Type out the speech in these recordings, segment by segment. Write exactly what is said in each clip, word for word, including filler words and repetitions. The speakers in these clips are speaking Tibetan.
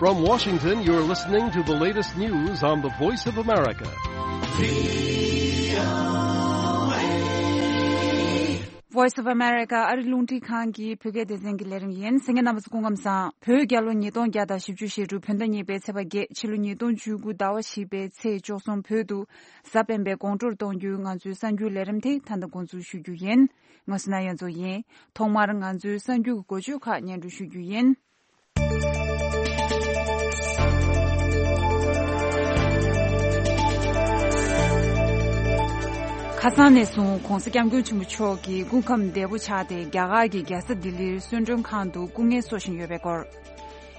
From Washington, you're listening to the latest news on the Voice of America. Voice of America ཨ་རི་རླུང་འཕྲིན་ཁང་གི་བོད་སྐད་སྡེ་ཚན་གྱི་ལས་རིམ་ཡིན། གསན་མཁན་རྣམ་པ་ཚོ་སྐུ་ཁམས་བཟང་། བོད་རྒྱལ་ལོ་ཉིས་སྟོང་བརྒྱ་དང་བཞི་བཅུ་ཞེ་དྲུག་བོད་ཟླ་གཉིས་པའི་ཚེས་པ་བརྒྱད། ཕྱི་ལོ་ཉིས་སྟོང་བཅུ་དགུ་ཟླ་བ་བཞི་པའི་ཚེས་བཅུ་གསུམ། བོད་དུ་གཟའ་སྤེན་པའི་དགོང་དྲོར་གཏོང་རྒྱུའི་ང་ཚོའི་གསར་འགྱུར་ལས་རིམ་དེ་ད་ལྟ་འགོ་འཛུགས་ཞུ་རྒྱུ་ཡིན། ང་སུ་ན་ཡོན་ཚོ་ཡིན། ཐོག་མར་ང་ཚོའི་གསར་འགྱུར་གྱི་འགོ་བརྗོད་ཁག་སྙན་སྒྲོན་ཞུ་རྒྱུ་ཡིན། ཁ་སང་ནས་བཟུང་༸གོང་ས་༸སྐྱབས་མགོན་ཆེན་པོ་མཆོག་གི་སྐུ་ཁམས་བདེ་པོ་ཆགས་ཏེ་རྒྱ་གར་གྱི་རྒྱལ་ས་ལྡི་ལིར་གསོལ་མགྲོན་ཁང་དུ་སྐུ་ངལ་གསོ་བཞིན་ཡོད་པའི་སྐོར།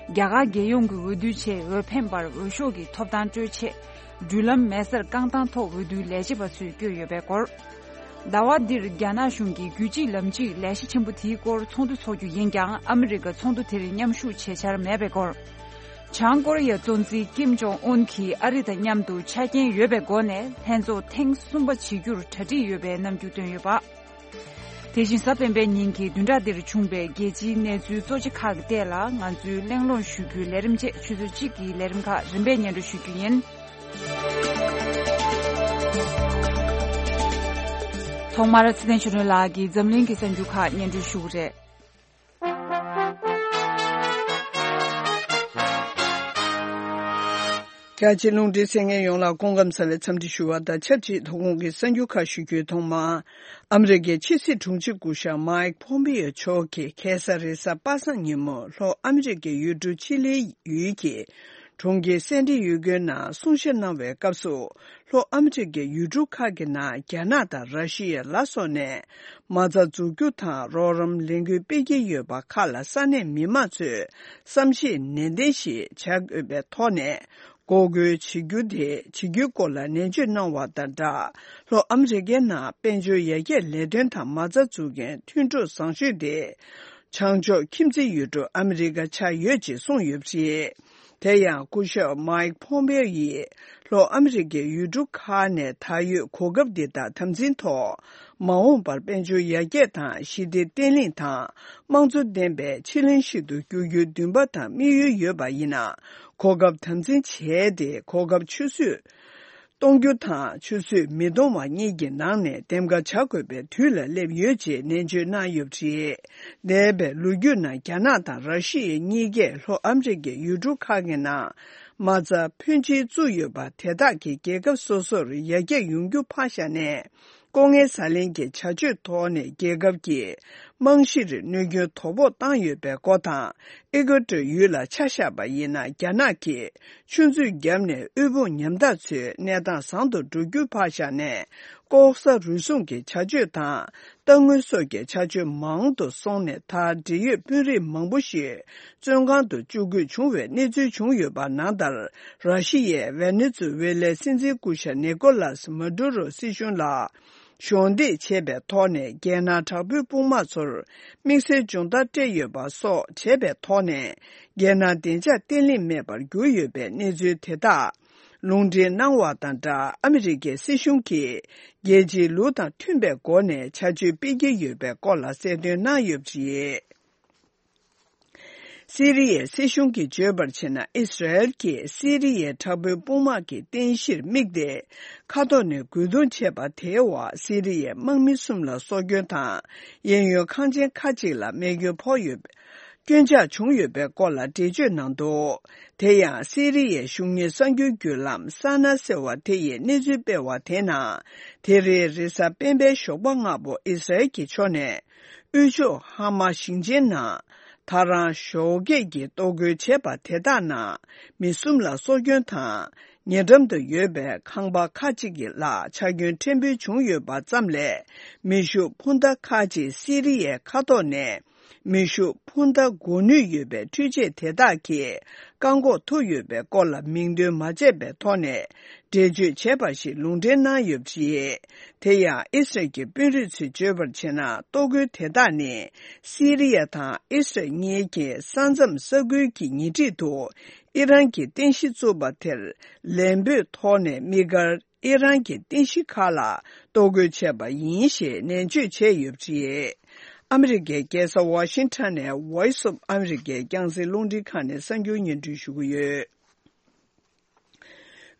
རྒྱ་གར་རྒྱལ་ཡོངས་ཀྱི་འོས་བསྡུའི་ཆེད་འོས་འཕེན་པར་འོས་ཤོག་གི་ཐོབ་ཐང་སྤྲོད་ཆེད། འགྲུལ་ལམ་མེ་སར་རྐང་ཐང་ཐོག་འོས་བསྡུའི་ལས་བྱེད་པ་ཚོས་བསྐྱོད་ཡོད་པའི་སྐོར། ཟླ་བ་འདིར་རྒྱ་ནག་གཞུང་གིས་རྒྱུད་གཅིག་ལམ་གཅིག་ལས་གཞི་ཆེན་པོ་དེའི་སྐོར་ཚོགས་འདུ་འཚོགས་རྒྱུ་ཡིན་ཀྱང་ཨ་མི་རི་ཀ་ཚོགས་འདུ་དེར་མཉམ་ཞུགས་བྱེད་འཆར་མེད་པའི་སྐོར། བྱང་ཀོ་རི་ཡའི་གཙོ་འཛིན་ཀིམ་ཇོང་ཨུན་གྱིས་ཨ་རི་དང་མཉམ་དུ་ཆ་རྐྱེན་ཡོད་པའི་སྒོ་ནས་ལྷན་ཚོགས་ཐེངས་གསུམ་པ་བྱེད་རྒྱུར་གྲ་སྒྲིག་ཡོད་པའི་རྣམ་འགྱུར་བཏོན་ཡོད་པ། དེ་བཞིན་གཟའ་སྤེན་པའི་ཉིན་གྱི་བདུན་ཕྲག་འདིར་བྱུང་བའི་རྒྱལ་སྤྱིའི་གནས་ཚུལ་གཙོ་ཆེ་ཁག་གི་ཐད་ལ་ང་ཚོས་གླེང་སློང་ཞུ་རྒྱུའི་ལས་རིམ་བཅས་ཆུ་ཚོད་གཅིག་གི་ལས་རིམ་ཁག་རིམ་པས་སྙན་སྒྲོན་ཞུ་རྒྱུ་ཡིན། ཐོག་མར་ཚེ་བརྟན་ཆོས་སྒྲོན་ལགས་ཀྱིས་འཛམ་གླིང་གི་གསར་འགྱུར་ཁག་སྙན་སྒྲོན་ཞུ་གི་རེད། རྒྱ་ཆེའི་རླུང་འཕྲིན་གསན་མཁན་ཡོངས་ལ་སྐུ་ཁམས་བཟང་བའི་འཚམས་འདྲི་ཞུ་བ་དང་ཆབས་ཅིག་ཐོག་ཁོངས་ཀྱི་གསར་འགྱུར་ཁག་ཞུ་རྒྱུའི་ཐོག་མ། ཨ་མི་རི་ཀའི་ཕྱི་སྲིད་དྲུང་ཆེ་སྐུ་ཞབས་མའིག་ཕོམ་པེ་ཡོ་མཆོག་གིས་ཁ་སང་རེས་གཟའ་པ་སངས་ཉིན་མོ་ལྷོ་ཨ་མི་རི་ཀའི་ཡུལ་གྲུ་ཆི་ལིའི་ཡུལ་གྱི་གྲོང་ཁྱེར་སན་ཏི་ཡུ་གོའི་ནང་གསུང་བཤད་གནང་བའི་སྐབས་སུ། ལྷོ་ཨ་མི་རི་ཀའི་ཡུལ་གྲུ་ཁག་གི་ནང་རྒྱ་ནག་དང་ར་ཤི་ཡ་ལ་སོགས་ནས་མ་རྩ་འཛུགས་རྒྱུ་དང་རོགས་རམ་ལས་འགུལ་སྤེལ་གྱི་ཡོད་པ་ཁག་ལ་ས་གནས་མི་མང་ཚོས་བསམ་ཤེས་ནན་ཏན་ཞིག་བྱ་དགོས་པའི་ཐོག་ནས་འགོག་རྒོལ་བྱེད་རྒྱུ་དེ་བྱེད་རྒྱུའི་སྐོར་ལ་ནན་བརྗོད་གནང་བ་དང་སྦྲགས། ལྷོ་ཨ་མི་རི་ཀའི་ནང་དཔལ་འབྱོར་ཡར་རྒྱས་ལས་དོན་དང་མ་རྩ་འཛུགས་མཁན་མཐུན་གྲོགས་བཟང་ཤོས་དེ། བྱང་ཕྱོགས་ཁྱིམ་མཚེས་ཡུལ་གྲུ་ཨ་མི་རི་ཀ་ཆགས་ཡོད་ཅེས་གསུངས་ཡོད་པ་རེད། དེ་ཡང་སྐུ་ཞབས་མའིག་ཕོམ་པེ་ཡིས་ལྷོ་ཨ་མི་རི་ཀའི་ཡུལ་གྲུ་ཁག་ནས་ད་ཡོད་གོ་སྐབས་འདི་དག་དམ་འཛིན་ཐོག་མ་འོངས་པར་དཔལ་འབྱོར་ཡར་རྒྱས་དང་ཞི་བདེ་བརྟན་ལྷིང་དང་དམངས་གཙོ་ལྡན་པའི་ཕྱི་གླིང་ཞིག་ཏུ་འགྱུར་རྒྱུའི་འདུན་པ་དང་དམིགས་ཡུལ་ཡོད་པ་ཡིན་ན། གོ་སྐབས་དམ་འཛིན་བྱས་ཏེ་གོ་སྐབས་ཆུད་ཟོས་གཏོང་རྒྱུ་དང་ཆུད་ཟོས་མི་གཏོང་བ་གཉིས་ཀྱི་ནང་ནས་འདེམས་ཀ་བྱ་དགོས་པའི་དུས་ལ་སླེབས་ཡོད་ཅེས་ནན་བརྗོད་གནང་ཡོད་པ་རེད། འདས་པའི་ལོ་རྒྱུས་ནང་རྒྱ་ནག་དང་ར་ཤི་ཡ་གཉིས་ཀས་ལྷོ་ཨ་མི་རི་ཀའི་ཡུལ་གྲུ་ཁག་གི་ནང་མ་རྩ་ཕོན་ཆེ་བཙུགས་ཡོད་པ་དེ་དག་གིས་རྒྱལ་ཁབ་སོ་སོར་ཡར་རྒྱས་ཡོང་རྒྱུ་ཕར་བཞག་ནས། ལྐོག་རྔན་ཟ་ལེན་གྱི་བྱ་སྤྱོད་ཐོག་ནས་རྒྱལ་ཁབ་ཀྱི་རྨང་གཞིར་གནོད་སྐྱོན་དོ་ཕོག་བཏང་ཡོད་པའི་སྐོར་དང་། ཨི་ཀོ་ཏོར་ཡུལ་ལ་ཆ་བཞག་པ་ཡིན་ན། རྒྱ་ནག་གིས་ཆུ་མཛོད་བརྒྱབ་ནས་དབུལ་ཕོངས་ཉམ་ཐག་ཚོའི་གནས་སྟངས་བཟང་དུ་འགྲོ་རྒྱུ་ཕར་བཞག་ནས། ལྐོག་ཟ་རུལ་སུངས་ཀྱི་བྱ་སྤྱོད་དང་། གཏའ་དངུལ་སོགས་ཀྱི་བྱ་སྤྱོད་མང་དུ་སོང་ནས། ད་འབྲེལ་ཡོད་དཔོན་རིགས་མང་པོ་ཞིག་བཙོན་ཁང་དུ་བཅུག་དགོས་བྱུང་བའི་གནས་ཚུལ་བྱུང་ཡོད་པ་ནང་ལྟར། ར་ཤི་ཡའི་ཝེ་ནེ་ཛུ་ཝེ་ལའི་སྲིད་འཛིན་སྐུ་ཞབས་ནི་ཀོ་ལཱས་མ་ཌུ་རོ་སྲིད་གཞུང་ལ་གཞོགས་འདེགས་བྱས་པའི་ཐོག་ནས། རྒྱལ་ནང་དྲག་པོའི་དཔུང་དམག་ཚོར་དམིགས་བསལ་སྦྱོང་བརྡར་སྤྲད་ཡོད་པ་སོགས་བྱས་པའི་ཐོག་ནས། རྒྱལ་ནང་བདེ་འཇགས་བརྟན་ལྷིང་མེད་པར་གྱུར་ཡོད་པའི་གནས་ཚུལ་དེ་དག་ལུང་འདྲེན་གནང་བ་དང་སྦྲགས། ཨ་མི་རི་ཀའི་སྲིད་གཞུང་གིས་རྒྱལ་སྤྱིའི་ལུགས་དང་མཐུན་པའི་སྒོ་ནས་བྱ་སྤྱོད་སྤེལ་གྱི་ཡོད་པའི་སྐོར་ལ་གསལ་སྟོན་གནང་ཡོད་པ་རེད། སི་རི་ཡའི་སྲིད་གཞུང་གིས་བརྗོད་པར་བྱས་ན། ཨི་སི་ར་ཨེལ་གྱིས་སི་རི་ཡའི་དྲག་པོའི་དཔུང་དམག་གི་རྟེན་གཞིར་དམིགས་ཏེ། མཁའ་ཐོག་ནས་རྒོལ་རྡུང་བྱས་པ་དེའི་འོག་སི་རི་ཡའི་དམག་མི་གསུམ་ལ་སྲོག་སྐྱོན་དང་། གཡས་གཡོན་ཁང་ཆེན་ཁག་ཅིག་ལ་རྨས་སྐྱོན་ཕོག་ཡོད། སྐྱོན་ཆག་བྱུང་ཡོད་པའི་སྐོར་ལ་འགྲེལ་བརྗོད་གནང་འདུག་དེ་ཡང་སི་རི་ཡའི་གཞུང་གཉེར་གསར་འགྱུར་བརྒྱུད་ལམ་སཱ་ན་ཟེར་བ་དེ་ཡིས་གནས་ཚུལ་སྤེལ་བ་དེའི་ནང་། དེ་རིང་རེས་གཟའ་སྤེན་པའི་ཞོགས་པ་སྔ་པོ་ཨི་སི་ར་ཨེལ་གྱི་ཕྱོགས་ནས། དབུས་ཕྱོགས་ཧ་མ་ཞིང་ཆེན་ནང་ད་རང་ཞོགས་ཀས་ཀྱི་གཏོར་རྒོལ་བྱས་པ་དེ་དག་ནང་མི་གསུམ་ལ་སྲོག་སྐྱོན་དང་། ཉེ་འགྲམ་དུ་ཡོད་པའི་ཁང་པ་ཁག་ཅིག་གི་ལ་ཆག་སྐྱོན་ཕྲན་བུ་བྱུང་ཡོད་པ་ཙམ་ལས། མེ་ཤུགས་འཕུར་མདའ་ཁག་ཅིག་སི་རི་ཡའི་མཁའ་ཐོག་ནས་མེ་ཤུགས་འཕུར་མདའ་འགོག་ནུས་ཡོད་པའི་འཕྲུལ་ཆས་དེ་དག་གིས་བཀག་འགོག་ཐུབ་ཡོད་པའི་སྐོར་ལ་མིང་འདོན་མ་བྱས་པའི་ཐོག་ནས། འགྲེལ་བརྗོད་བྱས་པ་ཞིག་ལུང་འདྲེན་གནང་ཡོད་པ་རེད། དེ་ཡང་ཨི་སི་རལ་གྱི་དཔོན་རིགས་ཚོས་བརྗོད་པར་བྱས་ན། གཏོར་རྒོལ་དེ་དག་ནི་སི་རི་ཡ་དང་ཨི་སི་རལ་གཉིས་ཀྱི་ས་མཚམས་ས་ཁུལ་གྱི་ཉེ་འཁྲིས་དུ་ཨི་རན་གྱི་རྟེན་གཞི་བཙུགས་པ་དེར་ལན་སྤོས་ཐོག་ནས་དམིགས་བཀར་ཨི་རན་གྱི་རྟེན་གཞི་ཁག་ལ་གཏོར་རྒོལ་བྱས་པ་ཡིན་ཞེས་ནན་བརྗོད་བྱས་ཡོད་པ་རེད། ཨ་མི་རི་ཀའི་རྒྱལ་ས་ཝ་ཤིང་ཊོན་ནས་Voice of America་རྒྱང་སྲིང་རླུང་འཕྲིན་ཁང་ནས་གསར་འགྱུར་སྙན་སྒྲོན་ཞུ་གི་ཡོད།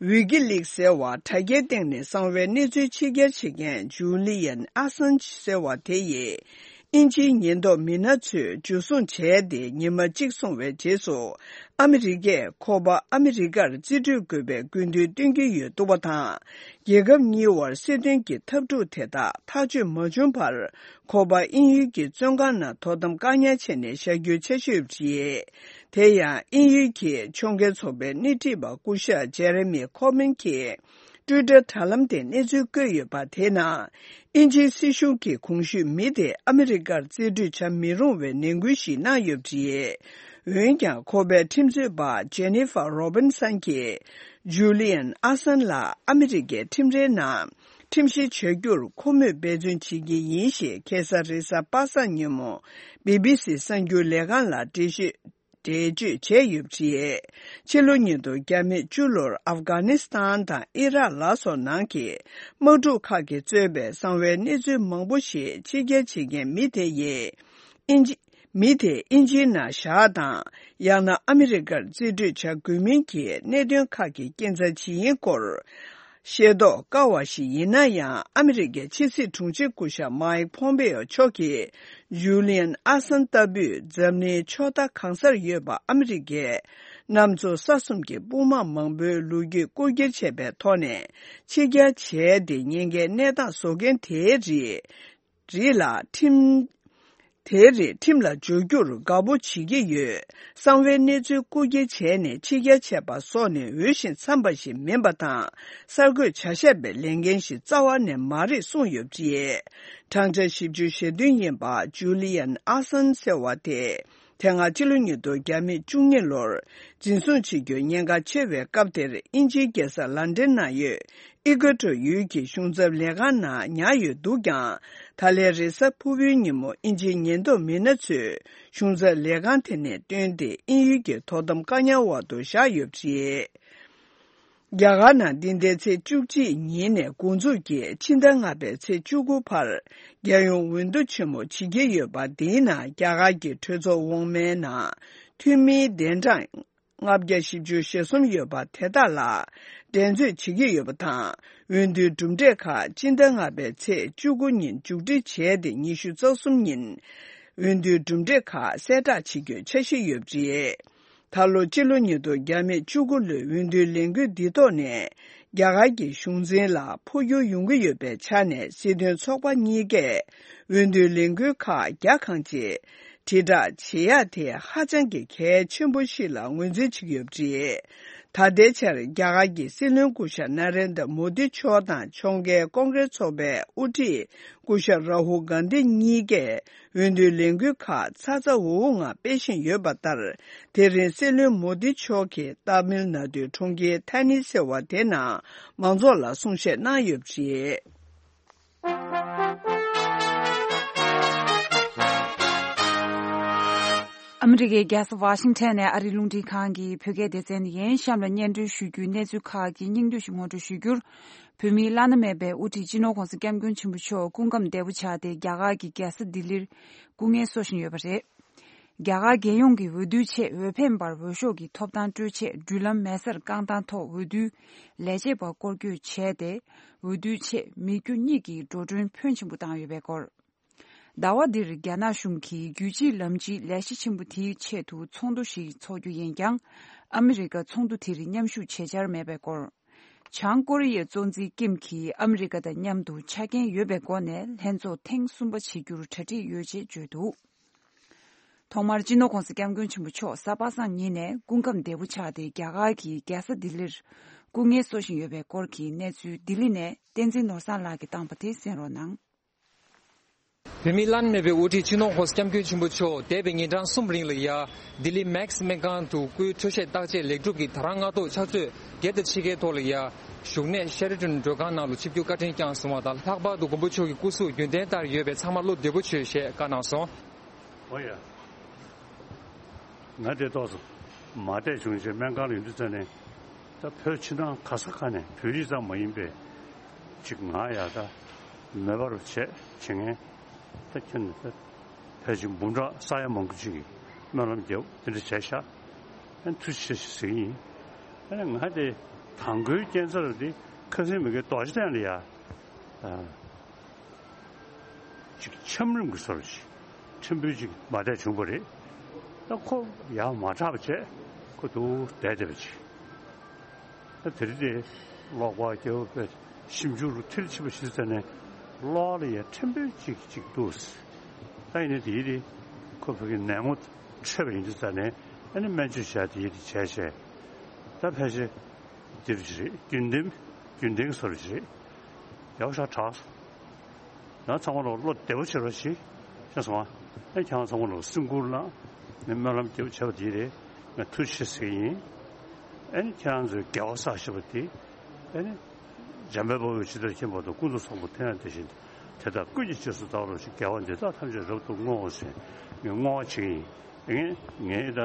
ཝི་ཀི་ལིག་ཟེར་བ་དྲ་རྒྱའི་སྟེང་ནས་གསང་བའི་གནས་ཚུལ་ཕྱི་གྱར་བྱེད་མཁན་ཇུ་ལི་ཡན་ཨ་སན་ཇི་ཟེར་བ་དེ་ཡིས། དབྱིན་ཇིའི་ཉེན་རྟོག་མི་སྣ་ཚོས་འཇུ་བཟུང་བྱས་ཏེ་ཉི་མ་གཅིག་སོང་བའི་རྗེས་སུ། ཨ་མི་རི་ཀས་ཁོ་པ་ཨ་མི་རི་ཀར་རྩིས་སྤྲོད་དགོས་པའི་དགོས་འདུན་བཏོན་གྱི་ཡོད་འདུག་པ་དང་། རྒྱལ་ཁབ་གཉིས་དབར་སྲིད་དོན་གྱི་འཐབ་འཁྲུག་དེ་དག་ཐག་གཅོད་མ་བྱུང་བར། ཁོ་པ་དབྱིན་ཡུལ་གྱི་བཙོན་ཁང་ནང་དོ་དམ་བཀག་ཉར་བྱས་ནས་བཞག་རྒྱུའི་འཆར་གཞི་ཡོད་པ་རེད། དེ་ཡང་དབྱིན་ཡུལ་གྱི་ཕྱོགས་འགལ་ཚོགས་པའི་སྣེ་ཁྲིད་པ་སྐུ་ཞབས་ཇེ་རེ་མི་ཁོ་མིན་གྱིས། ཊུའི་ཊར་དྲ་ལམ་དེ་གནས་ཚུལ་བཀོད་ཡོད་པ་དེའི་ནང་། དབྱིན་ཇིའི་སྲིད་གཞུང་གིས་གོང་ཞུས་མི་དེ་ཨ་མི་རི་ཀར་རྩིས་སྤྲོད་བྱ་མི་རུང་བའི་ནན་སྐུལ་ཞིག་གནང་ཡོད་པ་རེད། འོན་ཀྱང་ཁོ་པའི་ཁྲིམས་རྩོད་པ་ཇེ་ནི་ཧྥ་རོ་བིན་སན་གྱིས་ཇུ་ལི་ཡན་ཨ་སན་ལ་ཨ་མི་རི་ཀའི་ཁྲིམས་རའི་ནང་ཁྲིམས་བཤེར་བྱ་རྒྱུར་ཁོ་མོས་འབད་བརྩོན་བྱེད་ཀྱི་ཡིན་ཞེས་ཁ་སང་རེས་གཟའ་པ་སངས་ཉིན་མོ་བི་བི་སི་གསར་འགྱུར་ལས་ཁང་ལ་འགྲེལ་བཤད། འགྲེལ་བརྗོད་བྱས་ཡོད་པ་རེད། ཕྱི་ལོ་ཉིས་སྟོང་བརྒྱ་མེད་བཅུ་ལོར་ཨབ་གྷ་ནི་སི་ཐན་དང་ཨི་རག་ལ་སོགས་ནང་གི་དམག་འཁྲུག་ཁག་གིས་གཙོས་པའི་གསང་བའི་གནས་ཚུལ་མང་པོ་ཞིག་ཕྱི་གྱར་བྱེད་མཁན་མི་དེ་ཡིས། དབྱིན་ཇི། མི་དེ་དབྱིན་ཇིའི་ནང་བཞག་དང་། ཡང་ན་ཨ་མི་རི་ཀར་རྩིས་སྤྲོད་བྱ་དགོས་མིན་གྱི་གནད་དོན་ཁག་གི་སྐྱིན་ཚབ་ཇི་ཡིན་སྐོར། ཤེས་རྟོགས་དཀའ་བ་ཞིག་ཡིན་ན་ཡང་། ཨ་མི་རི་ཀའི་ཕྱི་སྲིད་དྲུང་ཆེ་སྐུ་ཞབས་མཱིག་ཕོམ་པེ་ཨོ་མཆོག་གིས་ཇུ་ལི་ཡན་ཨ་སན་ལྟ་བུས་འཛམ་གླིང་ཕྱོགས་མཐའ་གང་སར་ཡོད་པ་ཨ་མི་རི་ཀའི་གནམ་མཚོ་ས་གསུམ་གྱི་དཔུང་དམག་མང་པོའི་ལོ་རྒྱུས་རྐུ་འཁྱེར་བྱས་པའི་ཐོག་ནས་ཕྱི་གྱར་བྱས་ཏེ་ཉེན་ཁའི་གནས་སྟངས་བཟོ་མཁན་དེའི་རིགས། རིགས་ལ་ཁྲིམས། དེའི་རིགས་ཁྲིམས་ལ་སྦྱོར་རྒྱུར་དགའ་པོ་བྱེད་ཀྱི་ཡོད། གསང་བའི་གནས་ཚུལ་རྐུ་འཁྱེར་བྱས་ནས་ཕྱི་གྱར་བྱས་པ་སོགས་ནི་འོས་ཤིང་འཚམས་པ་ཞིག་མིན་པ་དང་། གསར་འགོད་བྱ་བཞག་པའི་ལས་འགན་ཞིག་རྩ་བ་ནས་མ་རེད་གསུངས་ཡོད་པ་རེད། བགྲང་བྱ་བཞི་བཅུ་ཞེ་བདུན་ཡིན་པ་ཇུ་ལི་ཡན་ཨ་སན་ཟེར་བ་དེ། དེ་སྔ་ཕྱི་ལོ་ཉིས་སྟོང་བརྒྱ་མེད་བཅུ་གཉིས་ལོར་འཛིན་བཟུང་བྱེད་རྒྱུའི་ཉེན་ཁ་ཆེ་བའི་སྐབས་དེར་དབྱིན་ཇིའི་རྒྱལ་ས་ལན་ཌན་ནང་ཡོད། ཨི་ཀོ་ཊོ་ཡུལ་གྱི་གཞུང་ཚབ་ལས་ཁང་ནང་ཉར་ཡོད་འདུག་ཀྱང་། ད་ལན་རེས་གཟའ་ཕུར་བུའི་ཉིན་མོ་དབྱིན་ཇིའི་ཉེན་རྟོག་མི་སྣ་ཚོས་གཞུང་ཚབ་ལས་ཁང་དེ་ནས་བཏོན་ཏེ་དབྱིན་ཡུལ་གྱི་དོ་དམ་བཀག་ཉར་འོག་ཏུ་བཞག་ཡོད་པ་རེད། རྒྱ་གར་ནང་འདི་ཟླའི་ཚེས་བཅུ་གཅིག་ཉིན་ནས་འགོ་འཛུགས་ཀྱིས་ཕྱི་ཟླ་ལྔ་པའི་ཚེས་བཅུ་དགུ་བར་རྒྱལ་ཡོངས་འོས་བསྡུ་ཆེན་མོ་བྱེད་ཀྱི་ཡོད་པ་འདིའི་ནང་རྒྱ་གར་གྱི་གྲོས་ཚོགས་འོག་མའི་ནང་འཐུས་མིའི་གདན་གྲངས། ལྔ་བརྒྱ་བཞི་བཅུ་ཞེ་གསུམ་ཡོད་པ་དེ་དག་ལ་འགྲན་རྩོད་བྱེད་ཀྱི་ཡོད་པ་དང་། འོས་བསྡུའི་གྲུབ་འབྲས་ཁག་སྤྱི་ཟླ་ལྔ་པའི་ཚེས་བཅུ་དགུ་ཉིན་མཇུག་སྒྲིལ་བྱས་ཏེ། ཉི་ཤུ་རྩ་གསུམ་ཉིན་འོས་བསྡུའི་གྲུབ་འབྲས་ཁག་གསལ་བསྒྲགས་བྱེད་རྒྱུའི་འཆར་གཞི་ཡོད་པ་རེད། ད་ལོ་སྤྱི་ལོ་ཉིས་སྟོང་བརྒྱ་མེད་བཅུ་དགུ་ལོའི་འོས་བསྡུའི་ལས་འགུལ་འདི་ཐོག་ནས་རྒྱ་གར་གྱི་གཞུང་འཛིན་ལ་འཕོ་འགྱུར་ཡོང་གི་ཡོད་པའི་ཆ་ནས། སྲིད་དོན་ཚོགས་པ་གཉིས་ཀས་འོས་བསྡུའི་ལས་འགུལ་ཁག་རྒྱ་གང་ཆེ། དྲིལ་བསྒྲགས་བྱེད་ཡག་དེ་ཧ་ཅང་གི་གལ་ཆེན་པོ་ཞིག་ལ་ངོས་འཛིན་བྱེད་ཀྱི་ཡོད་པ་རེད། ད་ལྟའི་ཆར་རྒྱ་གར་གྱི་སྲིད་བློན་སྐུ་ཞབས་ན་རེན་དྲ་མོ་དི་མཆོག་དང་ཕྱོགས་འགལ་ཀོང་ཀྲེས་ཚོགས་པའི་དབུ་ཁྲིད་སྐུ་ཞབས་རཱ་ཧུལ་གྷན་དྷི་གཉིས་ཀས་འོས་བསྡུའི་ལས་འགུལ་ཁག་ཚ་ཚ་འུར་འུར་ངང་སྤེལ་བཞིན་ཡོད་པ་ལྟར། དེ་རིང་སྲིད་བློན་མོ་དི་མཆོག་གིས་ཏཱ་མིལ་ནཱ་ཌུའི་གྲོང་ཁྱེར་ཐེ་ནི་ཟེར་བ་དེ་ནང་མང་ཚོགས་ལ་གསུང་བཤད་གནང་ཡོད་པ་རེད། ཨ་མི་རི་ཀའི་རྒྱལ་ས་ཝ་ཤིང་ཊོན་ནས་ཨ་རིའི་རླུང་འཕྲིན་ཁང་གི་བོད་སྐད་སྡེ་ཚན་ཡིན། གཤམ་ལ་སྙན་སྒྲོན་ཞུ་རྒྱུའི་གནས་ཚུལ་ཁག་གི་སྙིང་བསྡུས་ཤིག་ངོ་སྤྲོད་ཞུ་རྒྱུར། བོད་མིའི་བླ་ན་མེད་པའི་དབུ་ཁྲིད་སྤྱི་ནོར་༧གོང་ས་༧སྐྱབས་མགོན་ཆེན་པོ་མཆོག་སྐུ་ཁམས་བདེ་པོ་ཆགས་ཏེ། རྒྱ་གར་གྱི་རྒྱལ་ས་ལྡི་ལིར་སྐུ་ངལ་གསོ་བཞིན་ཡོད་པ་རེད། རྒྱ་གར་རྒྱལ་ཡོངས་ཀྱི་འོས་བསྡུའི་ཆེད་འོས་འཕེན་པར་འོས་ཤོག་གི་ཐོབ་ཐང་སྤྲོད་ཆེད་འགྲུལ་ལམ་མེ་སར་རྐང་ཐང་ཐོག་འོས་བསྡུའི་ལས་བྱེད་པ་སྐོར་སྐྱོད་བྱས་ཏེ། འོས་བསྡུའི་ཆེད་མི་རྒྱུ་གཉིས་ཀྱི་འགྲོ་གྲོན་ཕོན་ཆེན་པོ་བཏང་ཡོད་པའི་སྐོར། ཟླ་བ་འདིར་རྒྱ་ནག་གཞུང་གིས་རྒྱུད་གཅིག་ལམ་གཅིག་ལས་གཞི་ཆེན་པོ་དེའི་ཆེད་དུ་ཚོགས་འདུ་ཞིག་འཚོགས་རྒྱུ་ཡིན་ཀྱང་། ཨ་མི་རི་ཀ་ཚོགས་འདུ་དེར་མཉམ་ཞུགས་བྱེད་འཆར་མེད་པའི་སྐོར། བྱང་ཀོ་རི་ཡའི་གཙོ་འཛིན་ཀིམ་གྱིས་ཨ་མི་རི་ཀ་དང་མཉམ་དུ་ཆ་རྐྱེན་ཡོད་པའི་སྒོ་ནས་ལྷན་ཚོགས་ཐེངས་གསུམ་པ་བྱེད་རྒྱུར་གྲ་སྒྲིག་ཡོད་ཅེས་བརྗོད་འདུག་ཐོག་མར་སྤྱི་ནོར་༧གོང་ས་༧སྐྱབས་མགོན་ཆེན་པོ་མཆོག་གཟའ་པ་སངས་ཉིན་ནས་སྐུ་ཁམས་བདེ་པོ་ཆགས་ཏེ། རྒྱ་གར་གྱི་རྒྱལ་ས་ལྡི་ལིར་སྐུ་ངལ་གསོ་བཞིན་ཡོད་པའི་སྐོར་གྱི་གནས་ཚུལ། ལྡི་ལི་ནས་བསྟན་འཛིན་ནོར་བཟང་ལགས་ཀྱིས་བཏང་པ་དེ་གསན་རོགས་གནང་། བོད་མིའི་བླ་ན་མེད་པའི་དབུ་ཁྲིད་སྤྱི་ནོར་༧གོང་ས་༧སྐྱབས་མགོན་ཆེན་པོ་མཆོག་འདས་པའི་ཉིན་གྲངས་གསུམ་རིང་ལ་ཡ། ལྡི་ལི་མེག་སྨན་ཁང་དུ་སྐུའི་འཕྲོ་བཤད་བརྟག་དཔྱད་ལེགས་གྲུབ་ཀྱིས་ད་རང་སྔ་ཐོག་ཕྱག་ཚོད་བརྒྱད་དང་ཕྱེད་ཀའི་ཐོག་ལ་ཡ། བཞུགས་གནས་ཤེ་ར་ཊོན་མགྲོན་ཁང་ནང་ལ་ཆིབས་བསྒྱུར་བཀའ་དྲིན་བསྐྱངས་སོང་བ་དང་། ལྷག་པར་དུ་མགོན་པོ་མཆོག་གི་སྐུ་གཟུགས་རྒྱུན་ལྡན་ལྟར་ཡོད་པས་ཚང་མ་བློ་བདེ་པོ་བྱོས་ཞེས་བཀའ་གནང་སོང་། ཨོ་ཡ། ང་དེ་ཏོག་ཙམ་མ་བདེ་བྱུང་བྱས་སྨན་ཁང་ལ་ཡོང་དུས་ཙ་ནས། ད་བོད་ཕྱི་ནང་ག་ས་ག་ནས་བོད་རིགས་ཙམ་མ་ཡིན་པའི་ཅིག་ང་ཡ་ད་མེད་པར་བྱས་བྱེད་མཁན་ད་ཁྱོན་ནས་ད་ ཕལ་ཆེར་འབུམ་ཕྲག་ས་ཡ་མང་པོ་ཅིག་གིས་སྨོན་ལམ་བརྒྱབ་དེ་འདྲ་བྱས་ཤག་ཨ་ནི་ཐུགས་རྗེ་ཆེ་ཞེས་ཟེར་གྱི་ཡིན། ཨ་ནི་ང་དེ་དང་པོའི་རྐྱེན་རྩ་རུ་དེ་ཁ་སང་མི་དགེ་རྡོ་རྗེ་གདན་ལ་ཡ། ཅིག་འཆམ་རིམ་གྱི་བཟོ་འདྲ་ཞིག་ཕྲན་བུ་ཅིག་མ་བསྡད་བྱུང་བ་རེད། ད་ཁོ་ཡར་མ་དྲག་པ་བྱས་ཁོ་འདུག་བསྡད་བསྡད་པ་ཅིག་ད་དེ་རིང་དེ་ཀློག་པ་རྒྱབ་པའི་ཞིབ་འཇུག་རུ་མཐིལ་ཕྱིན་པ་ཞིག་ཙམ་ནས་ཀློག་ལ་ཡ་ཕྲན་བུ་ཅིག་ཅིག་འདུག་ད་ཡིན་ནའི་དེ་ཡིན་དེ་ཁོ་ཕ་གི་ནད་ངོ་འཕྲད་པ་ཡིན་དུས་ཙམ་ནས་ཨ་ནི་སྨན་བཅོས་བྱས་དེ་ཡིན་དེ་བྱས་བྱས་ད་ཕལ་ཆེར་འདིར་རེད། རྒྱུན་ལྡན་རྒྱུན་ལྡན་བཟོ་འདྲ་རེད། ཡག་ཤག་དྲག་ང་ཚང་མ་ལོ་བློ་བདེ་པོ་བྱེད་རོགས་བྱེད། ཤེས་སོང་ཨ། ཨེ་ཁྱེད་རང་ཚང་མ་ལོ་སེམས་ཁུར་བླངས་ནས་སྨོན་ལམ་རྒྱབ་བྱས་པ་དེ་རེད། ང་ཐུགས་རྗེ་ཆེ་ཟེར་གྱི་ཡིན། ཨེ་ནི་ཁྱེད་རང་ཚོའི་དགེ་བ་བསགས་ཤེས་པ་དེ་ཨེ་ནི་འཇམ་དཔལ་དཔའ་བོས་ཇི་ལྟར་མཁྱེན་པ་དང་ཀུན་ཏུ་བཟང་པོ་ཐོས་ཡང་དེ་བཞིན་དེ་ལྟར་ཀུན་གྱི་རྗེས་སུ་བདག་སློབ་ཅིང་། དགེ་བ་འདི་དག་ཐམས་ཅད་རབ་ཏུ་བསྔོའོ་ཞེས་ངས་བསྔོ་བ་བྱེད་ཀྱི་ཡིན། ངས་ངས་ད་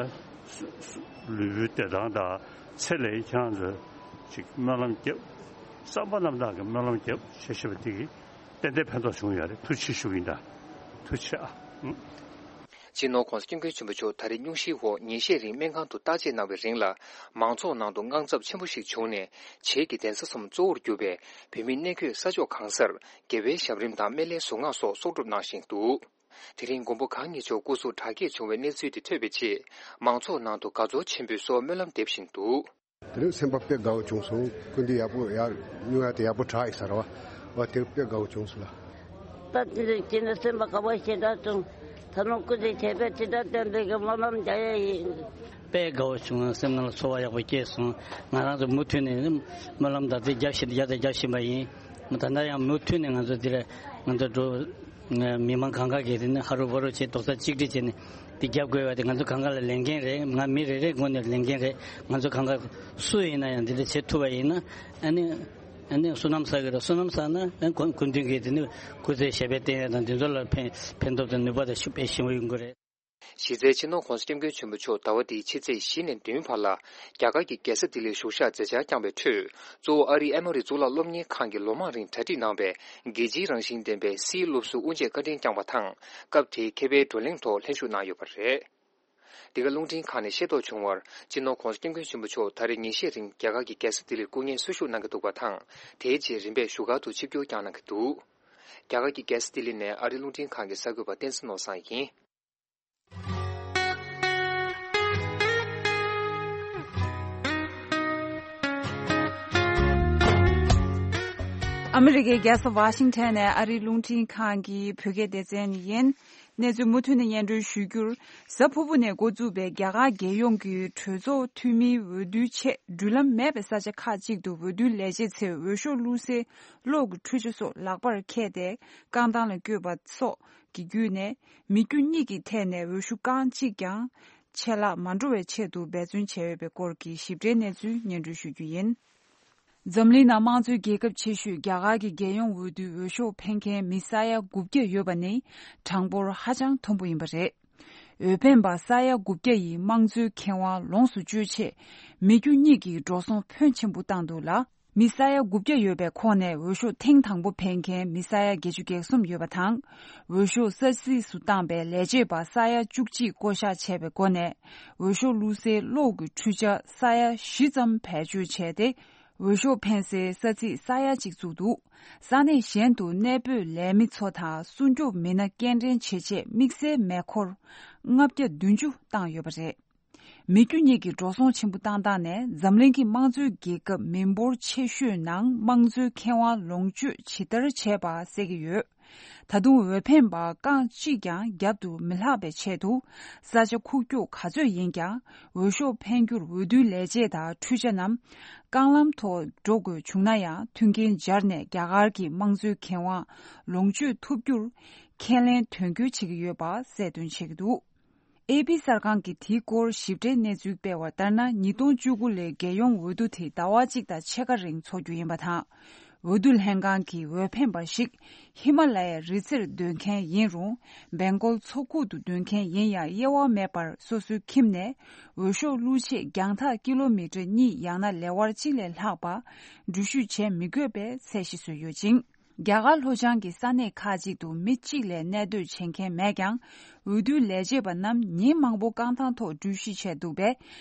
ལུས་པོའི་བདེ་ཐང་དང་ཚེ་ལས་ཁྱེད་རང་ཚོས་ཅིག་སྨོན་ལམ་རྒྱབ། བསམ་པ་རྣམ་དག་གིས་སྨོན་ལམ་རྒྱབ་བྱས་ཤེས་པ་དེ་གིས། ཏན་ཏན་ཕན་ཐོགས་བྱུང་ཡོད་རེད། ཐུགས་རྗེ་ཆེ་ཞུ་གི་ཡིན་ད། ཐུགས་རྗེ་ཆེ་ཨ། སྤྱི་ནོར་༸གོང་ས་༸སྐྱབས་མགོན་ཆེན་པོ་མཆོག་ད་རེས་སྙུང་གཞིའི་འོག་ཉིན་ཤས་རིང་སྨན་ཁང་དུ་བརྟག་དཔྱད་གནང་བའི་རིང་ལ། མང་ཚོགས་ནང་དུ་དངངས་འཚབ་ཆེན་པོ་ཞིག་བྱུང་ནས། བྱེས་ཀྱི་གདན་ས་གསུམ་གཙོ་བོར་གྱུར་པའི་བོད་མིའི་གནས་བསྐོས་ས་ཕྱོགས་གང་སར་དགེ་བའི་ཞབས་རིམ་དང་སྨན་བླའི་གཟུངས་སྔགས་སོགས་གསོག་སྒྲུབ་གནང་བཞིན་འདུག་དེ་རིང་མགོན་པོ་གང་ཉིད་མཆོག་སྐུ་གཟུགས་དྲག་སྐྱེད་བྱུང་བའི་གནས་ཚུལ་དེ་ཐོས་པའི་རྗེས། མང་ཚོགས་ནང་དུ་དགའ་ཚོར་ཆེན་པོས་གསོལ་བ་སྨོན་ལམ་འདེབས་བཞིན་འདུག་དེ་རིང་སེམས་པ་དཔེ་དགའ་བོ་བྱུང་སོང་། སྐུ་མདུན་ཡག་པོ་ཡར་སྙུང་ཡག་དེ་ཡག་པོ་དྲག་ཡིན་ས་རེད་བ། བ་དེ་དཔེ་དགའ་བོ་བྱུང་སོང་ལ། ད་དེ་རིང་ཁྱེད་ནི་སེམས་པ་དགའ་བོ་ཞེ་དྲག་བྱུང་། ད་ནང་སྐུ་མདུན་བྱས་པའི་དྲི་བྲལ་བསྟན་པའི་གི་སྨོན་ལམ་རྒྱག་ཡ་ཡིན། དཔེ་དགའ་བོ་བྱུང་། སེམས་ནང་ལ་ཚོར་བ་ཡག་པོ་སྐྱེས་སོང་། ང་རང་ཚོ་མུ་མཐུད་ནས་སྨོན་ལམ་དང་དེ་རྒྱབ་བཞིན་རྒྱབ་དང་རྒྱབ་བཞིན་པ་ཡིན། ད་ལྟ་ཡང་མུ་མཐུད་ནས་ང་ཚོ་འདིར་ང་ཚོ་འགྲོ། མི་མང་གང་ག་གིས་དེ་ནི་ཧ་རུ་བ་རུ་བྱས་རྡོག་རྩ་གཅིག་སྒྲིལ་བྱས་ནས་འདི་རྒྱབ་དགོས་པ་དེ་ང་ཚོ་གང་ག་ལ་ལས་འགན་རེད། ང་མི་རེ་རེའི་ངོས་ནས་ལས་འགན་རེད། ང་ཚོ་གང་ག་སུ་ཡིན་ན་ཡང་འདི་འདྲ་བྱེད་ཐུབ་པ་ཡིན་ན་ཨ་ནི་ཨ་ནི་བསོད་ནམས་བསགས་ཀྱི་རེད། བསོད་ནམས་བསགས་ན་ཨ་ནི་སྐུ་མདུན་གྱིས་དེ་ནི་སྐུ་ཚེ་ཞབས་པད་བརྟན་ཡ་དང་འདི་ཚོ་ལ་ཕན་ཕན་ཐོགས་དང་ནུས་པ་དང་ཤུགས་དཔེ་ཞིམ་པོ་ཡོང་གི་རེད། གཞི་རྩའི་སྤྱི་ནོར་༸གོང་ས་༸སྐྱབས་མགོན་ཆེན་པོ་མཆོག་ཟླ་བ་འདིའི་ཕྱི་ཚེས་བཞི་ནས་བདུན་བར་ལ་རྒྱ་གར་གྱི་རྒྱལ་ས་ལྡི་ལིར་བཞུགས་ཞག་མཛད་འཆར་བསྐྱངས་པའི་ཁྲོད། གཙོ་བོ་ཨ་རིའི་ཨེ་མོ་རི་གཙུག་ལག་སློབ་གཉེར་ཁང་གིས་ལོ་མང་རིང་གྲ་སྒྲིག་གནང་བའི་རྒྱལ་སྤྱིའི་རང་བཞིན་ལྡན་པའི་སིའི་སློབ་ཟུར་དབུ་འབྱེད་བཀའ་དྲིན་བསྐྱངས་པ་དང་། སྐབས་དེའི་མཁས་པའི་བགྲོ་གླེང་ཐོག་ལྷན་ཞུགས་གནང་ཡོད་པ་རེད། འདི་ག་རླུང་འཕྲིན་ཁང་ནས་ཤེས་རྟོགས་བྱུང་བར། སྤྱི་ནོར་༸གོང་ས་༸སྐྱབས་མགོན་ཆེན་པོ་མཆོག་ད་རེས་ཉིན་ཤས་རིང་རྒྱ་གར་གྱི་རྒྱལ་ས་ལྡི་ལིར་སྐུ་ངལ་གསོ་བཞུགས་གནང་གི་འདུག་པ་དང་། དེའི་རྗེས་རིམ་པས་བཞུགས་སྒར་དུ་ཆིབས་བསྒྱུར་བསྐྱངས་གནང་གི་འདུག་རྒྱ་གར་གྱི་རྒྱལ་ས་ལྡི་ལི་ནས་ཨ་རིའི་རླུང་འཕྲིན་ཁང་གི་གསར་འགོད་པ་བསྟན་འཛིན་ནོར་བཟང་ཡིན། ཨ་མི་རི་ཀའི་རྒྱལ་ས་ཝ་ཤིང་ཊོན་ནས་ཨ་རིའི་རླུང་འཕྲིན་ཁང་གི་བོད་སྐད་སྡེ་ཚན་ཡིན། གནས་ཚུལ་མུ་མཐུད་ནས་སྙན་སྒྲོན་ཞུ་རྒྱུར། གཟའ་ཕུར་བུ་ནས་འགོ་བཙུགས་པའི་རྒྱ་གར་རྒྱལ་ཡོངས་ཀྱི་གྲོས་ཚོགས་འཐུས་མིའི་འོས་བསྡུའི་ཆེད་འགྲུལ་ལམ་མེད་པའི་ས་ཆ་ཁག་ཅིག་ཏུ་འོས་བསྡུའི་ལས་བྱེད་ཚོས་འོས་ཤོག་བླུགས་སའི་གློག་གི་འཕྲུལ་ཆ་སོགས་ལག་པར་འཁྱེར་ཏེ་རྐང་ཐང་ལ་བསྐྱོད་པ་སོགས་ཀྱི་བརྒྱུད་ནས་མི་རྒྱུ་གཉིས་ཀྱི་ཐད་ནས་འོས་ཤོག་རྐང་གཅིག་ཀྱང་ཆད་ལྷག་མ་འགྲོ་བའི་ཆེད་དུ་འབད་བརྩོན་བྱས་ཡོད་པའི་སྐོར་གྱི་ཞིབ་ཕྲའི་གནས་ཚུལ་སྙན་སྒྲོན་ཞུ་རྒྱུ་ཡིན། འཛམ་གླིང་ནང་དམངས་གཙོའི་རྒྱལ་ཁབ་ཆེ་ཤོས་རྒྱ་གར་གྱི་རྒྱལ་ཡོངས་འོས་བསྡུའི་འོས་ཤོག་འཕེན་མཁན་མི་ས་ཡ་དགུ་བརྒྱ་ཡོད་པ་ནི་གྲངས་འབོར་ཧ་ཅང་མཐོན་པོ་ཡིན་པ་རེད། འོས་འཕེན་པ་ས་ཡ་དགུ་བརྒྱ་ཡིས་དམངས་གཙོའི་ཁེ་དབང་ལོངས་སུ་སྤྱོད་ཆེད་མི་རྒྱུ་གཉིས་ཀྱིས་འགྲོ་སོང་ཕོན་ཆེན་པོ་བཏང་འདུག་ལ། མི་ས་ཡ་དགུ་བརྒྱ་ཡོད་པའི་ཁོངས་ནས་འོས་ཤོག་ཐེངས་དང་པོ་འཕེན་མཁན་མི་ས་ཡ་བརྒྱད་ཅུ་གྱ་གསུམ་ཡོད་པ་དང་། འོས་ཤོག་ས་ཚིགས་སུ་བཏང་པའི་ལས་བྱེད་པ་ས་ཡ་བཅུ་གཅིག་བསྐོ་གཞག་བྱས་པའི་སྒོ་ནས་འོས་ཤོག་བླུགས་སའི་གློག་གི་འཕྲུལ་ཆ་ས་ཡ་བཞི་ཙམ་བེད་སྤྱོད་བྱས་ཏེ། འོས་ཤོག་འཕེན་སའི་ས་ཚིགས་ས་ཡ་གཅིག་བཙུགས་འདུག་ས་གནས་གཞན་དུ་གནས་སྤོས་ལས་མི་ཚོ་དང་སྲུང་སྐྱོབ་མི་སྣ་སྐྱེལ་འདྲེན་བྱེད་ཆེད་དམིགས་བསལ་མེ་འཁོར་ལྔ་བརྒྱ་བདུན་ཅུ་བཏང་ཡོད་པ་རེད། མི་རྒྱུ་གཉིས་ཀྱི་འགྲོ་སོང་ཆེན་པོ་བཏང་སྟངས་ནས་འཛམ་གླིང་གི་དམངས་གཙོའི་རྒྱལ་ཁབ་མི་འབོར་ཆེ་ཤོས་ནང་དམངས་གཙོའི་ཁེ་དབང་ལོངས་སྤྱོད་ཇི་ལྟར་བྱས་པ་གསལ་གྱི་ཡོད། ད་དུང་འོས་འཕེན་པ་རྐང་གཅིག་ཀྱང་རྒྱབ་ཏུ་མི་ལྷག་པའི་ཆེད་དུ་ས་ཆ་ཁུག་ཀྱོག་ག་ཚོད་ཡིན་ཀྱང་འོས་ཤོག་འཕེན་རྒྱུར་འོས་བསྡུའི་ལས་བྱེད་དང་འཕྲུལ་ཆ་རྣམས་རྐང་ལམ་ཐོག་འགྲོ་དགོས་བྱུང་ན་ཡང་མཐུན་རྐྱེན་སྦྱར་ནས་རྒྱ་གར་གྱི་དམངས་གཙོའི་ཁེ་དབང་ལོངས་སྤྱོད་ཐུབ་རྒྱུར་ཁས་ལེན་དོན་འཁྱོལ་བྱེད་ཀྱི་ཡོད་པ་གསལ་སྟོན་བྱེད་ཀྱི་འདུག་ཨེ་པི་གསར་ཁང་གིས་དེའི་སྐོར་ཞིབ་ཕྲའི་གནས་ཚུལ་སྤེལ་བ་ལྟར་ན། ཉིས་སྟོང་བཅུ་དགུ་ལོའི་རྒྱལ་ཡོངས་འོས་བསྡུ་དེ་ཟླ་བ་གཅིག་དང་ཕྱེད་ཀ་རིང་འཚོགས་རྒྱུ་ཡིན་པ་དང་། འོས་བསྡུ་ལྷན་ཁང་གི་འོས་འཕེན་པ་ཞིག་ཧི་མ་ལ་ཡའི་རི་རྩེར་སྡོད་མཁན་ཡིན་རུང་། སྦེང་གོལ་མཚོ་ཁུག་ཏུ་སྡོད་མཁན་ཡིན་ཡང་དབྱེ་བ་མེད་པར་སོ་སོའི་ཁྱིམ་ནས་འོས་ཤོག་བླུག་ཆེད་རྒྱང་ཐག་ཀི་ལོ་མི་ཊར་གཉིས་ཡང་ན་ལེ་དབར་གཅིག་ལས་ལྷག་པ་འགྲུལ་བཞུད་བྱེད་མི་དགོས་པའི་ཚད་གཞི་བཟོས་ཡོད་ཅིང་། རྒྱ་གར་ལྷོ་བྱང་གི་ས་གནས་ཁག་ཅིག་ཏུ་མི་གཅིག་ལས་གནས་སྡོད་བྱེད་མཁན་མེད་ཀྱང་། འོས་བསྡུ་ལས་བྱེད་པ་རྣམས་ཉིན་མང་པོ་རྐང་ཐང་ཐོག་འགྲུལ་བཞུད་བྱས་འདུག་པས།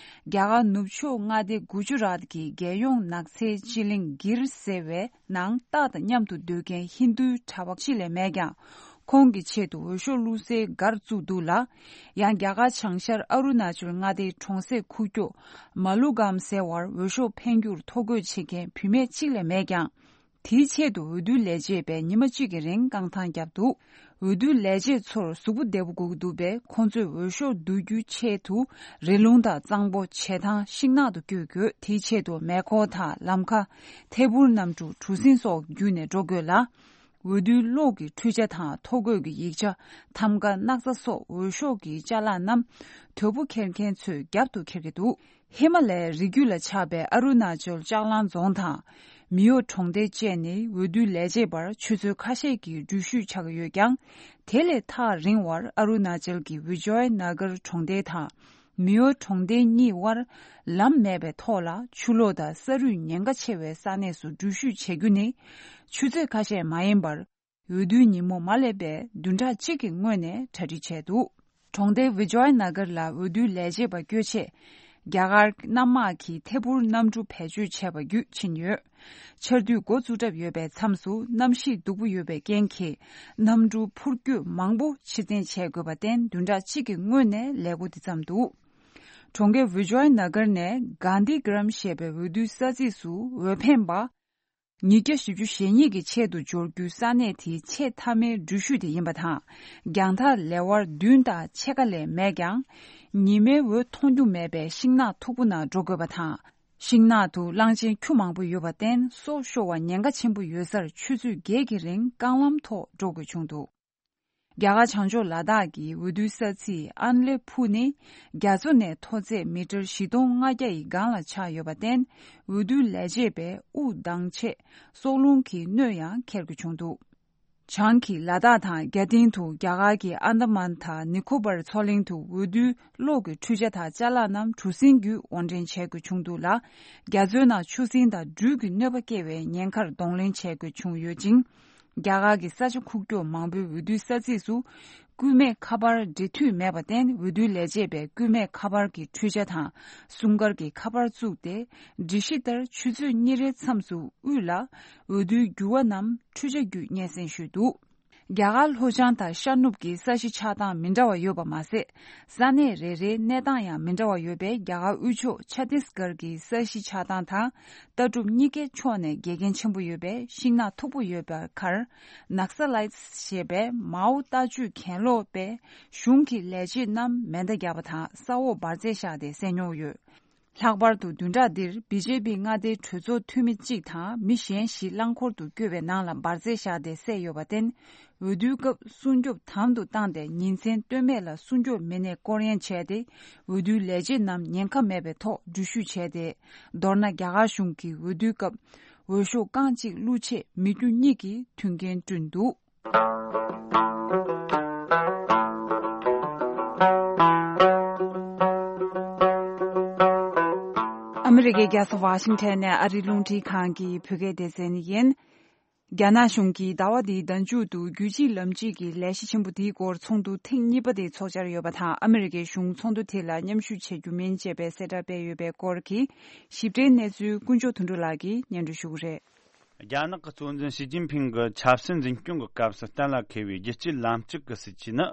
རྒྱ་གར་ནུབ་ཕྱོགས་མངའ་སྡེ་གུ་ཇུ་རཱཏ་གི་རྒྱལ་ཡོངས་ནགས་ཚལ་སྤྱི་གླིང་གིར་ཟེར་བའི་ནང་སྟག་དང་མཉམ་དུ་སྡོད་མཁན་ཧིན་རྡུའི་གྲྭ་པ་གཅིག་ལས་མེད་ཀྱང་། ཁོང་གི་ཆེད་དུ་འོས་ཤོག་བླུག་སའི་སྒར་བཙུགས་འདུག་ལ། ཡང་རྒྱ་གར་བྱང་ཤར་ཨ་རུ་ན་ཅལ་མངའ་སྡེའི་གྲོང་གསེབ་ཁུག་ཀྱོག་མ་ལུ་གམ་ཟེར་བར་འོས་ཤོག་འཕེན་རྒྱུར་ཐོ་འགོད་བྱེད་མཁན་བུད་མེད་གཅིག་ལས་མེད་ཀྱང་། དེའི་ཆེད་དུ་འོས་བསྡུ་ལས་བྱེད་པས་ཉི་མ་གཅིག་གི་རིང་རྐང་ཐང་བརྒྱབ་འདུག་འོས་བསྡུ་ལས་བྱེད་ཚོར་གཟུགས་པོ་བདེ་པོ་དགོས་ཀྱི་འདུག་པས། ཁོང་ཚོས་འོས་ཤོག་བསྡུ་རྒྱུའི་ཆེད་དུ་རི་ལུང་དང་གཙང་པོ། བྱེ་ཐང་། ཤིང་ནགས་དུ་བསྐྱོད་དགོས། དེའི་ཆེད་དུ་མེ་འཁོར་དང་ལམ་ཁ། ཐད་འཕུར་གནམ་གྲུ། གྲུ་གཟིངས་སོགས་བརྒྱུད་ནས་འགྲོ་དགོས་ལ། འོས་བསྡུའི་གློག་གི་འཕྲུལ་ཆ་དང་ཐོ་འགོད་ཀྱི་ཡིག་ཆ། ཐམ་ག། སྣག་ཚ་སོགས་འོས་ཤོག་གི་ཅ་ལག་རྣམས་དོས་པོ་འཁྱེར་མཁན་ཚོས་རྒྱབ་ཏུ་འཁྱེར་གྱི་འདུག་ཧི་མ་ལའི་རི་རྒྱུད་ལ་ཆགས་པའི་ཨ་རུ་ན་ཅལ་ལྕགས་གླང་རྫོང་དང་། མི་ཡོ་གྲོང་རྡལ་བཅས་ནི་འོས་བསྡུ་ལས་བྱེད་པར་ཆུ་ཚོད་ཁ་ཤས་ཀྱི་འགྲུལ་བཞུད་ཆགས་ཀྱི་ཡོད་ཀྱང་། དེ་ལས་ཐག་རིང་བར་ཨ་རུ་ན་ཅལ་གྱི་ཝི་ཇོའི་ན་གར་གྲོང་རྡལ་དང་། མི་ཡོ་གྲོང་རྡལ་གཉིས་དབར་ལམ་མེད་པའི་ཐོག་ལ་ཆུ་ལོག་དང་ས་རུད་ཉེན་ཁ་ཆེ་བའི་ས་གནས་སུ་འགྲུལ་བཞུད་བྱེད་རྒྱུ་ནི་ཆུ་ཚོད་ཁ་ཤས་མ་ཡིན་པར། འོས་བསྡུའི་ཉིན་མོ་མ་སླེབས་པའི་བདུན་ཕྲག་གཅིག་གི་སྔོན་ནས་གྲ་སྒྲིག་བྱས་འདུག་གྲོང་རྡལ་ཝི་ཇོའི་ན་གར་ལ་འོས་བསྡུའི་ལས་བྱེད་པ་བསྐྱོད་ཆེད། རྒྱ་གར་གནམ་དམག་གིས་ཐད་འཕུར་གནམ་གྲུ་བེད་སྤྱོད་བྱས་པ་བརྒྱུད་ཕྱིན་ཡོད། ཆར་དུས་འགོ་བཙུགས་གྲབས་ཡོད་པའི་མཚམས་སུ་གནམ་གཤིས་སྡུག་པོ་ཡོད་པའི་རྐྱེན་གྱིས། གནམ་གྲུ་འཕུར་སྐྱོད་མང་པོ་ཕྱིར་འཐེན་བྱེད་དགོས་པར་བརྟེན། བདུན་ཕྲག་གཅིག་གི་སྔོན་ནས་ལས་འགོ་འདི་བརྩམས་འདུག་གྲོང་ཁྱེར་ཝི་ཇོའི་ན་གར་ནས་གྷན་དྷི་གྷ་རམ་ཞེས་པའི་འོས་བསྡུའི་ས་ཚིགས་སུ་འོས་འཕེན་པ། ཉིས་བརྒྱ་བཞི་བཅུ་ཞེ་གཉིས་ཀྱི་ཆེད་དུ་འབྱོར་རྒྱུའི་ས་གནས་དེའི་ཆེས་མཐའ་མའི་འགྲུལ་བཞུད་དེ་ཡིན་པ་དང་། རྒྱང་ཐག་ལེ་དབར་བདུན་དང་ཕྱེད་ཀ་ལས་མེད་ཀྱང་། ཉི་མའི་འོད་མཐོང་རྒྱུ་མེད་པའི་ཤིང་ནགས་མཐུག་པོ་ནང་འགྲོ་དགོས་པ་དང་། ཤིང་ནགས་དུ་གླང་ཆེན་ཁྱུ་མང་པོ་ཡོད་པར་བརྟེན། སྲོག་ཤོར་བ་ཉེན་ཁ་ཆེན་པོ་ཡོད་སར་ཆུ་ཚོད་བརྒྱད་ཀྱི་རིང་རྐང་ལམ་ཐོག་འགྲོ་དགོས་བྱུང་འདུག་རྒྱ་གར་བྱང་ཕྱོགས་ལ་དྭགས་ཀྱི་འོས་བསྡུའི་ས་ཚིགས་ཨན་ལེ་ཕུ་ནི་རྒྱ་མཚོ་ནས་མཐོ་ཚད་མི་ཊར་བཞི་སྟོང་ལྔ་བརྒྱ་ཡི་སྒང་ལ་ཆགས་ཡོད་པར་བརྟེན། འོས་བསྡུ་ལས་བྱེད་པས་དབུགས་འདང་ཆེད་སྲོག་རླུང་གི་གནོད་ཡང་འཁེལ་དགོས་བྱུང་འདུག་བྱང་གི་ལ་དྭགས་དང་རྒྱ་སྟེང་དུ་རྒྱ་གར་གྱི་ཨན་དཱ་མན་དང་ནི་ཁོ་པར་མཚོ་གླིང་དུ་འོས་བསྡུའི་གློག་གི་འཕྲུལ་ཆ་དང་ཅ་ལག་རྣམས་གྲུ་གཟིངས་བརྒྱུད་དབོར་འདྲེན་བྱེད་དགོས་བྱུང་འདུག་ལ། རྒྱ་མཚོའི་ནང་ཆུ་སྲིན་དང་སྦྲུལ་གྱི་གནོད་པ་སྐྱེལ་བའི་ཉེན་ཁར་གདོང་ལེན་བྱེད་དགོས་བྱུང་ཡོད་ཅིང་། རྒྱ་གར་གྱི་ས་ཆ་ཁུག་ཀྱོག་མང་པོའི་འོས་བསྡུའི་ས་ཚིགས་སུ་སྐུད་མེད་ཁ་པར་འབྲེལ་མཐུད་མེད་པར་བརྟེན། འོས་བསྡུ་ལས་བྱེད་པས་སྐུད་མེད་ཁ་པར་གྱི་འཕྲུལ་ཆ་དང་སྲུང་སྐར་གྱི་ཁ་པར་བཙུགས་ཏེ། སྒྲིག་གཞི་ལྟར་ཆུ་ཚོད་གཉིས་རེའི་མཚམས་སུ་དབུས་ལ་འོས་བསྡུའི་འགྱུར་བ་རྣམས་འཕྲུལ་ཆ་བརྒྱུད་སྙན་སེང་ཞུས་འདུག་རྒྱ་གར་ལྷོ་བྱང་དང་ཤར་ནུབ་ཀྱི་ས་གཞི་ཆགས་སྟངས་མི་འདྲ་བ་ཡོད་པ་མ་ཟད། ས་གནས་རེ་རེའི་གནས་སྟངས་ཡང་མི་འདྲ་བ་ཡོད་པས། རྒྱ་གར་དབུས་ཕྱོགས་ཆ་ཏིས་གྷར་གྱི་ས་གཞི་ཆགས་སྟངས་དང་། ལྟ་གྲུབ་གཉིས་ཀའི་ཕྱོགས་ནས་འགལ་རྐྱེན་ཆེན་པོ་ཡོད་པས། ཤིང་ནགས་མཐུག་པོ་ཡོད་པའི་ཁར། ནགས་ལའི་ཏི་ཞེས་པའི་མའོ་ལྟ་སྤྱོད་གྱེན་ལོག་པས་གཞུང་གི་ལས་བྱེད་རྣམས་མེ་མདའ་བརྒྱབ་པ་དང་ས་འོག་འབར་རྫས་བཞག་སྟེ་བསད་མྱོང་ཡོད། ལྷག་པར་དུ་བདུན་ཕྲག་འདིར་བི་ཇེ་པི་མངའ་སྡེའི་གྲོས་ཚོགས་འཐུས་མི་གཅིག་དང་མི་གཞན་བཞི་རླངས་འཁོར་དུ་བསྐྱོད་པའི་ནང་ལ་འབར་རྫས་བཞག་སྟེ་བསད་ཡོད་པར་བརྟེན། འོས་བསྡུའི་སྐབས་སྲུང་སྐྱོབ་དམ་དུ་བཏང་སྟེ། ཉིན་མཚན་ལྟོས་མེད་ལ་སྲུང་སྐྱོབ་མི་སྣས་སྐོར་གཡེང་བྱས་ཏེ། འོས་བསྡུའི་ལས་བྱེད་རྣམས་ཉེན་ཁ་མེད་པའི་ཐོག་འགྲུལ་བཞུད་བྱས་ཏེ། མདོར་ན། རྒྱ་གར་གཞུང་གིས་འོས་བསྡུའི་སྐབས་འོས་ཤོག་རྐང་གཅིག་བླུགས་ཆེད་མི་རྒྱུ་གཉིས་ཀྱིས་མཐུན་རྐྱེན་བསྐྲུན་འདུག་ཨ་མི་རི་ཀའི་རྒྱལ་ས་ཝ་ཤིང་ཊོན་ནས་ཨ་རིའི་རླུང་འཕྲིན་ཁང་གི་བོད་སྐད་སྡེ་ཚན་ཡིན། རྒྱ་ནག་གཞུང་གིས་ཟླ་བ་འདིའི་ཟླ་མཇུག་ཏུ་རྒྱུད་གཅིག་ལམ་གཅིག་གི་ལས་གཞི་ཆེན་པོ་འདིའི་སྐོར་ཚོགས་འདུ་ཐེངས་གཉིས་པ་དེ་ཚོགས་འཆར་ཡོད་པ་དང་། ཨ་མི་རི་ཀའི་གཞུང་ཚོགས་འདུ་དེ་ལ་མཉམ་ཞུགས་བྱེད་རྒྱུ་མིན་ཅེས་པའི་གསལ་བསྒྲགས་སྤེལ་ཡོད་པའི་སྐོར་གྱི་ཞིབ་ཕྲའི་གནས་ཚུལ་ཀུན་མཆོག་དོན་གྲུབ་ལགས་ཀྱིས་སྙན་སྒྲོན་ཞུ་གི་རེད། རྒྱ་ནག་གི་གཙོ་འཛིན་ཞི་ཅིན་ཕིང་གིས་ཆབ་སྲིད་འཛིན་སྐྱོང་གི་སྐབས་སུ་གཏན་ལ་འཁེལ་བའི་རྒྱལ་སྤྱིའི་ལམ་ལྕག་གི་སྲིད་ཇུས་ནི།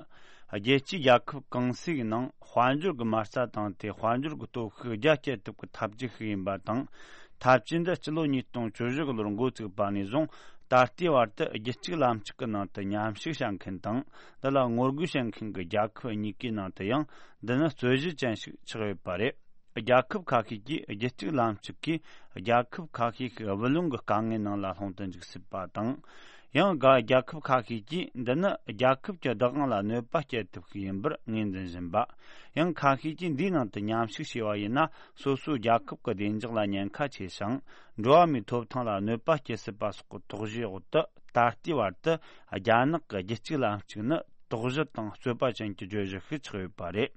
རྒྱལ་སྤྱིའི་རྒྱལ་ཁབ་གང་སའི་ནང་དཔལ་འབྱོར་གྱི་མ་རྩ་དང་དེ་དཔལ་འབྱོར་གྱི་སྟོབས་ཤུགས་རྒྱ་སྐྱེད་ཐུབ་པའི་ཐབས་ཇུས་ཤིག་ཡིན་པ་དང་། ཐབས་ཇུས་འདི་སྤྱི་ལོ་ཉིས་སྟོང་བཅུ་བཞི་གི་ལོར་འགོ་བཙུགས་པ་ནས་བཟུང་ད་ལྟའི་བར་དུ་རྒྱལ་སྤྱིའི་ལམ་ལྕག་གི་ནང་དུ་མཉམ་ཞུགས་བྱེད་མཁན་དང་། འདི་ལ་ངོ་རྒོལ་བྱེད་མཁན་གྱི་རྒྱལ་ཁབ་གཉིས་ཀའི་ནང་དུ་ཡང་འདི་ནི་རྩོད་གཞི་ཅན་ཞིག་ཆགས་ཡོད་པ་རེད། རྒྱལ་ཁབ་ཁ་ཤས་ཀྱིས་རྒྱལ་སྤྱིའི་ལམ་ལྕག་གིས་རྒྱལ་ཁབ་ཁ་ཤས་ཤིག་བུ་ལོན་གྱི་དཀའ་ངལ་ནང་ལ་ལྷུང་དུ་འཇུག་སྲིད་པ་དང་། ཡང་། རྒྱལ་ཁབ་ཁ་ཤས་ཀྱིས་འདི་ནི་རྒྱལ་ཁབ་ཀྱི་བདག་དབང་ལ་གནོད་པ་སྐྱེལ་ཐབས་ཤིག་ཡིན་པར་ངོས་འཛིན་བཞིན་པ། ཡང་ཁ་ཤས་ཀྱིས་འདིའི་ནང་དུ་མཉམ་ཞུགས་བྱས་པ་ཡིན་ན། སོ་སོའི་རྒྱལ་ཁབ་ཀྱི་བདེ་འཇགས་ལ་ཉེན་ཁ་ཆེ་ཞིང་། འགྲོ་བ་མིའི་ཐོབ་ཐང་ལ་གནོད་པ་སྐྱེལ་སྲིད་པ་སོགས་ཀྱི་དོགས་གཞིའི་འོག་ཏུ། ད་ལྟའི་བར་དུ་རྒྱ་ནག་གི་རྒྱལ་སྤྱིའི་ལམ་ལྕག་ནི་དོགས་གཞི་དང་རྩོད་པ་ཅན་གྱི་བརྗོད་གཞི་ཞིག་ཆགས་ཡོད་པ་རེད།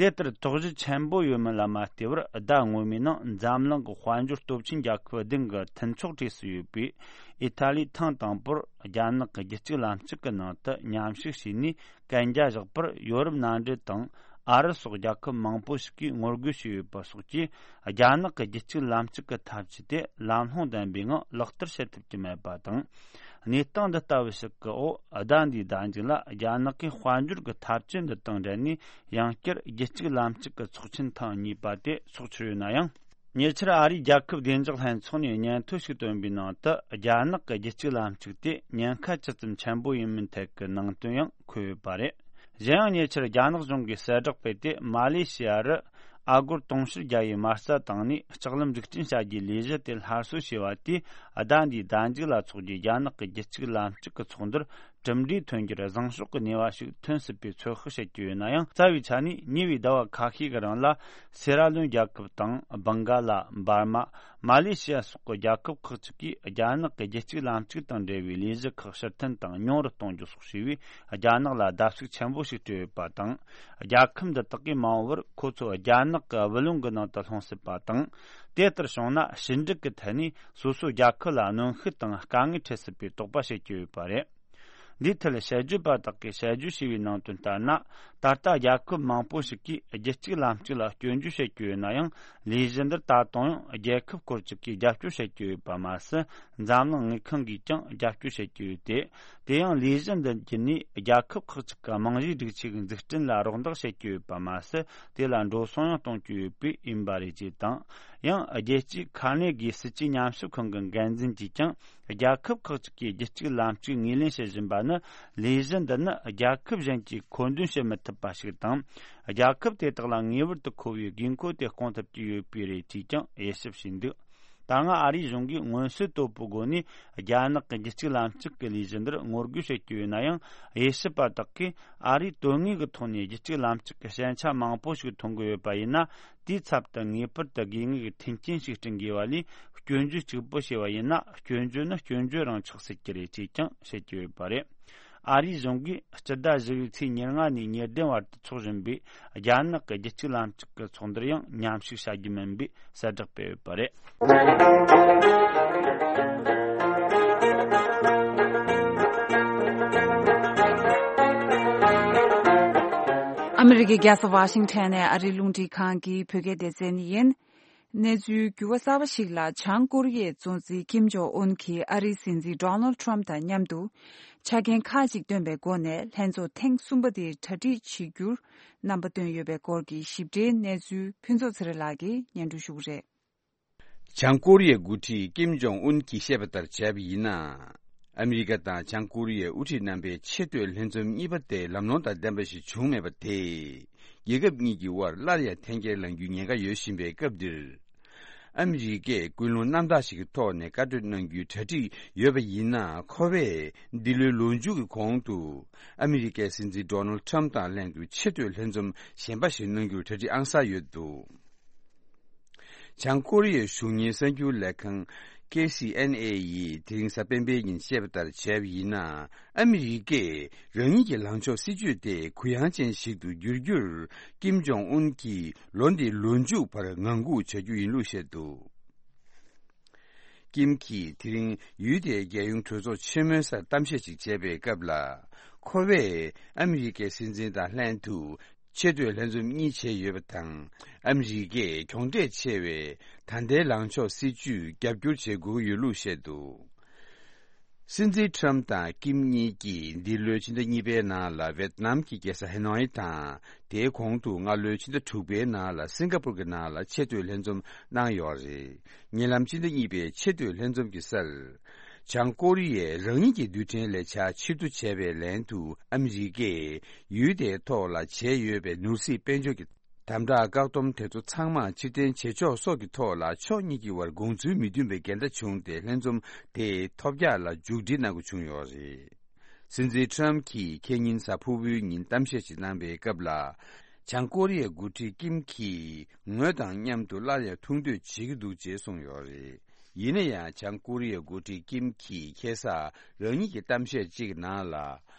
དེ་ལྟར་དོགས་གཞི་ཆེན་པོ་ཡོད་མིན་ལ་མ་ལྟོས་པར། ཟླ་སྔོན་མའི་ནང་འཛམ་གླིང་གི་དཔལ་འབྱོར་སྟོབས་ཆེན་རྒྱལ་ཁབ་བདུན་གྱི་མཐུན་ཚོགས་གྲས་སུ་ཡོད་པའི་ཨི་ཐ་ལིས་ཐེངས་དང་པོར་རྒྱ་ནག་གི་རྒྱུད་གཅིག་ལམ་གཅིག་གི་ནང་དུ་མཉམ་ཞུགས་བྱས་ནས་གན་རྒྱ་བཞག་པར། ཡོ་རོབ་མནའ་འབྲེལ་དང་ཨ་རི་སོགས་རྒྱལ་ཁབ་མང་པོ་ཞིག་གིས་ངོ་རྒོལ་བྱས་ཡོད་པ་སོགས་ཀྱིས། རྒྱ་ནག་གི་རྒྱུད་གཅིག་ལམ་གཅིག་གི་འཐབ་ཇུས་དེ་ལམ་ལྷོང་ལྡན་པའི་ངང་ལག་བསྟར་བྱེད་ཐུབ་ཀྱི་མེད་པ་དང་། གནས་སྟངས་འདི་ལྟ་བུ་ཞིག་གི་འོག་ཟླ་འདིའི་ཟླ་མཇུག་ལ་རྒྱ་ནག་གིས་དཔལ་འབྱོར་གྱི་འཐབ་ཇུས་འདི་དང་འབྲེལ་ནས། ཡང་བསྐྱར་རྒྱུད་གཅིག་ལམ་གཅིག་གི་ཚོགས་ཆེན་ཐེངས་གཉིས་པ་དེ་འཚོགས་འཆར་ཡོད་ན་ཡང་། ཉེ་ཆར་ཨ་རིའི་རྒྱལ་ཁབ་བདེ་འཇགས་ལྷན་ཚོགས་ནས་སྙན་ཐོ་ཞིག་བཏོན་པའི་ནང་དུ། རྒྱ་ནག་གི་རྒྱུད་གཅིག་ལམ་གཅིག་དེ་ཉེན་ཁ་ཇི་ཙམ་ཆེན་པོ་ཡིན་མིན་ཐད་ཀྱི་ནང་དོན་ཡང་འཁོད་ཡོད་པ་རེད། གཞན་ཡང་། ཉེ་ཆར་རྒྱ་ནག་གཞུང་གིས་གསལ་བསྒྲགས་སྤེལ་ཏེ། མ་ལེ་ཤི་ཡ་རུ་ཨ་སྒོར་དུང་ཕྱུར་བརྒྱ་ཡི་མ་རྩ་བཏང་ནས་ལྕགས་ལམ་འཛུགས་སྐྲུན་བྱ་རྒྱུའི་ལས་གཞི་དེ་སླར་གསོ་བྱས་པ་དེས། ཟླ་འདིའི་ཟླ་མཇུག་ལ་འཚོགས་རྒྱུའི་རྒྱ་ནག་གི་རྒྱུད་གཅིག་ལམ་གཅིག་གི་ཚོགས་འདུར་གྲུབ་འབྲས་ཐོན་རྒྱུར་བཟང་ཕྱོགས་ཀྱི་ནུས་པ་ཞིག་ཐོན་སྲིད་པའི་ཚོད་དཔག་བྱེད་ཀྱི་ཡོད་ན་ཡང་། རྩ་བའི་ཆ་ནས་ཉེ་བའི་ཟླ་བ་ཁ་ཤས་ཀྱི་རིང་ལ། སེ་ར་ལོན་རྒྱལ་ཁབ་དང་། སྦང་ག་ལ། འབར་མ། མ་ལེ་ཤི་ཡ་སོགས་ཀྱི་རྒྱལ་ཁབ་ཁག་ཅིག་གིས་རྒྱ་ནག་གི་རྒྱུད་གཅིག་ལམ་གཅིག་དང་འབྲེལ་བའི་ལས་གཞི་ཁག་ཕྱིར་འཐེན་དང་ཉུང་རུ་གཏོང་རྒྱུ་སོགས་བྱས་པས། རྒྱ་ནག་ལ་བརྡབ་གསིག་ཆེན་པོ་ཞིག་སྤྲད་ཡོད་པ་དང་། རྒྱལ་ཁབ་འདི་དག་གིས་མ་འོངས་པར་ཁོ་ཚོ་རྒྱ་ནག་གི་བུ་ལོན་གྱི་ནང་དུ་ལྷུང་སྲིད་པ་དང་། དེ་ལྟར་བྱུང་ན། ཕྱི་འབྲེལ་གྱི་ཐད་ནས་སོ་སོའི་རྒྱལ་ཁབ་ལ་གནོན་ཤུགས་དང་དཀའ་ངལ་འཕྲད་སྲིད་པའི་དོགས་པ་བྱེད་ཀྱི་ཡོད་པ་རེད། འདིའི་ཐད་དཔྱད་བརྗོད་པ་དག་གིས་དཔྱད་བརྗོད་བྱས་པའི་ནང་དོན་ལྟར་ན། ད་ལྟ་རྒྱལ་ཁབ་མང་པོ་ཞིག་གིས་རྒྱུད་གཅིག་ལམ་གཅིག་ལ་སྐྱོན་བརྗོད་བྱེད་ཀྱི་ཡོད་ན་ཡང་། ལས་གཞི་འདིར་ད་དུང་ཡང་རྒྱལ་ཁབ་སྐོར་ཅིག་གིས་རྒྱབ་སྐྱོར་བྱེད་ཀྱི་ཡོད་པ་མ་ཟད། འཛམ་གླིང་དངུལ་ཁང་གིས་ཀྱང་རྒྱབ་སྐྱོར་བྱེད་ཀྱི་ཡོད་དེ། དེ་ཡང་ལས་གཞི་འདི་བརྒྱུད་ནས་རྒྱལ་ཁབ་ཁག་ཅིག་གི་རྨང་གཞིའི་སྒྲིག་ཆས་ཀྱི་འཛུགས་སྐྲུན་ལ་རོགས་འདེགས་བྱེད་ཀྱི་ཡོད་པ་མ་ཟད། དེ་ལ་འགྲོ་སོང་ཡང་གཏོང་གི་ཡོད་པས་ཡིན་པ་རེད་ཅེས་དང་། ཡང་རྒྱལ་སྤྱིའི་ཁ་ནེ་གི་སྲིད་ཇུས་ཉམས་ཞིབ་ཁང་གི་འགན་འཛིན་གྱིས་ཀྱང་། རྒྱལ་ཁབ་ཁག་ཅིག་གིས་རྒྱུད་གཅིག་ལམ་གཅིག་ངོས་ལེན་བྱེད་བཞིན་པ་ནི། ལས་གཞི་འདི་ནི་རྒྱལ་ཁབ་གཞན་གྱིས་མཁོ་འདོན་བྱེད་མི་ཐུབ་པ་ཞིག་དང་། རྒྱལ་ཁབ་དེ་དག་ལ་ངེས་པར་དུ་མཁོ་བའི་དགོས་མཁོ་དེ་སྐོང་ཐུབ་ཀྱི་ཡོད་པས་རེད་ཅེས་ཀྱང་དབྱེ་ཞིབ་བྱས་འདུག་ད་སྔ་ཨ་རིའི་གཞུང་གིས་མངོན་གསལ་དོད་པོའི་སྒོ་ནས། རྒྱ་ནག་གི་རྒྱུད་གཅིག་ལམ་གཅིག་གི་ལས་གཞི་འདིར་ངོ་རྒོལ་བྱེད་ཀྱི་ཡོད་ན་ཡང་། དབྱེ་ཞིབ་པ་དག་གིས་ཨ་རིས་དོན་དངོས་ཀྱི་ཐོག་ནས་རྒྱུད་གཅིག་ལམ་གཅིག་གི་ཞན་ཆ་མང་པོ་ཞིག་མཐོང་གི་ཡོད་པ་ཡིན་ན། དེའི་ཚབ་ཏུ་ངེས་པར་དུ་དགོས་ངེས་ཀྱི་མཐུན་རྐྱེན་ཞིག་བསྐྲུན་དགོས་པ་ལས། སྐྱོན་བརྗོད་གཅིག་པོ་བྱས་པ་ཡིན་ན། སྐྱོན་བརྗོད་ནི་སྐྱོན་བརྗོད་རང་ཆགས་སྲིད་ཀྱི་རེད་ཅེས་ཀྱང་བཤད་ཀྱི་ཡོད་པ་རེད། ཨ་རིའི་གཞུང་གིས་སྤྱི་ཟླ་བཞི་པའི་ཚེས་ཉེར་ལྔ་ནས་ཉེར་བདུན་བར་དུ་འཚོགས་བཞིན་པའི་རྒྱ་ནག་གི་རྒྱུད་གཅིག་ལམ་གཅིག་གི་ཚོགས་འདུར་ཡང་མཉམ་ཞུགས་བྱ་རྒྱུ་མིན་པའི་གསལ་བསྒྲགས་སྤེལ་ཡོད་པ་རེད། ཨ་མི་རི་ཀའི་རྒྱལ་ས་ཝ་ཤིང་ཊོན་ནས་ཨ་རིའི་རླུང་འཕྲིན་ཁང་གི་བོད་སྐད་སྡེ་ཚན་ཡིན། གནས་ཚུལ་འགྱུར་བ་གསར་པ་ཞིག་ལ། བྱང་ཀོ་རི་ཡའི་གཙོ་འཛིན་ཀིམ་ཇོང་ཨུན་གྱིས་ཨ་རིའི་སྲིད་འཛིན་ཌོ་ནལ་ཊམ་དང་མཉམ་དུ་ཆ་རྐྱེན་ཁག་ཅིག་བཏོན་པའི་སྒོ་ནས་ལྷན་ཚོགས་ཐེངས་གསུམ་པ་དེའི་གྲ་སྒྲིག་བྱེད་རྒྱུར་རྣམ་པ་བཏོན་ཡོད་པའི་སྐོར་གྱི་ཞིབ་ཕྲའི་གནས་ཚུལ་ཕུན་ཚོགས་ཚེ་རིང་ལགས་ཀྱིས་སྙན་སྒྲོན་ཞུ་གི་རེད། བྱང་ཀོ་རི་ཡའི་འགོ་ཁྲིད་ཀིམ་ཇོང་ཨུན་གྱིས་བཤད་པ་ལྟར་བྱས་པ་ཡིན་ན། ཨ་མི་རི་ཀ་དང་བྱང་ཀོ་རི་ཡའི་དབུ་ཁྲིད་རྣམ་པའི་ཆེས་མཐོའི་ལྷན་འཛོམས་གཉིས་པ་དེ་ལམ་ལྷོང་དང་ལྡན་པ་ཞིག་བྱུང་མེད་པ་དེས། རྒྱལ་ཁབ་གཉིས་ཀྱི་དབར་སླར་ཡང་འཐེན་འཁྱེར་ལངས་རྒྱུའི་ཉེན་ཁ་ཡོད་བཞིན་པའི་སྐབས་འདིར། ཨ་མི་རི་ཀས་ཀུན་སློང་རྣམ་དག་ཞིག་གི་ཐོག་ནས་བཀའ་གྲོས་གནང་རྒྱུའི་གྲ་སྒྲིག་ཡོད་པ་ཡིན་ན། ཁོ་པས་འདི་ལོའི་ལོ་མཇུག་གི་གོང་དུ་ཨ་མི་རི་ཀའི་སྲིད་འཛིན་ཌོ་ནལ་ཊམ་དང་ལྷན་དུ་ཆེས་མཐོའི་ལྷན་འཛོམས་གཞན་པ་ཞིག་གནང་རྒྱུར་གྲ་སྒྲིག་ཨང་གསར་ཡོད་འདུག་བྱང་ཀོ་རི་ཡའི་གཞུང་གཉེར་གསར་འགྱུར་ལས་ཁང་ཀེ་སི་ཨེན་ཨེ་ཡིས་དེ་རིང་གཟའ་སྤེན་པའི་ཉིན་བཤད་པ་ལྟར་བྱས་པ་ཡིན་ན། ཨ་མི་རི་ཀས་རང་ཉིད་ཀྱི་ལངས་ཕྱོགས་སྲིད་ཇུས་དེ་གུ་ཡངས་ཅན་ཞིག་ཏུ་བསྒྱུར་རྒྱུར་ཀིམ་ཇོང་ཨུན་གྱིས་ལོ་འདིའི་ལོ་མཇུག་བར་ངང་སྒུག་བྱ་རྒྱུ་ཡིན་ལུགས་བཤད་འདུག་ཀིམ་གྱིས་དེ་རིང་ཡུལ་དེའི་རྒྱལ་ཡོངས་གྲོས་ཚོགས་ཆེན་མོའི་སར་གཏམ་བཤད་ཅིག་བྱས་པའི་སྐབས་ལ། ཁོ་པས་ཨ་མི་རི་ཀའི་སྲིད་འཛིན་དང་ལྷན་དུ་ཆེས་མཐོའི་ལྷན་འཛོམས་གཉིས་བྱས་ཡོད་པ་དང་། ཨ་མི་རི་ཀས་གྱོང་འབྲས་ཆེ་བའི་ད་ལྟའི་ལངས་ཕྱོགས་སྲིད་ཇུས་རྒྱབ་སྐྱོར་བྱེད་དགོས་ཡོད་ལུགས་བཤད་འདུག་སྲིད་འཛིན་ཊམ་དང་ཀིམ་གཉིས་ཀྱིས་འདི་ལོའི་ཕྱི་ཟླ་གཉིས་པའི་ནང་ལ་ཝེད་ནམ་གྱི་རྒྱལ་ས་ཧེ་ནོའི་དང་། དེའི་གོང་དུ་སྔ་ལོའི་ཕྱི་ཟླ་དྲུག་པའི་ནང་ལ་སིང་ག་པུར་གྱི་ནང་ལ་ཆེས་མཐོའི་ལྷན་འཛོམས་གནང་ཡོད་རེད། ཉེ་ལམ་ཕྱི་ཟླ་གཉིས་པའི་ཆེས་མཐོའི་ལྷན་འཛོམས་ཀྱི་སར། བྱང་ཀོ་རི་ཡས་རང་ཉིད་ཀྱི་རྡུལ་ཕྲན་ལས་འཆར་ཕྱིར་བསྡུ་བྱས་པའི་ལན་དུ། ཨ་མི་རི་ཀས་ཡུལ་དེའི་ཐོག་ལ་བྱས་ཡོད་པའི་ནོར་སྲིད་དཔལ་འབྱོར་གྱི་དམ་དྲག་བཀག་སྡོམ་དེ་ཚོ་ཚང་མ་ཕྱིར་འཐེན་བྱེད་ཕྱོགས་སོགས་ཀྱི་ཐོག་ལ་ཕྱོགས་གཉིས་ཀྱི་དབར་དགོངས་ཚུལ་མི་མཐུན་པའི་འགལ་ཟླ་བྱུང་སྟེ། ལྷན་འཛོམས་དེ་ཐོལ་རྒྱག་ལ་མཇུག་སྒྲིལ་གནང་དགོས་བྱུང་ཡོད་རེད། སྲིད་འཛིན་ཊམ་གྱིས་ཁེ་ཉིན་གཟའ་ཕུར་བུའི་ཉིན་གཏམ་བཤད་ཅིག་གནང་པའི་སྐབས་ལ། བྱང་ཀོ་རི་ཡའི་འགོ་ཁྲིད་ཀིམ་གྱིས་ངོས་དང་མཉམ་དུ་སླར་ཡང་ཐུག་འདོད་བྱེད་ཀྱི་འདུག་ཅེས་གསུངས་ཡོད་རེད། ཡིན་ན་ཡང་། བྱང་ཀོ་རི་ཡའི་འགོ་ཁྲིད་ཀིམ་གྱིས་ཁ་སང་རང་ཉིད་ཀྱི་གཏམ་བཤད་ཅིག་གི་ནང་ལ།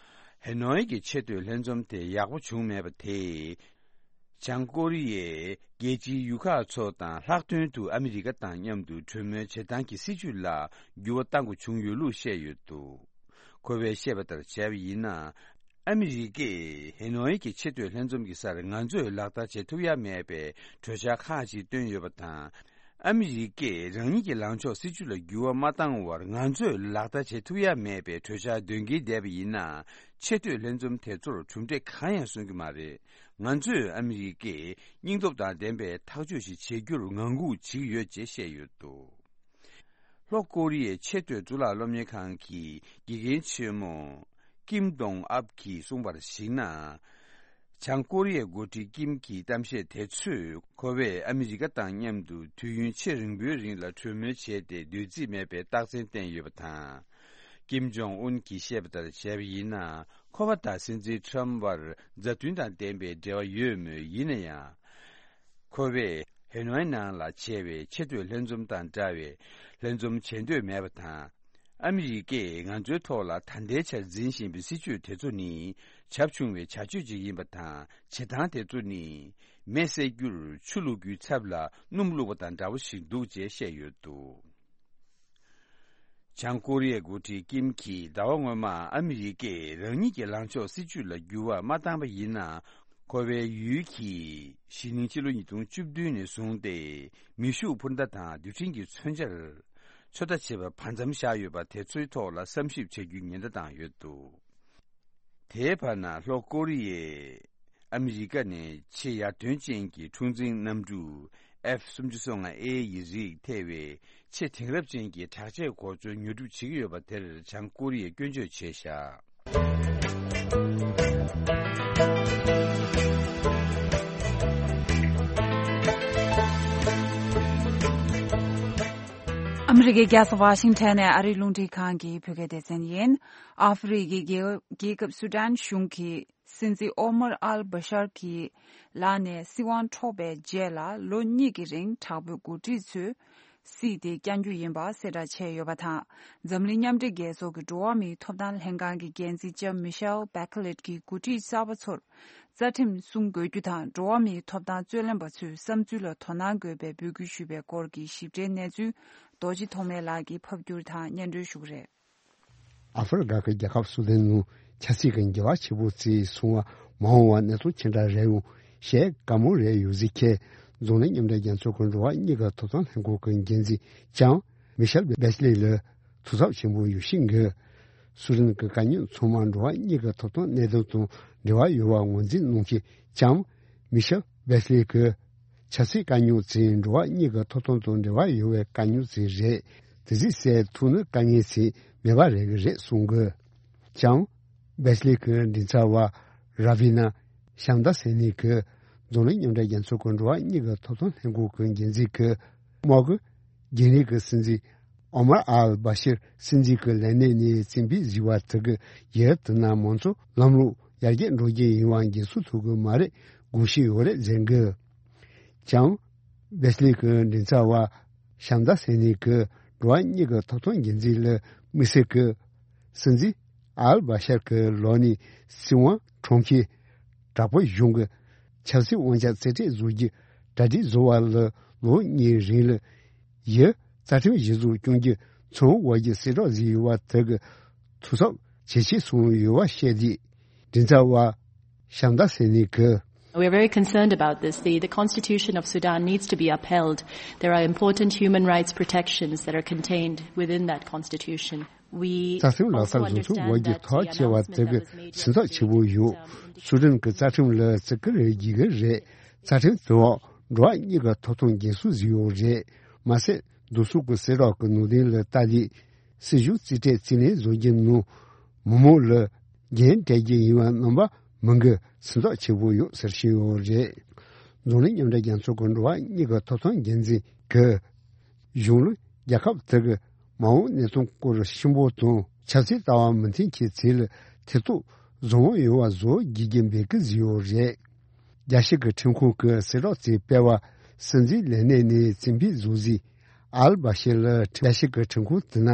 ཧེ་ནོའི་གི་ཆེས་མཐོའི་ལྷན་འཛོམས་དེ་ཡག་པོ་བྱུང་མེད་པ་དེས། བྱང་ཀོ་རི་ཡས་རྒྱལ་སྤྱིའི་ཡུལ་ཁག་ཚོ་དང་ལྷག་དོན་དུ་ཨ་མི་རི་ཀ་དང་མཉམ་དུ་གྲོས་མོལ་བྱེད་སྟངས་ཀྱི་སྲིད་བྱུས་ལ་འགྱུར་བ་གཏང་དགོས་བྱུང་ཡོད་ལུགས་བཤད་ཡོད་འདུག། ཁོ་བས་བཤད་པ་ལྟར་བྱས་པ་ཡིན་ན། ཨ་མི་རི་ཀས་ཧེ་ནོའི་གི་ཆེས་མཐོའི་ལྷན་འཛོམས་ཀྱི་སར་ང་ཚོས་ལག་བསྟར་བྱེད་ཐུབ་ཡ་མེད་པའི་གྲོས་འཆར་ཁག་ཅིག་བཏོན་ཡོད་པ་དང་། ཨ་མི་རི་ཀས་རང་ཉིད་ཀྱི་ལངས་ཕྱོགས་སྲིད་བྱུས་ལ་འགྱུར་བ་མ་བཏང་བར་ང་ཚོས་ལག་བསྟར་བྱེད་ཐུབ་ཡ་མེད་པའི་གྲོས་འཆར་འདོན་གྱིན་བསྡད་པ་ཡིན་ན། ཆེས་མཐོའི་ལྷན་འཛོམས་དེ་ཚོར་གྲུབ་འབྲས་གང་ཡང་སོན་གྱི་མ་རེད། ང་ཚོས་ཨ་མི་རི་ཀས་སྙིང་སྟོབས་དང་ལྡན་པའི་ཐག་གཅོད་ཞིག་བྱེད་རྒྱུར་ངང་སྒུག་བྱེད་ཀྱི་ཡོད་ཅེས་བཤད་ཡོད་འདུག། ལྷོ་ཀོ་རི་ཡའི་ཆེས་མཐོའི་གཙུག་ལག་སློབ་གཉེར་ཁང་གི་དགེ་རྒན་ཆེན་མོ་ཀིམ་ཏོང་ཨབ་ཀྱིས་གསུངས་པར་གཞིགས་ན། བྱང་ཀོ་རི་ཡའི་འགོ་ཁྲིད་ཀིམ་གྱི་གཏམ་བཤད་དེ་ཚོས་ཁོ་བས་ཨ་མི་རི་ཀ་དང་མཉམ་དུ་དུས་ཡུན་ཆེས་རིང་པོའི་རིང་ལ་གྲོས་མོལ་བྱས་ཏེ་འདོད་རྩིས་མེད་པའི་རྟགས་མཚན་བསྟན་ཡོད་པ་དང་། ཀིམ་ཇོང་ཨུན་གྱིས་བཤད་པ་ལྟར་བྱས་པ་ཡིན་ན། ཁོ་པ་དང་སྲིད་འཛིན་ཁྲམ་བར་མཛའ་མཐུན་དང་ལྡན་པའི་འབྲེལ་བ་ཡོད་མོད། ཡིན་ན་ཡང་། ཁོ་བས་ཧེ་ནོའི་ནང་ལ་བྱས་པའི་ཆེས་མཐོའི་ལྷན་འཛོམས་དང་འདྲ་བའི་ལྷན་འཛོམས་བྱེད་འདོད་མེད་པ་དང་། ཨ་མི་རི་ཀས་ང་ཚོའི་ཐོག་ལ་ད་ལྟའི་ཆར་འཛིན་བཞིན་པའི་སྲིད་བྱུས་དེ་ཚོ་ནི་བྱབ་ཆུང་བའི་བྱ་སྤྱོད་ཅིག་ཡིན་པ་དང་། བྱེད་སྟངས་དེ་ཚོ་ནི་མེ་བསད་རྒྱུར་ཆུ་བླུག་རྒྱུའི་ཚབ་ལ་སྣུམ་བླུགས་པ་དང་འདྲ་བོ་ཞིག་འདུག་ཅེས་བཤད་ཡོད་འདུག། བྱང་ཀོ་རི་ཡའི་འགོ་ཁྲིད་ཀིམ་གྱིས་ཟླ་བ་སྔོན་མ་ཨ་མི་རི་ཀས་རང་ཉིད་ཀྱི་ལངས་ཕྱོགས་སྲིད་བྱུས་ལ་འགྱུར་བ་མ་བཏང་པ་ཡིན་ན། ཁོ་པའི་ཡུལ་གྱིས་གཞེས་ནིང་ཕྱི་ལོ་ཉིས་སྟོང་བཅུ་བདུན་ནས་བཟུང་སྟེ་མེ་ཤུགས་འཕུར་མདའ་དང་རྡུལ་ཕྲན་གྱི་མཚོན་ཆར་ཚོད་ལྟ་བྱེད་པར་བར་མཚམས་བཞག་ཡོད་པ་དེ་ཚོའི་ཐོག་ལ་བསམ་ཞིབ་བྱ་རྒྱུའི་ཉེན་བརྡ་བཏང་ཡོད་འདུག། དེའི་བར་ན་ལྷོ་ཀོ་རི་ཡས་ཨ་མི་རི་ཀ་ནས་ཆེས་ཡར་ཐོན་ཅན་གྱི་འཁྲུག་འཛིང་གནམ་གྲུ་ཨེཕ་སུམ་ཅུ་སོ་ལྔ་ཨེ་ཡི་རིགས་ཐེ་བའི་ཆེས་དེང་རབས་ཅན་གྱི་དྲག་ཆས་གོ་མཚོན་ཉོ་སྒྲུབ་བྱེད་ཀྱི་ཡོད་པ་དེར་བྱང་ཀོ་རི་ཡས་སྐྱོན་བརྗོད་བྱས་བཞག། ཨ་མི་རི་ཀའི་རྒྱལ་ས་ཝ་ཤིང་ཊོན་ནས་ཨ་རིའི་རླུང་འཕྲིན་ཁང་གི་བོད་སྐད་སྡེ་ཚན་ཡིན། ཨ་ཧྥེ་རི་ཁའི་རྒྱལ་རྒྱལ་ཁབ་སུ་ཌན་གཞུང་གི་སྲིད་འཛིན་ཨོ་མར་ཨལ་བྷ་ཤར་གྱི་ལག་ནས་སྲིད་དབང་འཕྲོག་པའི་རྗེས་ལ་ལོ་གཉིས་ཀྱི་རིང་དྲག་པོའི་འགོ་ཁྲིད་ཚོས་སྲིད་དེ་བསྐྱང་རྒྱུ་ཡིན་པ་གསལ་བསྒྲགས་བྱས་ཡོད་པ་དང་། འཛམ་གླིང་མཉམ་འབྲེལ་རྒྱལ་ཚོགས་ཀྱི་འགྲོ་བ་མིའི་ཐོབ་ཐང་ལྷན་ཁང་གི་འགན་འཛིན་ལྕམ་མི་ཤེལ་བྷེ་ཁེ་ལེད་ཀྱིས་འགོ་ཁྲིད་གསར་པ་ཚོར་རྩ་ཁྲིམས་སྲུང་དགོས་རྒྱུ་དང་། འགྲོ་བ་མིའི་ཐོབ་ཐང་རྩོད་ལེན་པ་ཚོའི་བསམ་ཚུལ་ལ་དོ་སྣང་དགོས་པའི་འབོད་སྐུལ་ཞུས་པའི་སྐོར་གྱི་ཞིབ་ཕྲའི་གནས་ཚུལ་རྡོ་རྗེ་ཐོགས་མེད་ལགས་ཀྱིས་ཕབ་སྒྱུར་དང་སྙན་སྒྲོན་ཞུ་གི་རེད། ཨ་ཧྥེ་རི་ཁ་གི་རྒྱལ་ཁབ་སུ་དན་ནང་ཆབ་སྲིད་ཀྱི་འགྱུར་བ་ཆེན་པོ་བརྩིས་སོང་བ་མ་འོངས་པ་གནས་སྟངས་ཅི་འདྲ་རེད་འོང་ཞེས་དགའ་མོས་རེ་ཡོད་ཟེར་མཁན་འཛམ་གླིང་མཉམ་འབྲེལ་རྒྱལ་ཚོགས་ཀྱི་འགྲོ་བ་མིའི་ཐོབ་ཐང་ལྷན་ཁང་གི་འགན་འཛིན་ལྕམ་མི་ཤེལ་བྷེ་སི་ལི་ལ་ཐུགས་འཚབ་ཆེན་པོ་ཡོད་བཞིན་གི། སུ་དན་གྱི་དཀའ་རྙོག་ཚང་མ་འགྲོ་བ་མིའི་ཐོབ་ཐང་གནད་དོན་དང་འབྲེལ་བ་ཡོད་པ་ངོས་འཛིན་གནང་མཁན་ལྕམ་མི་ཤེལ་བྷེ་སི་ལི་གིས། ཆབ་སྲིད་དཀའ་རྙོག་ཅིག་འགྲོ་བ་མིའི་ཐོབ་ཐང་དང་འབྲེལ་བ་ཡོད་པའི་དཀའ་རྙོག་ཅིག་རེད། དེ་ཅིག་སེལ་ཐུབ་ན་དཀའ་ངལ་ཅིག་མེད་པ་རེད་གི་རེད་གསུང་གི། ལྕམ་བྷེ་སི་ལི་གི་མགྲིན་ཚབ་པ་ར་བི་ན་ཤམ་ད་སེ་ནི་གིས་འཛམ་གླིང་མཉམ་འབྲེལ་རྒྱལ་ཚོགས་ཀྱི་འགྲོ་བ་མིའི་ཐོབ་ཐང་ལྷན་ཁང་གི་འགན་འཛིན་གྱི་དམག་གི་རྒྱུན་ལས་ཀྱི་སྲིད་འཛིན་ཨོ་མར་ཨལ་བྷ་ཤིར་སྲིད་འཛིན་གྱི་ལས་གནས་ནས་རྩིག་པའི་བཟི་བ་དེ་གི་ཡུལ་དེ་ན་མང་གཙོ་ལམ་ལུགས་ཡར་རྒྱས་འགྲོ་རྒྱུ་ཡིན་པ་འགན་སྲུང་ཐུབ་ཀྱི་མ་རེད་དགོངས་ཤེས་ཡོད་རེད་ཟེར་གི། ལྕམ་བྷེ་སི་ལི་གི་མགྲིན་ཚབ་པ་ཤམ་ད་སེ་ནི་གི་འགྲོ་བ་མིའི་ཐོབ་ཐང་འགན་འཛིན་ལ་དམིགས་བསལ་གྱི་སྲིད་འཛིན་ཨལ་བྷ་ཤར་གྱི་ལག་ནས་སྲིད་དབང་འཕྲོག་མཁན་དྲག་པོ་གཞུང་གི་ཆབ་སྲིད་དབང་ཆ་རྩིས་སྤྲད་བཟོ་རྒྱུ་གྲ་སྒྲིག་བཟོ་བ་ལ་ལོ་གཉིས་རིང་ལ་ཡི་རྩ་ཁྲིམས་གཞི་བཟུང་སྐྱོང་རྒྱུ་ཚང་དབུ་བར་གྱི་གསལ་བསྒྲགས་བཟོས་ཡོད་པ་དེ་གི་ཐུགས་འཚབ་ཇེ་ཆེ་སོང་ཡོད་པ་བཤད་དེ། མགྲིན་ཚབ་པ་ཤམ་ད་སེ་ནི་གིས། We are very concerned about this. The, the constitution of Sudan needs to be upheld. There are important human rights protections that are contained within that constitution. We རྩ་ཁྲིམས་ལག་བསྟར་བཟོ་ཚུགས་དབུ་བར་གྱི་ཐག་བཅད་པ་དེ་གི་སེམས་འཚབ་ཆེ་པོ་ཡོད། སུ་དན་གྱི་རྩ་ཁྲིམས་ལ་བརྩི་བཀུར་རེ་བགྱི་གི་རེད། རྩ་ཁྲིམས་དེ་འོག་འགྲོ་བ་མིའི་ཐོབ་ཐང་འགན་སྲུང་བཟོས་ཡོད་རེད། མ་ཟད་བསྡུ་གསོག་གི་གསལ་བསྒྲགས་ཀྱི་ནང་དོན་ལ་ལྟ་དུས། སྲིད་གཞུང་རྩིས་སྤྲོད་རྩིས་ལེན་བཟོ་རྒྱུ་ནང་མི་མང་ལ་འགན་སྤྲད་རྒྱུ་ཡིན་པ་རྣམ་པ་མང་གི་སེམས་འཚབ་ཆེ་པོ་ཡོད་ཟེར་བཞིན་ཡོད་རེད། འཛམ་གླིང་མཉམ་འབྲེལ་རྒྱལ་ཚོགས་ཀྱི་འགྲོ་བ་མིའི་ཐོབ་ཐང་འགན་འཛིན་གྱིས་གཞུང་ལ་རྒྱལ་ཁབ་དེ་གི་མ་འོངས་གནས་སྟངས་སྐོར་གཤིན་པོ་དང་ཆབ་སྲིད་ལྟ་བ་མི་མཐུན་གྱི་ཚུལ་ལ་ཐེ་གཏོགས་བཟང་པོ་ཡོད་པ་བཟོ་དགོས་ཀྱི་འབོད་སྐུལ་བཟོས་ཡོད་རེད། རྒྱལ་སྤྱི་གི་ཁྲིམས་ཁང་གི་གསལ་བསྒྲགས་དེ་སྤེལ་བ་སྲིད་འཛིན་ལས་གནས་ནས་རྩིག་པའི་བཟོ་རྩིས་ཨལ་བྷ་ཤེ་ལ་རྒྱལ་སྤྱི་གི་ཁྲིམས་ཁང་དེ་ན་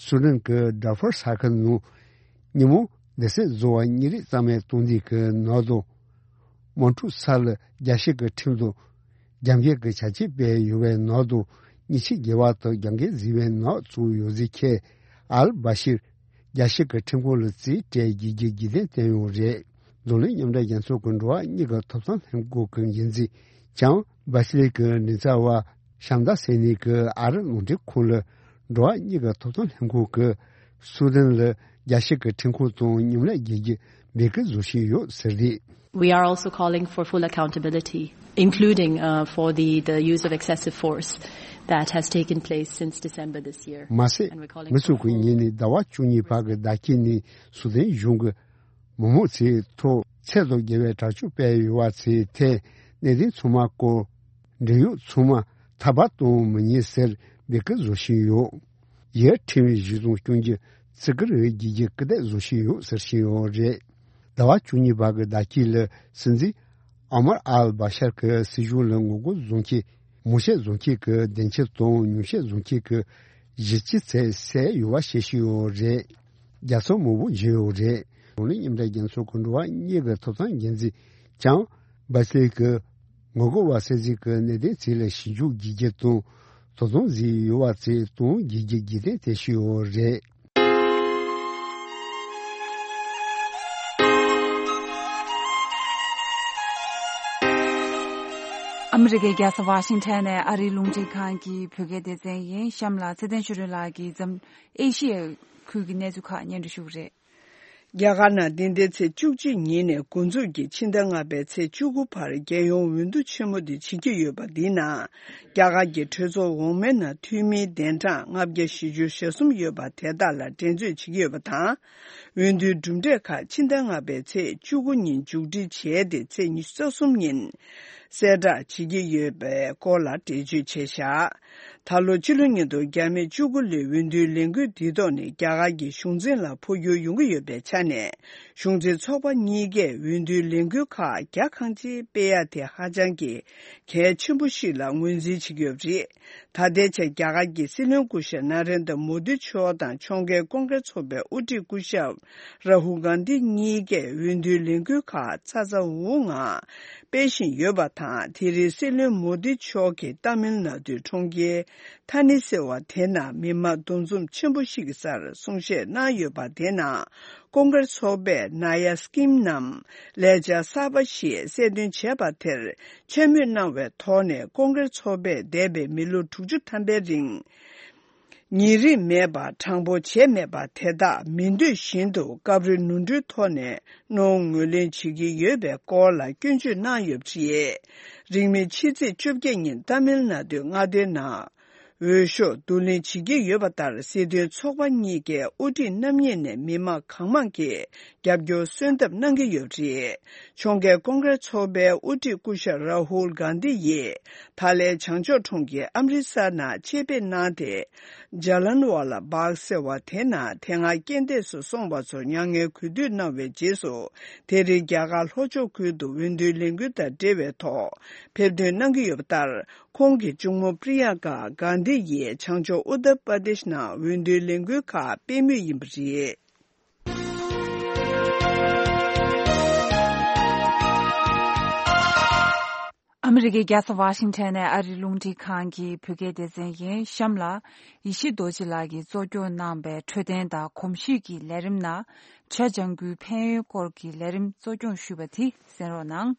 སུ་དན་གྱི་ཌར་ཧྥུར་ས་ཁུལ་ནང་ཉིན་མོ་སྡེ་ཚན་བཟོ་བ་གཉིས་རེ་གཙང་མ་གཏོང་དུས་ཀྱི་ནང་དུ། དམག་འཁྲུག་ས་ལ་རྒྱལ་སྤྱི་གི་ཁྲིམས་དང་རྒྱབ་འགལ་གྱི་བྱ་སྤྱོད་སྤེལ་ཡོད་པའི་ནང་དུ་ཉེས་ཆད་འགེལ་བ་དང་རྒྱབ་འགལ་བཟོས་པའི་ནང་བཙུགས་ཡོད་ཟེར་མཁན་ཨལ་བ་ཤིར་རྒྱལ་སྤྱི་གི་ཁྲིམས་ཁང་ལ་རྩིས་སྤྲད་རྒྱུའི་རྒྱུ་རྐྱེན་བསྟན་ཡོད་རེད། འཛམ་གླིང་མཉམ་འབྲེལ་རྒྱལ་ཚོགས་ཀྱི་འགྲོ་བ་མིའི་ཐོབ་ཐང་ལྷན་ཁང་གི་འགན་འཛིན་ལྕམ་བྷ་སི་ལི་ཀི་ནི་ཙ་ཝ་ཤམ་ད་ཟེར་ནི་གིས་ཨ་རི་རླུང་འཕྲིན་ཁང་ལ་འགྲོ་བ་མིའི་ཐོབ་ཐང་ལྷན་ཁང་གིས་སུ་དན་ལ་རྒྱལ་སྤྱི་གི་ཁྲིམས་ཁང་དང་མཉམ་ལས་བྱེད་རྒྱུ་འབོད་སྐུལ་བཟོ་བཞིན་ཡོད་ཟེར་རེད། We are also calling for full accountability, including, uh, for the, the use of excessive force that has taken place since December this year. མ་ཟད། And we're calling མི་ཚོགས་ཀྱི་ངོས་ནས་ཟླ་བ་བཅུ་གཉིས་བར་གྱི་ཟླ་དཀྱིལ་ནས་སུ་དན་གཞུང་གིས་མི་མང་ཚོའི་ཐོག་ཚད་དང་བརྒལ་བའི་དྲག་སྤྱོད་སྤེལ་ཡོད་པ་ཚོའི་ཐད་གནད་དོན་ཚང་མ་སྐོར་འབྲེལ་ཡོད་ཚང་མ་ཐར་པ་གཏོང་མི་ཉན་ཟེར་འབོད་སྐུལ་བཟོ་བཞིན་ཡོད། ཡུལ་ཁྲིམས་གཞི་བཟུང་སྐྱོང་རྒྱུ་བརྩི་བཀུར་བྱེད་རྒྱུ་སྐུལ་འདེད་བཟོ་བཞིན་ཡོད་ཟེར་བཞིན་ཡོད་རེད། ཟླ་བ་བཅུ་གཉིས་བར་གྱི་ཟླ་དཀྱིལ་ལ་སྲིད་འཛིན་ཨོ་མར་ཨལ་བྷ་ཤར་གྱི་སྲིད་གཞུང་ལ་ངོ་རྒོལ་བཟོ་མཁན་མང་བཤད་བཟོ་མཁན་གྱི་སྡིངས་ཆ་དང་ཉུང་བཤད་བཟོ་མཁན་གྱི་གཞི་རྩའི་ཚད་བསད་ཡོད་པ་བཤད་བཞིན་ཡོད་རེད། རྒྱལ་ཚོགས་མང་པོ་འབྱོར་ཡོད་རེད། འཛམ་གླིང་མཉམ་འབྲེལ་རྒྱལ་ཚོགས་ཀྱི་འགྲོ་བ་མིའི་ཐོབ་ཐང་འགན་འཛིན་ལྕམ་བྷ་སི་ལི་ཀིས་ངོ་རྒོལ་བ་སེལ་རྩིས་ཀྱི་གནད་དོན་ཚོ་ལ་ཞིབ་འཇུག་བྱེད་རྒྱུ་དང་དོ་དམ་བཟོས་ཡོད་པ་ཚོ་སྟོན་བྱེད་རྒྱུ་རྒྱུན་གཏན་བྱས་བཞིན་ཡོད་རེད། ཨ་མི་རི་ཀའི་རྒྱལ་ས་ཝ་ཤིང་ཊོན་ནས་ཨ་རིའི་རླུང་འཕྲིན་ཁང་གི་བོད་སྐད་སྡེ་ཚན་ཡིན། གཤམ་ལ་ཚེ་བརྟན་ཆོས་སྒྲོན་ལགས་ཀྱིས་འཛམ་ཨེ་ཤི་ཡའི་ཁུལ་གྱི་གནས་ཚུལ་ཁག་སྙན་སྒྲོན་ཞུ་གི་རེད། རྒྱ་གར་ནང་འདི་ཟླའི་ཚེས་བཅུ་གཅིག་ཉིན་ནས་འགོ་འཛུགས་ཀྱིས་ཕྱི་ཟླ་ལྔ་པའི་ཚེས་བཅུ་དགུ་བར་རྒྱལ་ཡོངས་འོས་བསྡུ་ཆེན་མོ་འདི་བྱེད་ཀྱི་ཡོད་པ་འདིའི་ནང་། རྒྱ་གར་གྱི་གྲོས་ཚོགས་འོག་མའི་ནང་འཐུས་མིའི་གདན་གྲངས་ལྔ་བརྒྱ་བཞི་བཅུ་ཞེ་གསུམ་ཡོད་པ་དེ་དག་ལ་འགྲན་རྩོད་བྱེད་ཀྱི་ཡོད་པ་དང་། འོས་བསྡུའི་གྲུབ་འབྲས་ཁག་ཕྱི་ཟླ་ལྔ་པའི་ཚེས་བཅུ་དགུ་ཉིན་མཇུག་སྒྲིལ་བྱས་ཏེ་ཚེས་ཉི་ཤུ་རྩ་གསུམ་ཉིན་གསལ་བསྒྲགས་བྱེད་ཀྱི་ཡོད་པའི་སྐོར་ལ་འགྲེལ་བརྗོད་བྱས་བཞག་ད་ལོ་ཕྱི་ལོ་ཉིས་སྟོང་བརྒྱ་མེད་བཅུ་དགུ་ལོའི་འོས་བསྡུའི་ལས་འགུལ་འདིའི་ཐོག་ནས་རྒྱ་གར་གྱི་གཞུང་འཛིན་ལ་འཕོ་འགྱུར་ཡོང་གི་ཡོད་པའི་ཆ་ནས། གཞུང་འཛིན་ཚོགས་པ་གཉིས་ཀས་འོས་བསྡུའི་ལས་འགུལ་ཁག་རྒྱ་གང་ཆེ་སྤེལ་ཡ་དེ་ཧ་ཅང་གི་གལ་ཆེན་པོ་ཞིག་ལ་ངོས་འཛིན་བྱེད་ཀྱི་ཡོད་པ་རེད། ད་ལྟའི་ཆར་རྒྱ་གར་གྱི་སྲིད་བློན་སྐུ་ཞབས་ན་རེན་དྲ་མོ་དི་མཆོག་དང་ཕྱོགས་འགལ་ཀོང་ཀྲེས་ཚོགས་པའི་དབུ་ཁྲིད་སྐུ་ཞབས་རཱ་ཧུལ་གྷན་དྷི་གཉིས་ཀས་འོས་བསྡུའི་ལས་འགུལ་ཁག་ཚ་ཚ་འུར་འུར་ངང་སྤེལ་བཞིན་ཡོད་པ་དང་། དེ་རིང་སྲིད་བློན་མོ་དི་མཆོག་གིས་ཏཱ་མིལ་ནཱ་ཌུའི་གྲོང་ཁྱེར་ཐ་ནི་ཟེར་བ་དེ་ནང་མི་མང་འདུ་འཛོམས་ཆེན་པོ་ཞིག་གི་སར་གསུང་བཤད་གནང་ཡོད་པ་དེ་ནང་ཀོང་ཀྲེས་ཚོགས་པས་ནཱ་ཡ་སི་ཀིམ་ནམ་ལས་འཆར་གསར་པ་ཞིག་གསལ་སྟོན་བྱས་པ་དེར་མཚན་སྨོད་གནང་བའི་ཐོག་ནས། ཀོང་ཀྲེས་ཚོགས་པས་འདས་པའི་མི་ལོ་དྲུག་ཅུ་ཐམ་པའི་རིང་ཉེ་རིང་མེད་པར་དྲང་པོ་བྱས་མེད་པ་དེ་དག་མི་འདོད་བཞིན་དུ་སྐབས་རེ་ནོར་འཁྲུལ་ཐོག་ནས་རྣོ་ངོས་ལེན་བྱེད་ཀྱི་ཡོད་པའི་སྐོར་ལ་སྐྱོན་བརྗོད་གནང་ཡོད་པ་རེད། རིང་མིན་ཕྱི་ཚེས་བཅོ་བརྒྱད་ཉིན་ཏཱ་མིལ་ནཱ་ཌུའི་མངའ་སྡེའི་ནང་འོས་ཤོག་བསྡུ་ལེན་བྱེད་ཀྱི་ཡོད་པ་ལྟར། སྲིད་དོན་ཚོགས་པ་གཉིས་ཀའི་དབུ་ཁྲིད་རྣམ་གཉིས་ནས་མི་མང་གང་མང་གིས་རྒྱབ་སྐྱོར་གསོལ་འདེབས་གནང་གི་ཡོད་པ་རེད། ཕྱོགས་འགལ་ཀོང་ཀྲེས་ཚོགས་པའི་དབུ་ཁྲིད་སྐུ་ཞབས་རཱ་ཧུལ་གྷན་དྷི་ཡིས་ཐ་ལའི་བྱང་ཕྱོགས་གྲོང་ཁྱེར་ཨམ་རི་སར་ནང་ཆེད་ཕེབས་གནང་སྟེ། ཇཱ་ལན་ཝ་ལ་བྷག་ཟེར་བ་དེ་ནང་དེ་སྔ་རྐྱེན་འདས་སུ་སོང་བ་ཚོར་མྱ་ངན་གུས་འདུད་གནང་བའི་རྗེས་སུ། དེ་རིང་རྒྱ་གར་ལྷོ་ཕྱོགས་ཁུལ་དུ་འོས་བསྡུའི་ལས་འགུལ་དང་འབྲེལ་བའི་ཐོག་ཕེབས་ཐོན་གནང་གི་ཡོད་པ་ལྟར། ཁོང་གི་གཅུང་མོ་པྲི་ཡང་ཀ་གྷན་དྷི་ཡིས་བྱང་ཕྱོགས་ཨུ་ཏར་པར་དེཤ་ནང་འོས་བསྡུའི་ལས་འགུལ་ཁག་སྤེལ་མུས་ཡིན་པ་རེད། ཨ་མི་རི་ཀའི་རྒྱལ་ས་ཝ་ཤིང་ཊོན་ནས་ཨ་རིའི་རླུང་འཕྲིན་ཁང་གི་བོད་སྐད་སྡེ་ཚན་ཡིན། གཤམ་ལ་ཡེ་ཤེས་རྡོ་རྗེ་ལགས་ཀྱིས་གཙོ་སྐྱོང་གནང་པའི་འཕྲོད་བསྟེན་དང་གོམས་གཤིས་ཀྱི་ལས་རིམ་ནང་། བྱ་ལྗང་གུའི་ཕན་ཡོན་སྐོར་གྱི་ལས་རིམ་གཙོ་སྐྱོང་ཞུས་པ་དེ་གསན་རོགས་གནང་།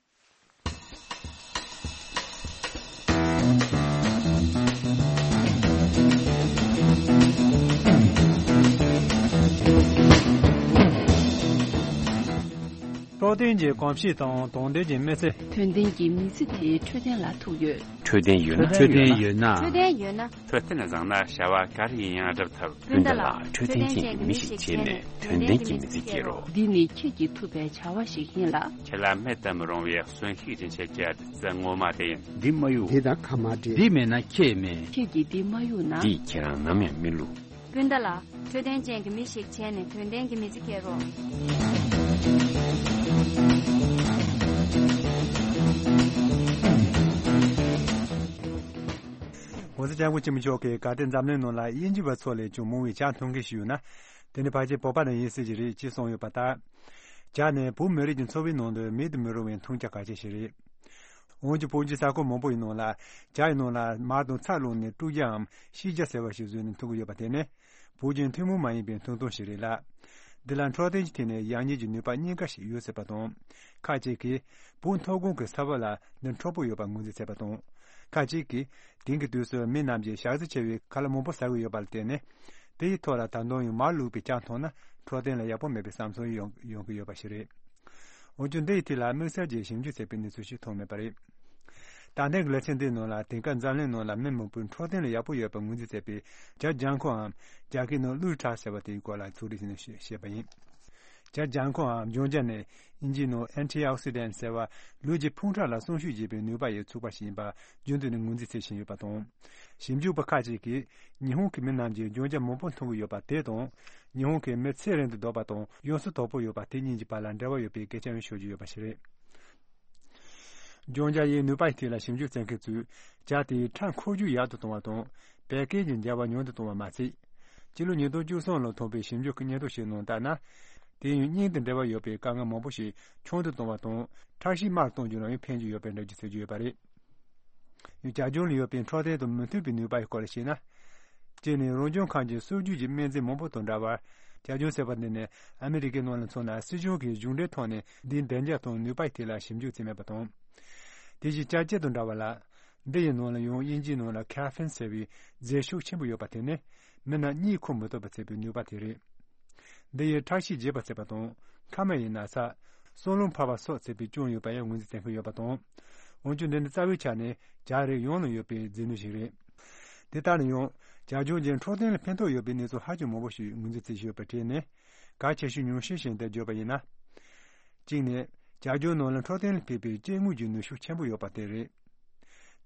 འཕྲོད་བསྟེན་གྱི་གོམས་གཤིས་དང་དོན་ལྡན་གྱི་མི་ཚེ། དོན་ལྡན་གྱི་མི་ཚེ་དེ་འཕྲོད་བསྟེན་ལ་ཐུག་ཡོད། འཕྲོད་བསྟེན་ཡོད་ན། འཕྲོད་བསྟེན་ཡོད་ན། འཕྲོད་བསྟེན་ཡོད་ན། འཕྲོད་བསྟེན་བཟང་ན་བྱ་བ་ག་རེ་ཡིན་ཡང་འགྲུབ་ཐུབ། སྤུན་ཟླ་ལགས། འཕྲོད་བསྟེན་ཅན་གྱི་མི་ཞིག་བྱས་ནས་དོན་ལྡན་གྱི་མི་ཚེ་སྐྱེལ་རོགས། འདི་ནི་ཁྱེད་ཀྱིས་ཐུབ་པའི་བྱ་བ་ཞིག་ཡིན་ལ། ཁྱེད་ལ་མེད་དུ་མི་རུང་བའི་གསོན་ཤུགས་སྦྱིན་བྱེད་ཀྱི་ལྡེ་མིག་ངོ་མ་རེད། འདི་མ་གཡུག་འདི་དང་ཁ་མ་འབྲལ། འདི་མེད་ན་ཁྱེད་མེད། ཁྱེད་ཀྱིས་འདི་མ་གཡུག་ན། འདིས་ཁྱེད་རང་ནམ་ཡང་མི་བསླུ། སྤུན་ཟླ་ལགས། འཕྲོད་བསྟེན་ཅན་གྱི་མི་ཞིག་བྱས་ནས་དོན་ལྡན་གྱི་མི་ཚེ་སྐྱེལ་རོགས།༸གོང་ས་༸སྐྱབས་མགོན་ཆེན་པོ་མཆོག་གིས་གལ་ཏེ་འཛམ་གླིང་ནང་ལ་དབྱིན་ཇི་བ་ཚོ་ལས་ཀྱང་མང་བའི་ཇ་འཐུང་མཁན་ཞིག་ཡོད་ན། དེ་ནི་ཕལ་ཆེར་བོད་པ་རང་ཡིན་སྲིད་ཀྱི་རེད་ཅེས་གསུངས་ཡོད་པ་ལྟར། ཇ་ནི་བོད་མི་རིགས་ཀྱི་འཚོ་བའི་ནང་དུ་མེད་དུ་མི་རུང་བའི་འཐུང་ཆ་གལ་ཆེ་ཞིག་རེད། འོན་ཀྱང་བོད་ཀྱི་ས་ཁུལ་མང་པོ་ཡི་ནང་ལ་ཇ་ཡི་ནང་ལ་མར་དང་ཚྭ་བླུགས་ནས་དཀྲུག་ཇའམ་ཤིས་ཇ་ཟེར་བ་ཞིག་བཟོས་ནས་འཐུང་གི་ཡོད་པ་དེ་ནི་བོད་ཀྱི་ཐུན་མོང་མ་ཡིན་པའི་འཐུང་སྟངས་ཤིག་རེད་ལ། འདི་ལ་འཕྲོད་བསྟེན་གྱི་ཐད་ནས་ཡག་ཉེས་ཀྱི་ནུས་པ་གཉིས་ཀ་ཞིག་ཡོད་སྲིད་པ་དང་། ཁག་ཅིག་གིས་བོད་མཐོ་སྒང་གི་ས་བབ་ལ་འདི་འཕྲོད་པོ་ཡོད་པ་ངོས་འཛིན་བྱས་པ་དང་། ཁག་ཅིག་གིས་དེང་གི་དུས་སུ་མི་རྣམས་ཀྱིས་ཞག་རྩི་ཆེ་བའི་ཁ་ལག་མང་པོ་ཟ་གི་ཡོད་པ་ལ་བརྟེན་ནས། དེ་ཡི་ཐོག་ལ་ད་དུང་ཡང་མར་བླུགས་པའི་ཇ་འཐུང་ན་འཕྲོད་བསྟེན་ལ་ཡག་པོ་མེད་པའི་བསམ་ཚུལ་ཡོང་ཡོང་གི་ཡོད་པ་ཞིག་རེད། འོན་ཀྱང་འདི་ཡི་ཐད་ལ་དམིགས་བསལ་གྱི་ཞིབ་འཇུག་བྱས་པའི་གནས་ཚུལ་ཞིག་ཐོན་མེད་པ་རེད། ད་ལྟའི་གི་ལེ་ཚན་འདིའི་ནང་ལ་དེང་སྐབས་འཛམ་གླིང་ནང་ལ་མི་མང་པོས་འཕྲོད་བསྟེན་ལ་ཡག་པོ་ཡོད་པར་ངོས་འཛིན་བྱས་པའི་ཇ་ལྗང་ཁུའམ་རྒྱ་སྐད་ནང་ལུའུ་ཁྲ་ཟེར་བ་དེའི་སྐོར་ལ་ཚོགས་སྒྲིག་བྱས་ནས་བཤད་པ་ཡིན། ཇ་ལྗང་ཁུའམ་ལྗང་ཇ་ནི་དབྱིན་ཇིའི་ནང་Antioxidant ཟེར་བ་ལུས་ཀྱི་ཕུང་ཁྲག་ལ་སྲུང་སྐྱོབ་བྱེད་པའི་ནུས་པ་ཡི་ཚོགས་པ་ཞིག་ཡིན་པ་རྒྱུན་དུ་ནས་ངོས་འཛིན་བྱེད་བཞིན་ཡོད་པ་དང་། ཞིབ་འཇུག་པ་ཁག་ཅིག་གིས་ཉི་ཧོང་གི་མི་རྣམས་ཀྱིས་ལྗང་ཇ་མང་པོ་འཐུང་གི་ཡོད་པ་དེ་དང་། ཉི་ཧོང་གི་མི་ཚེ་རིང་དུ་སྡོད་པ་དང་ཡོངས་སུ་དོག་པོ་ཡོད་པ་དེ་གཉིས་ཀྱི་བར་ལ་འབྲེལ་བ་ཡོད་པའི་སྐད་ཆ་ཡང་ཤོད་ཀྱི་ཡོད་པ་ཞིག་རེད། ལྗང་ཇ་ཡི་ནུས་པ་ཡི་ཐད་ལ་ཞིབ་འཇུག་བྱེད་མཁན་ཚོས་ཇ་དེའི་ཁྲག་འཁོར་རྒྱུག་ཡག་ཏུ་གཏོང་བ་དང་། བད་ཀན་གྱི་འགྱུར་བ་ཉུང་དུ་གཏོང་བ་མ་ཟད། སྤྱི་ལོ་ཉིས་སྟོང་བཅུ་གསུམ་ལོར་ཐོན་པའི་ཞིབ་འཇུག་གི་སྙན་ཐོ་ཞིག་ནང་ལྟར་ན། དེ་ཡང་སྙིང་དང་འབྲེལ་བ་ཡོད་པའི་དཀའ་ངལ་མང་པོ་ཞིག་ཆུང་དུ་གཏོང་བ་དང་། ཁྲག་ཤེད་དམའ་རུ་གཏོང་རྒྱུ་ལ་ཡང་ཕན་གྱི་ཡོད་པའི་འགྲེལ་བརྗོད་བྱེད་ཀྱི་ཡོད་པ་རེད། ཡང་ཇ་ལྗང་ལ་ཡོད་པའི་འཕྲོད་བསྟེན་དང་མི་མཐུན་པའི་ནུས་པ་ཡི་སྐོར་ལ་བཤད་ན། སྤྱིར་ནི་རང་བྱུང་ཁམས་ཀྱི་སྲོལ་རྒྱུན་གྱི་སྨན་རྫས་མང་པོ་དང་འདྲ་བར། ཇ་ལྗང་ཟེར་བ་འདི་ནི་ཨ་མི་རི་ཀའི་ནང་ལ་མཚོན་ན་སྲིད་གཞུང་གི་གཞུང་འབྲེལ་ཐོག་ནས་འདིའི་བདེ་འཇགས་དང་ནུས་པ་ཡི་ཐད་ལ་ཞིབ་འཇུག་བྱས་མེད་པ་དང་། དེ་བཞིན་ཇ་སྐྱེད་དང་འདྲ་བ་ལ། འདི་ཡི་ནང་ལ་ཡང་དབྱིན་ཇིའི་ནང་ལ་ཁེ་ཕིན་ཟེར་བའི་རྫས་ཤུགས་ཆེན་པོ་ཡོད་པ་དེ་ནི་མི་རྣམས་གཉིད་ཁུག་མི་ཐུབ་པ་བྱེད་པའི་ནུས་པ་དེ་རེད། འདི་ཡིས་ཁྲག་ཤེད་རྒྱས་པ་བྱེད་པ་དང་། མཁལ་མ་ཡི་ན་ཚ། སྲོག་རླུང་འཕར་བ་སོགས་བྱེད་པའི་རྐྱེན་ཡོད་པ་ཡང་ངོས་འཛིན་བྱེད་མཁན་ཡོད་པ་དང་། འོན་ཀྱང་འདི་ནི་རྩ་བའི་ཆ་ནས་ཇ་རིགས་ཡོངས་ལ་ཡོད་པའི་རྫས་སྣོད་ཞིག་རེད། དེ་ལྟར་ན་ཡང་། ཇ་ལྗང་གིས་འཕྲོད་བསྟེན་ལ་ཕན་ཐོགས་ཡོད་པའི་གནས་ཚུལ་ཧ་ཅང་མང་པོ་ཞིག་ངོས་འཛིན་བྱེད་བཞིན་ཡོད་པའི་གྲས་ནས། གལ་ཆེ་ཤོས་ཉུང་ཤས་ཤིག་འདིར་བརྗོད་པ་ཡིན་ན། གཅིག་ནི། ཇ་ལྗང་ནང་ལ་འཕྲོད་བསྟེན་ལ་ཕན་པའི་སྐྱེ་དངོས་ཀྱི་ནུས་ཤུགས་ཆེན་པོ་ཡོད་པ་དེ་རེད།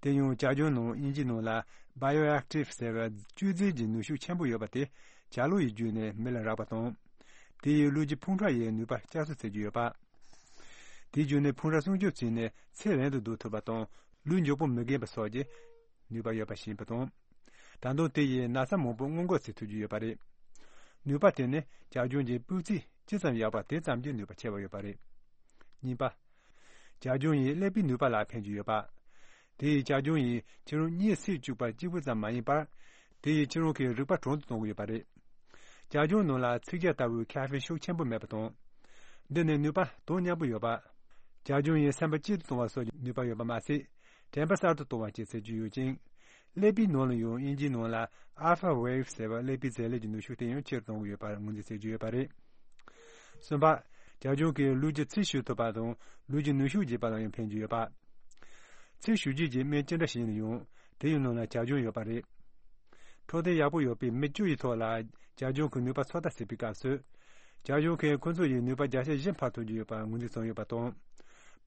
དེ་ཡང་ཇ་ལྗང་ནང་དབྱིན་ཇིའི་ནང་ལ་Bioactive ཟེར་བའི་བཅུད་རྫས་ཀྱི་ནུས་ཤུགས་ཆེན་པོ་ཡོད་པ་དེ་ཇ་ལུག་ཡིས་བརྒྱུད་ནས་མི་ལ་རག་པ་དང་། དེ་ཡིས་ལུས་ཀྱི་ཕུང་ཁྲག་ཡི་ནུས་པ་བསྐྱར་གསོ་བྱེད་ཀྱི་ཡོད་པ། དེའི་བརྒྱུད་ནས་ཕུང་ཁྲག་སྲུང་སྐྱོབ་བྱས་ནས་ཚེ་རིང་དུ་སྡོད་ཐུབ་པ་དང་ལུས་མགྱོགས་པོ་མི་རྒན་པ་སོགས་ཀྱི་ནུས་པ་ཡོད་པ་ཞིག་ཡིན་པ་དང་། ད་དུང་དེ་ཡིས་ན་ཚ་མང་པོ་སྔོན་འགོག་བྱེད་ཐུབ་ཀྱི་ཡོད་པ་རེད། ནུས་པ་དེ་ནི་ཇ་ལྗང་གི་སྤུས་ཚད་ཇི་ཙམ་ཡག་པ་དེ་ཙམ་གྱིས་ནུས་པ་ཆེ་བ་ཡོད་པ་རེད། གཉིས་པ། ཇ་ལྗང་ཡིས་ཀླད་པའི་ནུས་པ་ལ་ཕན་གྱི་ཡོད་པ། དེ་ཡིས་ཇ་ལྗང་ཡིས་ཁྱེད་རང་གཉིད་སད་བཅུག་པ་གཅིག་པུ་ཙམ་མ་ཡིན་པར། དེ་ཡིས་ཁྱེད་རང་གི་རེག་པ་གྲང་དུ་གཏོང་གི་ཡོད་པ་རེད། ཇ་ལྗང་ནང་ལ་ཚིག་ཇ་ལྟ་བུའི་ཁེ་ཕིན་ཤུགས་ཆེན་པོ་མེད་པ་དང་། འདི་ནི་ནུས་པ་དོ་མཉམ་པོ་ཡོད་པ། ཇ་ལྗང་ཡིས་སེམས་པ་སྐྱིད་དུ་གཏོང་བ་སོགས་ཀྱི་ནུས་པ་ཡོད་པ་མ་ཟད། དྲན་པ་གསར་དུ་གཏོང་བ་བཅས་བྱེད་རྒྱུ་ཡོད་ཅིང་། ཀླད་པའི་ནང་ལ་ཡང་དབྱིན་ཇིའི་ནང་ལ་Alpha Wave ཟེར་བ་ཀླད་པའི་བྱེད་ལས་ཀྱི་ནུས་ཤུགས་དེ་ཡང་ཆེ་རུ་གཏོང་གི་ཡོད་པར་ངོས་འཛིན་བྱེད་རྒྱུ་ཡོད་པ་རེད། གསུམ་པ། ཇ་ལྗང་གིས་ལུས་ཀྱི་ཚིལ་བྱུག་ཐུབ་པ་དང་ལུས་ཀྱི་ནུས་ཤུགས་རྒྱས་པ་ལ་ཡང་ཕན་གྱི་ཡོད་པ། ཚིལ་བྱུག་བྱེད་ཀྱི་སྨན་ཅི་འདྲ་ཞིག་ཡིན་ན་ཡང་དེ་ཡི་ནང་ལ་ཇ་ལྗང་ཡོད་པ་རེད། འཕྲོད་བསྟེན་ཡག་པོ་ཡོད་པའི་མི་བཅུ་ཡི་ཐོག་ལ་ཇ་ལྗང་གི་ནུས་པ་ཚོད་ལྟ་བྱེད་པའི་སྐབས་སུ། ཇ་ལྗང་གིས་ཁོ་ཚོ་ཡི་ནུས་པ་བརྒྱ་ཆ་བཞི་འཕར་ཐུབ་ཀྱི་ཡོད་པར་ངོས་འཛིན་བྱུང་ཡོད་པ་དང་།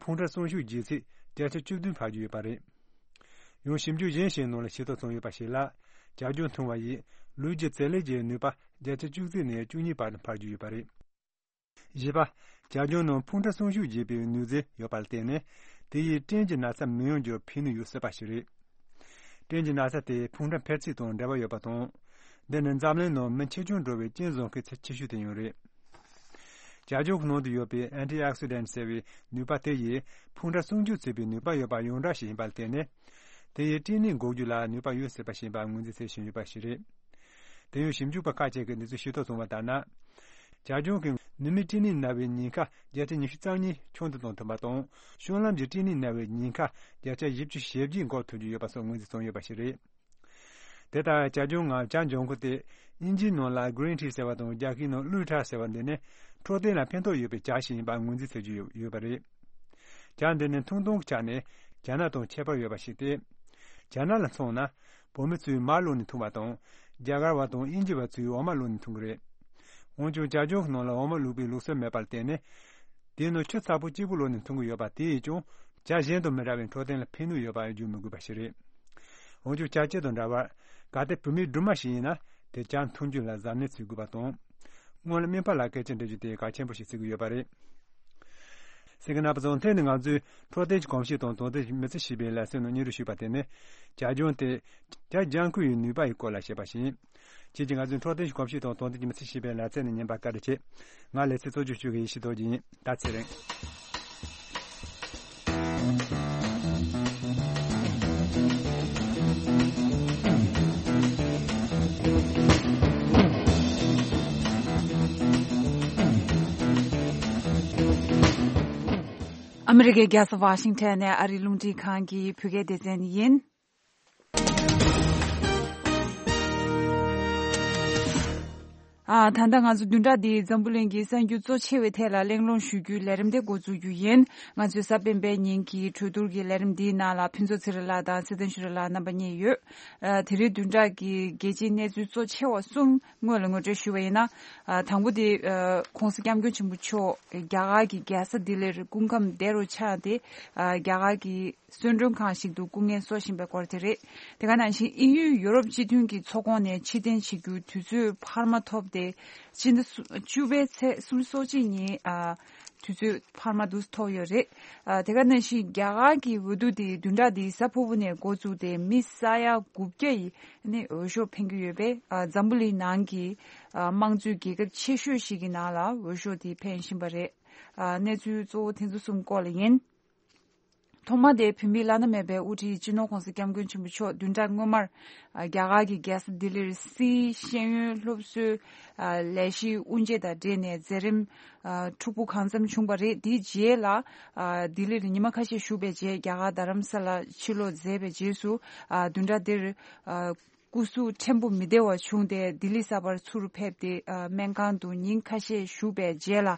ཕུང་ཁྲག་སྲུང་སྐྱོབ་བྱེད་ཚད་བརྒྱ་ཆ་བཅུ་བདུན་འཕར་གྱི་ཡོད་པ་རེད། ཡང་ཞིབ་འཇུག་གཞན་ཞིག་ནང་ལ་ཤེས་རྟོགས་བྱུང་ཡོད་པ་ཞིག་ལ། ཇ་ལྗང་འཐུང་བ་ཡིས་ལུས་ཀྱི་བྱེད་ལས་ཀྱི་ནུས་པ་བརྒྱ་ཆ་བཅུ་གཅིག་ནས་བཅུ་གཉིས་བར་དུ་འཕར་གྱི་ཡོད་པ་རེད། བཞི་པ། ཇ་ལྗང་ནང་ཕུང་ཁྲག་སྲུང་སྐྱོབ་བྱེད་པའི་ནུས་རྩལ་ཡོད་པར་བརྟེན་ནས། དེ་ཡིས་སྐྲན་གྱི་ན་ཚ་མི་ཡོང་རྒྱུར་ཕན་ནུས་ཡོད་སྲིད་པ་ཞིག་རེད། སྐྲན་གྱི་ན་ཚ་དེ་ཕུང་ཁྲག་འཕེལ་ཚད་དང་འབྲེལ་བ་ཡོད་པ་དང་། འདི་ནི་འཛམ་གླིང་ནང་མི་ཆེ་ཆུང་འགྲོ་བའི་རྐྱེན་བཟོ་མཁན་ཚད་ཆེ་ཤོས་དེ་ཡང་རེད། ཇ་ལྗང་གི་ནང་དུ་ཡོད་པའི་Antioxidant ཟེར་བའི་ནུས་པ་དེ་ཡིས་ཕུང་ཁྲག་སྲུང་སྐྱོབ་བྱེད་པའི་ནུས་པ་ཡོད་པ་ཡོངས་གྲགས་ཤིག་ཡིན་པར་བརྟེན་ནས། དེ་ཡིས་སྐྲན་ནད་འགོག་རྒྱུ་ལ་ནུས་པ་ཡོད་སྲིད་པ་ཞིག་ཡིན་པར་ངོས་འཛིན་བྱེད་བཞིན་ཡོད་པ་ཞིག་རེད། དེ་ཡང་ཞིབ་འཇུག་པ་ཁག་ཅིག་གིས་འདི་ཚོའི་ཤེས་རྟོགས་བྱུང་བ་ལྟར་ན། ཇ་ལྗང་གིས་ནུ་མའི་སྐྲན་ནད་ན་བའི་ཉེན་ཁ་བརྒྱ་ཆ་ཉི་ཤུ་རྩ་གཉིས་ཆུང་དུ་གཏོང་ཐུབ་པ་དང་། བཤང་ལམ་གྱི་སྐྲན་ནད་ན་བའི་ཉེན་ཁ་བརྒྱ་ཆ་བཞི་བཅུ་ཞེ་བརྒྱད་འགོག་ཐུབ་ཀྱི་ཡོད་པ་སོགས་ངོས་འཛིན་བྱུང་ཡོད་པ་ཞིག་རེད། དེ་ལྟར་ཇ་ལྗང་ངམ་ཇ་ལྗང་ཁུ་དེ་དབྱིན་ཇིའི་ནང་ལ་Green Tea ཟེར་བ་དང་རྒྱ་སྐད་ནང་ཀླུ་ཁྲག་ཟེར་བ་འདི་ནི་འཕྲོད་བསྟེན་ལ་ཕན་ཐོགས་ཡོད་པའི་ཇ་ཞིག་ཡིན་པར་ངོས་འཛིན་བྱེད་ཀྱི་ཡོད་ཡོད་པ་རེད། ཇ་འདི་ནི་འཐུང་སྟངས་ཀྱི་ཆ་ནས་ཇ་ནག་དང་ཁྱད་པར་ཡོད་པ་ཞིག་སྟེ། ཇ་ནག་ལ་མཚོན་ན། བོད་མི་ཚོས་མར་བླུགས་ནས་འཐུང་བ་དང་། རྒྱ་གར་བ་དང་དབྱིན་ཇི་བ་ཚོས་འོ་མ་བླུགས་ནས་འཐུང་གི་རེད། འོན་ཀྱང་ཇ་ལྗང་གི་ནང་ལ་འོ་མ་བླུགས་པའི་ལུགས་སྲོལ་མེད་པར་བརྟེན་ནས། དེའི་ནང་ཆུ་ཚ་པོ་གཅིག་པུ་བླུགས་ནས་འཐུང་གི་ཡོད་པ་དེ་ཡིས་ཀྱང་ཇ་གཞན་དང་མི་འདྲ་བའི་འཕྲོད་བསྟེན་ལ་ཕན་ནུས་ཡོད་པ་བརྗོད་མི་དགོས་པ་ཞིག་རེད། འོན་ཀྱང་ཇ་སྐྱེད་དང་འདྲ་བར་གལ་ཏེ་བོད་མིའི་སྦྲུམ་མ་ཞིག་ཡིན་ན་དེ་ཇ་འཐུང་རྒྱུ་ལ་གཟབ་ནན་བྱེད་དགོས་པ་དང་། སྔོན་ལ་སྨན་པ་ལ་སྐད་ཆ་འདྲི་རྒྱུ་དེ་གལ་ཆེན་པོ་ཞིག་བརྩི་གི་ཡོད་པ་རེད། གསན་མཁན་རྣམ་པ་ཚོ་དེ་ནི་ང་ཚོའི་འཕྲོད་བསྟེན་གྱི་གོམས་གཤིས་དང་དོན་དེ་མི་ཚེ་ཞེས་པའི་ལེ་ཚན་ནང་སྙན་སྒྲོན་ཞུས་པ་དེ་ནི། ཇ་ལྗང་དེ་ཇ་ལྗང་ཁུ་ཡི་ནུས་པ་ཡི་སྐོར་ལ་བཤད་པ་ཞིག་ཡིན། ཁྱེད་ཀྱིས་ང་ཚོའི་འཕྲོད་བསྟེན་གྱི་གོམས་གཤིས་དང་དོན་ལྡན་གྱི་མི་ཚེ་ཞེས་པའི་ལེ་ཚན་ནས་ཉན་པར་བཀའ་དྲིན་ཆེ། ང་ལེ་ཚན་གཙོ་སྐྱོང་ཞུ་མཁན་ཡེ་ཤེས་རྡོ་རྗེ་ཡིན། ད་ཚེ་རིང་། ཨ་མི་རི་ཀའི་རྒྱལ་ས་ཝ་ཤིང་ཊོན་ནས་ཨ་རིའི་རླུང་འཕྲིན་ཁང་གི་བོད་སྐད་སྡེ་ཚན་ཡིན། ཨ། ད་ལྟ་ང་ཚོ་བདུན་ཕྲག་འདིའི་འཛམ་བུ་གླིང་གི་གསར་འགྱུར་གཙོ་ཆེ་བའི་ཐད་ལ་གླེང་སློང་ཞུ་རྒྱུའི་ལས་རིམ་དེ་འགོ་འཛུགས་རྒྱུ་ཡིན། ང་ཚོའི་གཟའ་སྤེན་པའི་ཉིན་གྱི་གྲོས་བསྡུར་གྱི་ལས་རིམ་འདིའི་ནང་ལ་ཕུན་ཚོགས་ཚེ་རིང་ལགས་དང་ཚེ་བརྟན་ཆོས་སྒྲོན་ལགས་རྣམ་པ་གཉིས་ཡོད། ཨ། དེ་རིང་བདུན་ཕྲག་གི་རྒྱལ་སྤྱིའི་གནས་ཚུལ་གཙོ་ཆེ་བ་གསུམ་སྔོན་ལ་ངོ་སྤྲོད་ཞུ་བ་ཡིན་ན། ཨ། དང་པོ་དེ། ཨ། ྋགོང་ས་ྋསྐྱབས་མགོན་ཆེན་པོ་མཆོག་རྒྱ་གར་གྱི་རྒྱལ་ས་ལྡི་ལིར་སྐུ་ཁམས་བདེ་རུ་ཆགས་ཏེ། ཨ། རྒྱ་གར་གྱི་གསོལ་མགྲོན་ཁང་ཞིག་ཏུ་སྐུ་ངལ་གསོ་བཞིན་པའི་སྐོར་དེ་རེད། དེ་ག་ནང་བཞིན་དབྱིན་ཡུལ་ཡུ་རོབ་སྤྱི་མཐུན་གྱི་ཚོགས་ཁོངས་ནས་ཕྱིར་འཐེན་བྱེད་རྒྱུའི་དུས་ཚོད་འཕར་མ་ཐོབ་སྟེ། སྤྱི་ཟླ་བཅུ་པའི་ཚེས་སོ་གཅིག་ཉིན། ཨ། དུས་ཚོད་འཕར་མ་འདུག་ཐོབ་ཡོད་རེད། ཨ། དེ་ག་ནང་བཞིན་རྒྱ་གར་གྱི་འོས་བསྡུ་དེ་བདུན་ཕྲག་འདིའི་གཟའ་ཕུར་བུ་ནས་འགོ་བཙུགས་ཏེ་མི་ས་ཡ་དགུ་བརྒྱ་ཡིས་ནི་འོས་ཤོག་འཕེན་གྱི་ཡོད་པས། ཨ། འཛམ་བུ་གླིང་ནང་གི། ཨ། དམངས་གཙོའི་རྒྱལ་ཁབ་ཆེ་ཤོས་ཤིག་གི་ནང་ལ་འོས་ཤོག་དེ་འཕེན་བཞིན་པ་རེད། ཨ། གནས་ཚུལ་གཙོ་བོ་དེ་ཚོ་གསུམ་སྐོར་ལ་ཡིན། ཐོག་མ་དེ་བོད་མིའི་བླ་ན་མེད་པའི་དབུ་ཁྲིད་སྤྱི་ནོར་ྋགོང་ས་ྋསྐྱབས་མགོན་ཆེན་པོ་མཆོག་བདུན་ཕྲག་སྔོན་མར། ཨ། རྒྱ་གར་གྱི་རྒྱལ་ས་ལྡི་ལིར་སིའི་ཤེས་ཡོན་སློབ་གསོའི། ཨ། ལས་གཞིའི་དབུ་འབྱེད་དང་འབྲེལ་ནས་མཛད་རིམ། ཨ། འཁྲུག་པོ་གང་འཚམ་བྱུང་བ་རེད། དེའི་རྗེས་ལ། ཨ། ལྡི་ལིར་ཉི་མ་ཁ་ཤས་བཞུགས་པའི་རྗེས་རྒྱ་གར་རྡ་རམ་ས་ལར་ཕྱིར་ལོག་མཛད་པའི་རྗེས་སུ། ཨ། བདུན་ཕྲག་འདིར། ཨ། སྐུ་གཟུགས་ཕྲན་བུ་མི་བདེ་བ་བྱུང་སྟེ་ལྡི་ལི་གསར་པར་ཚུར་ཕེབས་ཏེ། ཨ། སྨན་ཁང་དུ་ཉིན་ཁ་ཤས་བཞུགས་པའི་རྗེས་ལ།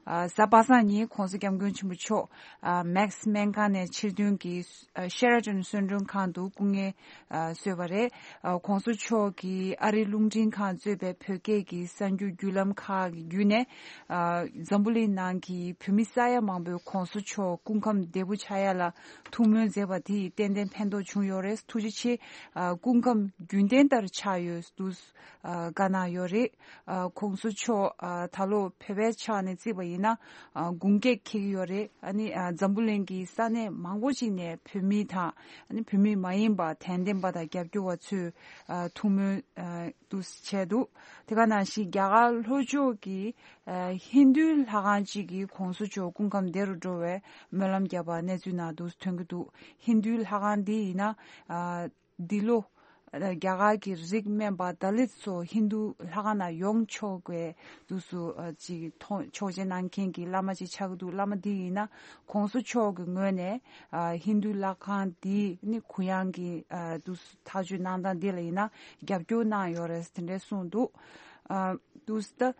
ཨ། གཟའ་པ་སངས་ཉིན་ྋགོང་ས་ྋསྐྱབས་མགོན་ཆེན་པོ་མཆོག་ཨ། མེག་སི་སྨན་ཁང་ནས་ཕྱིར་ཐོན་གྱིས། ཨ། ཤེ་ར་ཊོན་གསོལ་མགྲོན་ཁང་དུ་སྐུ་ངལ། ཨ། གསོས་པ་རེད། ཨ། ྋགོང་ས་མཆོག་གིས་ཨ་རིའི་རླུང་འཕྲིན་ཁང་གཙོས་པའི་བོད་སྐད་ཀྱི་གསར་འགྱུར་བརྒྱུད་ལམ་ཁག་གི་བརྒྱུད་ནས། ཨ། འཛམ་བུ་གླིང་ནང་གི་བོད་མི་ས་ཡ་མང་པོས་ྋགོང་ས་མཆོག་སྐུ་ཁམས་བདེ་པོ་ཆགས་ཡ་ལ་ཐུགས་སྨོན་མཛད་པ་དེས་ཏན་ཏན་ཕན་ཐོགས་བྱུང་ཡོད་རེད། ཐུགས་རྗེ་ཆེ། ཨ། སྐུ་ཁམས་རྒྱུན་ལྡན་ལྟར་ཆགས་ཡོད་འདུག་ཨ། བཀའ་གནང་ཡོད་རེད། ཨ། ྋགོང་ས་མཆོག་ཨ། ད་ལོ་བོད་པའི་ཆ་ནས་བརྩིས་པ་ཡིན་ན། ཨ། དགུང་སྐེག་འཁེལ་གྱི་ཡོད་རེད། ཨ་ནི། ཨ། འཛམ་བུ་གླིང་གི་ས་གནས་མང་པོ་ཅིག་ནས་བོད་མི་དང་། ཨ་ནི་བོད་མི་མ་ཡིན་པ་དད་ལྡན་པ་དང་རྒྱབ་སྐྱོར་བ་ཚོས། ཨ། ཐུགས་སྨོན། ཨ། འདུག་བྱས་འདུག་དེ་ག་ནང་བཞིན་རྒྱ་གར་ལྷོ་ཕྱོགས་ཀྱི། ཨ། ཧིན་རྡུའི་ལྷ་ཁང་གཅིག་གིས་ྋགོང་ས་མཆོག་སྐུ་ཁམས་བདེ་རུ་འགྲོ་བའི་སྨོན་ལམ་བརྒྱབ་པ་གནས་ཚུལ་ནང་དུ་ཐོན་གྱི་འདུག་ཧིན་རྡུའི་ལྷ་ཁང་འདི་ཡིན་ན། ཨ། འདི་ལོ། ཨ། རྒྱ་གར་གྱི་རིགས་དམན་པ་དཱ་ལིད་ཚོ་ཧིན་རྡུ་ལྷ་ཁང་ནང་ཡོང་ཆོག་པའི་དུས་སུ། ཨ། ཅིག་ཐོ་ཆོག་མཆན་གནང་མཁན་གྱི་བླ་མ་ཅིག་ཆགས་ཀྱི་འདུག་བླ་མ་འདི་ཡིན་ན་ྋགོང་ས་མཆོག་གི་ངོས་ནས། ཨ། ཧིན་རྡུ་ལྷ་ཁང་འདི་ནི་གུ་ཡངས་ཀྱི། ཨ། དུས་སུ་ཐག་གཅོད་གནང་སྟངས་འདི་ལ་ཡིན་ན་རྒྱབ་སྐྱོར་གནང་ཡོད་རེད་དེ་འདྲས་གསུངས་འདུག་ཨ། དུས་ད་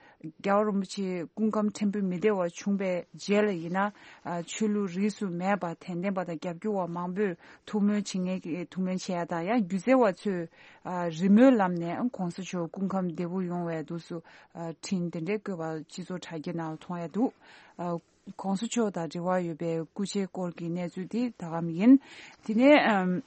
རྒྱལ་བ་རིན་པོ་ཆེ་སྐུ་ཁམས་ཕྲན་བུ་མི་བདེ་བ་བྱུང་བའི་རྗེས་ལ་ཡིན་ན། ཨ། ཆོས་ལུགས་རིས་སུ་མེད་པ་དད་ལྡན་པ་དང་རྒྱབ་སྐྱོར་བ་མང་པོས་ཐུགས་སྨོན་བྱེད་མཁན་གྱི་ཐུགས་སྨོན་བྱེད་ཡ་དང་ཡང་སྒྱུ་རྩལ་བ་ཚོས། ཨ། རི་མོའི་ལམ་ནས་ྋགོང་ས་མཆོག་སྐུ་ཁམས་བདེ་པོ་ཡོང་བའི་དུས་སུ། ཨ། འཕྲིན་དེ་འདྲའི་བཀོད་པ་སྤྱི་ཚོགས་དྲ་རྒྱའི་ནང་ལ་མཐོང་ཡ་འདུག་ཨ། ྋགོང་ས་མཆོག་དང་འབྲེལ་བ་ཡོད་པའི་སྐུ་ཕྱྭའི་སྐོར་གྱི་གནས་ཚུལ་དེ་ད་གམ་ཡིན། དེ་ནས། ཨམ།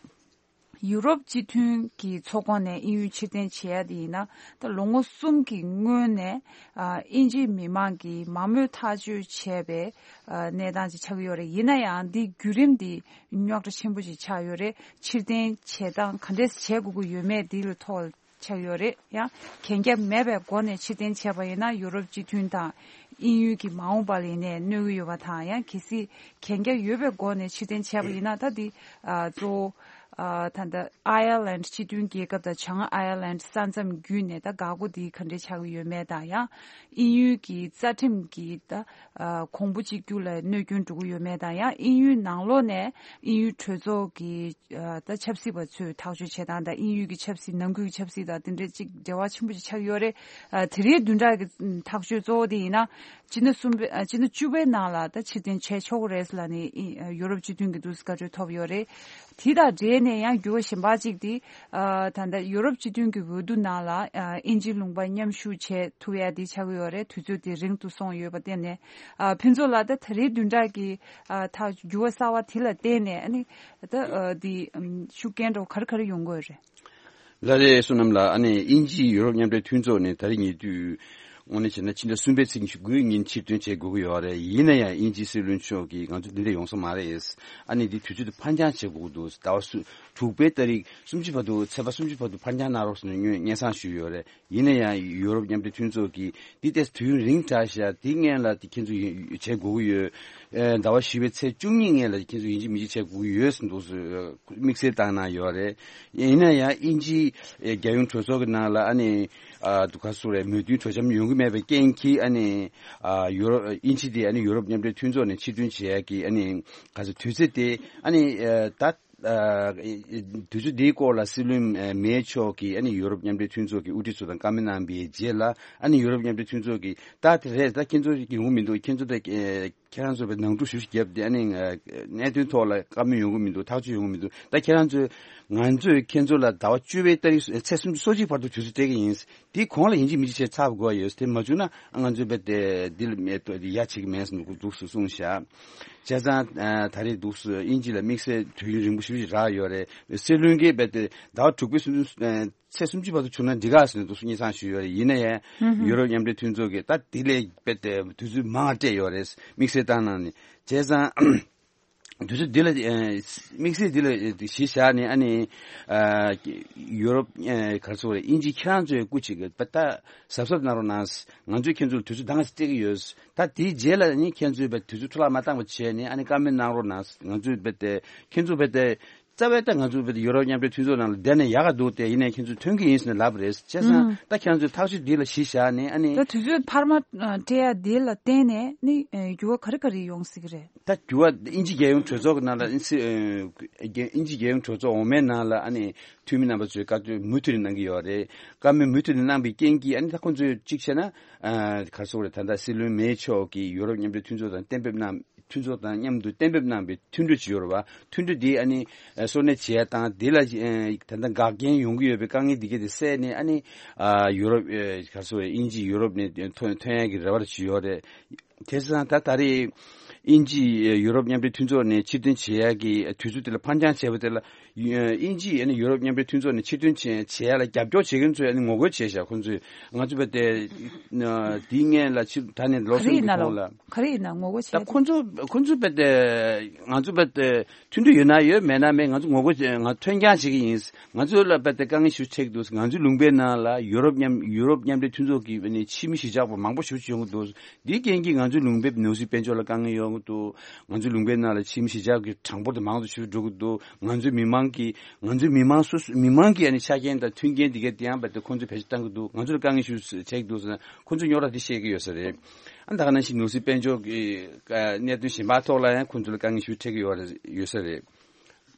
ཡུ་རོབ་སྤྱི་མཐུན་གྱི་ཚོགས་ཁོངས་ནས་དབྱིན་ཡུལ་ཕྱིར་འཐེན་བྱེད་ཡ་དེ་ཡིན་ན་ད་ལོ་ངོ་གསུམ་གྱི་སྔོན་ནས། ཨ། དབྱིན་ཇིའི་མི་མང་གིས་མང་མོས་ཐག་གཅོད་བྱས་པའི། ཨ། གནས་སྟངས་ཅིག་ཆགས་ཀྱི་ཡོད་རེད། ཡིན་ན་ཡང་འདི་བརྒྱུད་རིམ་འདི་རྙོག་དྲ་ཆེན་པོ་ཞིག་ཆགས་ཡོད་རེད། ཕྱིར་འཐེན་བྱེད་སྟངས་ག་འདྲས་བྱེད་དགོས་ཀྱི་ཡོད་མེད་འདི་ལ་ཐོག་ཆགས་ཡོད་རེད། ཡང་གན་རྒྱ་མེད་པའི་སྒོ་ནས་ཕྱིར་འཐེན་བྱས་པ་ཡིན་ན་ཡུ་རོབ་སྤྱི་མཐུན་དང་དབྱིན་ཡུལ་གྱི་མ་འོངས་པ་ལ་ཡིན་ནའི་གནོད་ཀྱི་ཡོད་པ་དང་། ཡང་གལ་སྲིད་གན་རྒྱ་ཡོད་པའི་སྒོ་ནས་ཕྱིར་འཐེན་བྱས་པ་ཡིན་ན་ད་འདི། ཨ། གཙོ་བོ། ཨ། ད་ལྟ་ཨའི་ཡར་ལེནཌ་སྤྱི་མཐུན་རྒྱལ་ཁབ་དང་བྱང་ཨའི་ཡར་ལེནཌ་ས་མཚམས་བརྒྱུད་ནས་ད་འགག་སྒོ་འདི་ག་འདྲས་ཆགས་ཀྱི་ཡོད་མེད་དང་། ཡང་དབྱིན་ཡུལ་གྱི་རྩ་ཁྲིམས་ཀྱི་ད། ཨ། གོང་བུ་གཅིག་གྱུར་ལ་གནོད་སྐྱོན་འགྲོ་གི་ཡོད་མེད་དང་། ཡང་དབྱིན་ཡུལ་ནང་ལོགས་ནས་དབྱིན་ཡུལ་གྲོས་ཚོགས་ཀྱི། ཨ། ད་ཆབ་སྲིད་པ་ཚོས་ཐག་གཅོད་བྱེད་སྟངས་དང་དབྱིན་ཡུལ་གྱི་ཆབ་སྲིད་ནང་ཁུལ་གྱི་ཆབ་སྲིད་དང་དེ་འདྲའི་ཅིག་འབྲེལ་བ་ཆེན་པོ་ཅིག་ཆགས་ཡོད་རེད། ཨ། དེ་རིང་བདུན་ཕྲག་གི་ཐག་གཅོད་གཙོ་བོ་དེ་ཡིན་ན་སྤྱི་ཟླ་གསུམ་པའི། ཨ། སྤྱི་ཟླ་བཅུ་པའི་ནང་ལ་ད་ཕྱིར་འཐེན་བྱས་ཆོག་གི་རེད་ལབ་ནས་ཨི། ཨ། ཡུ་རོབ་སྤྱི་མཐུན་གྱི་འདུག་སེ་བཀའ་འཁྲོལ་ཐོབ་ཡོད་རེད། དེ་དང་འབྲེལ་ནས་ཡང་འགྱུར་བ་གཞན་པ་ཅིག་དེ། ཨ། ད་ལྟ་ཡུ་རོབ་སྤྱི་མཐུན་གྱི་འོས་བསྡུ་ནང་ལ། ཨ། དབྱིན་ཇི་ལུང་པ་མཉམ་ཞུགས་བྱེད་ཐུབ་ཡ་དེ་ཆགས་ཀྱི་ཡོད་རེད། དུས་ཚོད་དེ་རིང་དུ་སོང་ཡོད་པ་བརྟེན་ནས། ཨ། ཕུན་ཚོགས་ལགས་ད་ད་རེས་བདུན་ཕྲག་གི། ཨ། ཐག་འགྱུར་བ་གསར་བ་དེ་ལ་བརྟེན་ནས་ཨ་ནི། ད། ཨ། དེ། ཨམ། ཤུགས་རྐྱེན་འདྲ་བོ་ག་རེ་ག་རེ་ཡོང་གི་ཡོད་རེད། ལགས་རེད། བསོད་ནམས་ལགས། ཨ་ནི་དབྱིན་ཇི་ཡུ་རོབ་མཉམ་འབྲེལ་མཐུན་ཚོགས་ནས་ད་རེས་ཉེ་དུས་ དངོས་གནས་བྱས་ན་ཕྱི་ཟླ་གསུམ་པའི་ཚེས་ཉི་ཤུ་དགུའི་ཉིན་ཕྱིར་ཐོན་བྱེད་དགོས་ཀྱི་ཡོད་རེད། ཡིན་ན་ཡང་དབྱིན་ཇིའི་སྲིད་བློན་མཆོག་གིས་ང་ཚོ་འདི་འདྲ་ཡོང་ས་མ་རེད། ཨ་ནི་འདི་དུས་ཚོད་དེ་ཕར་འགྱངས་བྱེད་དགོས་ཀྱི་འདུག་ཟེར། ཟླ་བ་སུ་དྲུག་པའི་ཏ་རིག་སུམ་ཅུ་བར་དུ་ཚེས་པ་སུམ་ཅུ་བར་དུ་ཕར་འགྱངས་གནང་རོགས་ཟེར་ནས་སྙན་སེང་ཞུས་ཡོད་རེད། ཡིན་ན་ཡང་ཡུ་རོབ་མཉམ་འབྲེལ་མཐུན་ཚོགས་ཀྱིས་འདི་ལྟའི་དུས་ཡུན་རིང་དྲགས་ཤག་འདི་སྔོན་ལ་དེ་ཁྱེད་ཚོ་ཡོ་བྱེད་དགོས་ཀྱི་ཡོད། ཨེ་ཟླ་བ་བཞི་པའི་ཚེས་བཅུ་གཉིས་སྔོན་ལ་ཁྱེད་ཚོ་ཡིན་གཅིག་མིན་གཅིག་བྱེད་དགོས་ཀྱི་ཡོད་ཟེར་འདུག་ཟེར་དམིགས་བསལ་བཏང་གནང་ཡོད་རེད། ཡིན་ན་ཡང་དབྱིན་ཇིའི་ཨེ་རྒྱལ་ཡོངས་གྲོས་ཚོགས་ཀྱི་ནང་ལ་ཨ་ནི་ཨ་དུ་ཁ་སུ་རེད་མོས་མཐུན་གྲོས་འཆམ་ཡོང་གི་མེད་པའི་རྐྱེན་གྱིས་ཨ་ནི་ཨ་ཡུ་རོབ་དབྱིན་ཇི་དེ་ཨ་ནི་ཡུ་རོབ་མཉམ་འབྲེལ་མཐུན་ཚོགས་ནས་ཕྱིར་ཐོན་བྱེད་ཡག་གི་ཨ་ནི་ག་ཚོད་དུས་ཚོད་དེ་ཨ་ནི་ཨ་ད། ཨ་དུས་ཚོད་འདིའི་སྐོར་ལ་སྲིད་བློན་ཨ་མེ་མཆོག་གིས་ཨ་ནི་ཡུ་རོབ་མཉམ་འབྲེལ་མཐུན་ཚོགས་ཀྱི་དབུ་ཁྲིད་ཚོ་དང་བཀའ་མོལ་གནང་བའི་རྗེས་ལ་ཨ་ནི་ཡུ་རོབ་མཉམ་འབྲེལ་མཐུན་ཚོགས་ཀྱིས་ད་དེ་རེད། ད་ཁྱེད་ཚོ་ཡོང་གི་མི་འདུག་ཁྱེད་ཚོ་ད་ཨ་ཁྱེད་རང་ཚོ་བའི་ནང་འཁྲུག་ཞུ་ཞུ་བརྒྱབ་སྟེ་ཨ་ནི་ཨ་གནད་དོན་ཐོག་ལ་བཀའ་མོལ་ཡོང་གི་མི་འདུག་ཐག་གཅོད་ཡོང་གི་མི་འདུག་ད་ཁྱེད་རང་ཚོས་ང་ཚོས་ཁྱེད་ཚོ་ལ་ཟླ་བ་བཅུ་པའི་ཏ་རིག་ཚེས་སུམ་ཅུ་སོ་གཅིག་བར་དུ་དུས་ཚོད་སྤྲད་ཀྱི་ཡིན། དེའི་གོང་ལ་ཡིན་གཅིག་མིན་གཅིག་བྱས་ཚར་དགོས་ཡོད། དེ་མ་བྱུང་ན་ང་ཚོའི་བས་དེ་འདི་ལ་མེད་དོ་ཡ་བྱེད་ཀྱི་མེད་ཟེར་ནས་འདུག་སུ་གསུངས་བཞག་བྱས་ཙང་ད་རེས་འདུག་སུ་དབྱིན་ཇི་ལ་དམིགས་བསལ་དུས་ཡུན་རིང་པོ་ཞིག་རག་ཡོད་རེད། སྲིད་བློན་གྱིས་བས་དེ་ཟླ་བ་དྲུག་པའི་སུམ་ཚེས་སུམ་ཅུ་བར་དུ་བྱུང་ན་འགྲིག་ག་ཟེར་ནས་འདུག་སུ་སྙན་སེང་ཞུས་ཡོད་རེད། ཡིན་ན་ཡང་ཡུ་རོབ་མཉམ་འབྲེལ་མཐུན་ཚོགས་ཀྱིས་ད་དེ་ལས་བས་དེ་དུས་ཚོད་མང་བ་སྤྲད་ཡོད་རེད། དམིགས་བསལ་བཏང་གནང་ནས་བྱས་ཙང་། དུས་ཚོད་འདི་ལ་ཨེ་དམིགས་བསལ་འདི་ལ་ཨེ་གཞི་བཞག་ནས་ཨ་ནི་ཨ་ཡུ་རོབ་ཨེ་ག་རེ་ཟེར་དགོས་རེད། དབྱིན་ཇི་ཁྱེད་རང་ཚོའི་སྐུ་མཁྱེན་གྱིས་པ་ད་གཟབ་གཟབ་གནང་རོགས་གནང་། ང་ཚོས་ཁྱེད་ཚོ་ལ་དུས་ཚོད་འདང་ངེས་སྤྲད་ཀྱི་ཡོད། ད་དེའི་རྗེས་ལ་ནི་ཁྱེད་ཚོས་པ་དུས་ཚོད་འཕྲོ་བརླག་མ་བཏང་བ་བྱས་ནས་ཨ་ནི་བཀའ་མོལ་གནང་རོགས་གནང་། ང་ཚོས་པ་དེ་ཁྱེད་ཚོ་པ་དེ་རྩ་བའི་ད་ང་ཚོ་པ་དེ་ཡུ་རོབ་མཉམ་འབྲེལ་མཐུན་ཚོགས་ནང་ལ་བསྡད་ན་ཡག་ག་འདུག་སྟེ་ཡིན་ནའི་ཁྱེད་ཚོས་ཐོན་གྱི་ཡིན་ཟེར་ནས་ལབ་པ་རེད། བྱས་ཙང་ད་ཁྱེད་ཚོས་ཐག་གཅོད་འདི་ལ་གཞི་བཞག་ནས་ཨ་ནི་ད་དུས་ཚོད་འཕར་མ་སྤྲད་ཡ་འདི་ལ་བརྟེན་ནས་ནི་འགྱུར་བ་ག་རེ་ག་རེ་ཡོང་སྲིད་ཀྱི་རེད། ད་འགྱུར་བ་དབྱིན་ཇི་རྒྱལ་ཡོངས་གྲོས་ཚོགས་ཀྱི་ནང་ལ་དབྱིན་ཇི་རྒྱལ་ཡོངས་གྲོས་ཚོགས་འོག་མའི་ནང་ལ་ཨ་ནི་འཐུས་མི་རྣམ་པ་ཚོས་བཀའ་མོལ་མུ་མཐུད་ནས་གནང་གི་ཡོད་རེད། བཀའ་མོལ་མུ་མཐུད་ནས་གནང་པའི་རྐྱེན་གྱིས་ཨ་ནི་ད་ཁོང་ཚོས་གཅིག་བྱས་ན་ག་རེ་ཟེར་དགོས་རེད། ད་ལྟ་སྲིད་བློན་མེ་མཆོག་གིས་ཡུ་རོབ་མཉམ་འབྲེལ་མཐུན་ཚོགས་དང་གཏན་འབེབས་གནང་མཐུན་ཚོགས་དང་མཉམ་དུ་གཏན་འབེབས་གནང་པའི་མཐུན་གྲོས་ཅིག་ཡོད་རེད་བ། མཐུན་གྲོས་འདི་ཨ་ནི་སོར་གནས་བྱས་དང་འདི་ལ་ད་ལྟ་འགག་རྐྱེན་ཡོང་གི་ཡོད་པའི་དཀའ་ངལ་འདི་གས་དེ་སེལ་ནས་ཨ་ནི་ཡུ་རོབ་ག་རེ་ཟེར་དགོས་རེད། དབྱིན་ཇི་ཡུ་རོབ་ནས་ཐོན་ཐོན་ཡག་གི་རེ་བ་ཅིག་ཡོད་རེད། དེ་སང་ད་ད་རེས་དབྱིན་ཇི་ཡུ་རོབ་མཉམ་འབྲེལ་མཐུན་ཚོགས་ནས་ཕྱིར་འཐེན་བྱེད་ཡག་གི་དུས་ཚོད་དེ་ལ་ཕར་འགྱངས་བྱས་པ་དེ་ལ་དབྱིན་ཇི་ཡུ་རོབ་མཉམ་འབྲེལ་མཐུན་ཚོགས་ནས་ཕྱིར་འཐེན་བྱེད་བྱེད་ཡག་ལ་རྒྱབ་སྐྱོར་བྱེད་མཁན་ཚོས་ངོ་རྒོལ་བྱས་ཤག་ཁོང་ཚོས་ང་ཚོ་བས་དེ་དེའི་སྔོན་ལ་ཕྱིར་ད་ནས་ལོ་གསུམ་གྱི་གོང་ལ་ག་རེ་ཡིན་ན་ངོ་རྒོལ་བྱས། ད་ཁོང་ཚོ་ཁོང་ཚོ་བས་དེ་ང་ཚོ་བས་དེ་མཐུན་གྲོས་ཡོད་ན་ཡོད་མེད་ན་མེད། ང་ཚོ་ངོ་རྒོལ་བྱེད་ང་ཐོན་རྐྱང་བྱེད་ཀྱི་ཡིན། ང་ཚོ་ལ་བས་དེ་དཀའ་ངལ་ཞིག་འཕྲད་ཀྱི་འདུག་ང་ཚོའི་ལུང་པའི་ནང་ལ་ཡུ་རོབ་མཉམ་ཡུ་རོབ་མཉམ་འབྲེལ་མཐུན་ཚོགས་ཀྱི་ནས་ཕྱི་མི་གཞིས་ཆགས་པ་མང་པོ་ཞིག་ཡོང་གི་འདུག་འདིའི་རྐྱེན་གྱིས་ང་ཚོའི་ལུང་པའི་ནོར་སྲིད་དཔལ་འབྱོར་ལ་དཀའ་ངལ་ཡོང་གི་འདུག་ང་ཚོའི་ལུང་པའི་ནང་ལ་ཕྱི་མི་གཞིས་ཆགས་ཀྱི་གྲངས་འབོར་དེ་མང་དུ་ཞིག་འགྲོ་གི་འདུག་ང་ཚོའི་མི་མང་གིས་ང་ཚོའི་མི་མང་སོ་སོ་མི་མང་གིས་ཨ་ནི་ཆ་རྐྱེན་དང་མཐུན་རྐྱེན་འདི་གས་དེ་ཡང་བས་དེ་ཁོང་ཚོས་བེད་སྤྱོད་གཏང་གི་འདུག་ང་ཚོ་ལ་དཀའ་ངལ་ཞིག་བྱེད་ཀྱི་འདུག་ཟེར་ན་ཁོང་ཚོས་རྙོག་དྲ་འདི་བཤད་ཀྱི་ཡོད་ས་རེད། ཨ་ད་ག་ནང་བཞིན་ནོར་སྲིད་དཔལ་འབྱོར་གྱི་གནད་དོན་གཞན་པ་ཐོག་ལ་ཡང་ཁོང་ཚོ་ལ་དཀའ་ངལ་ཞིག་འཕྲད་ཀྱི་ཡོད་རེད་ཡོད་ས་རེད།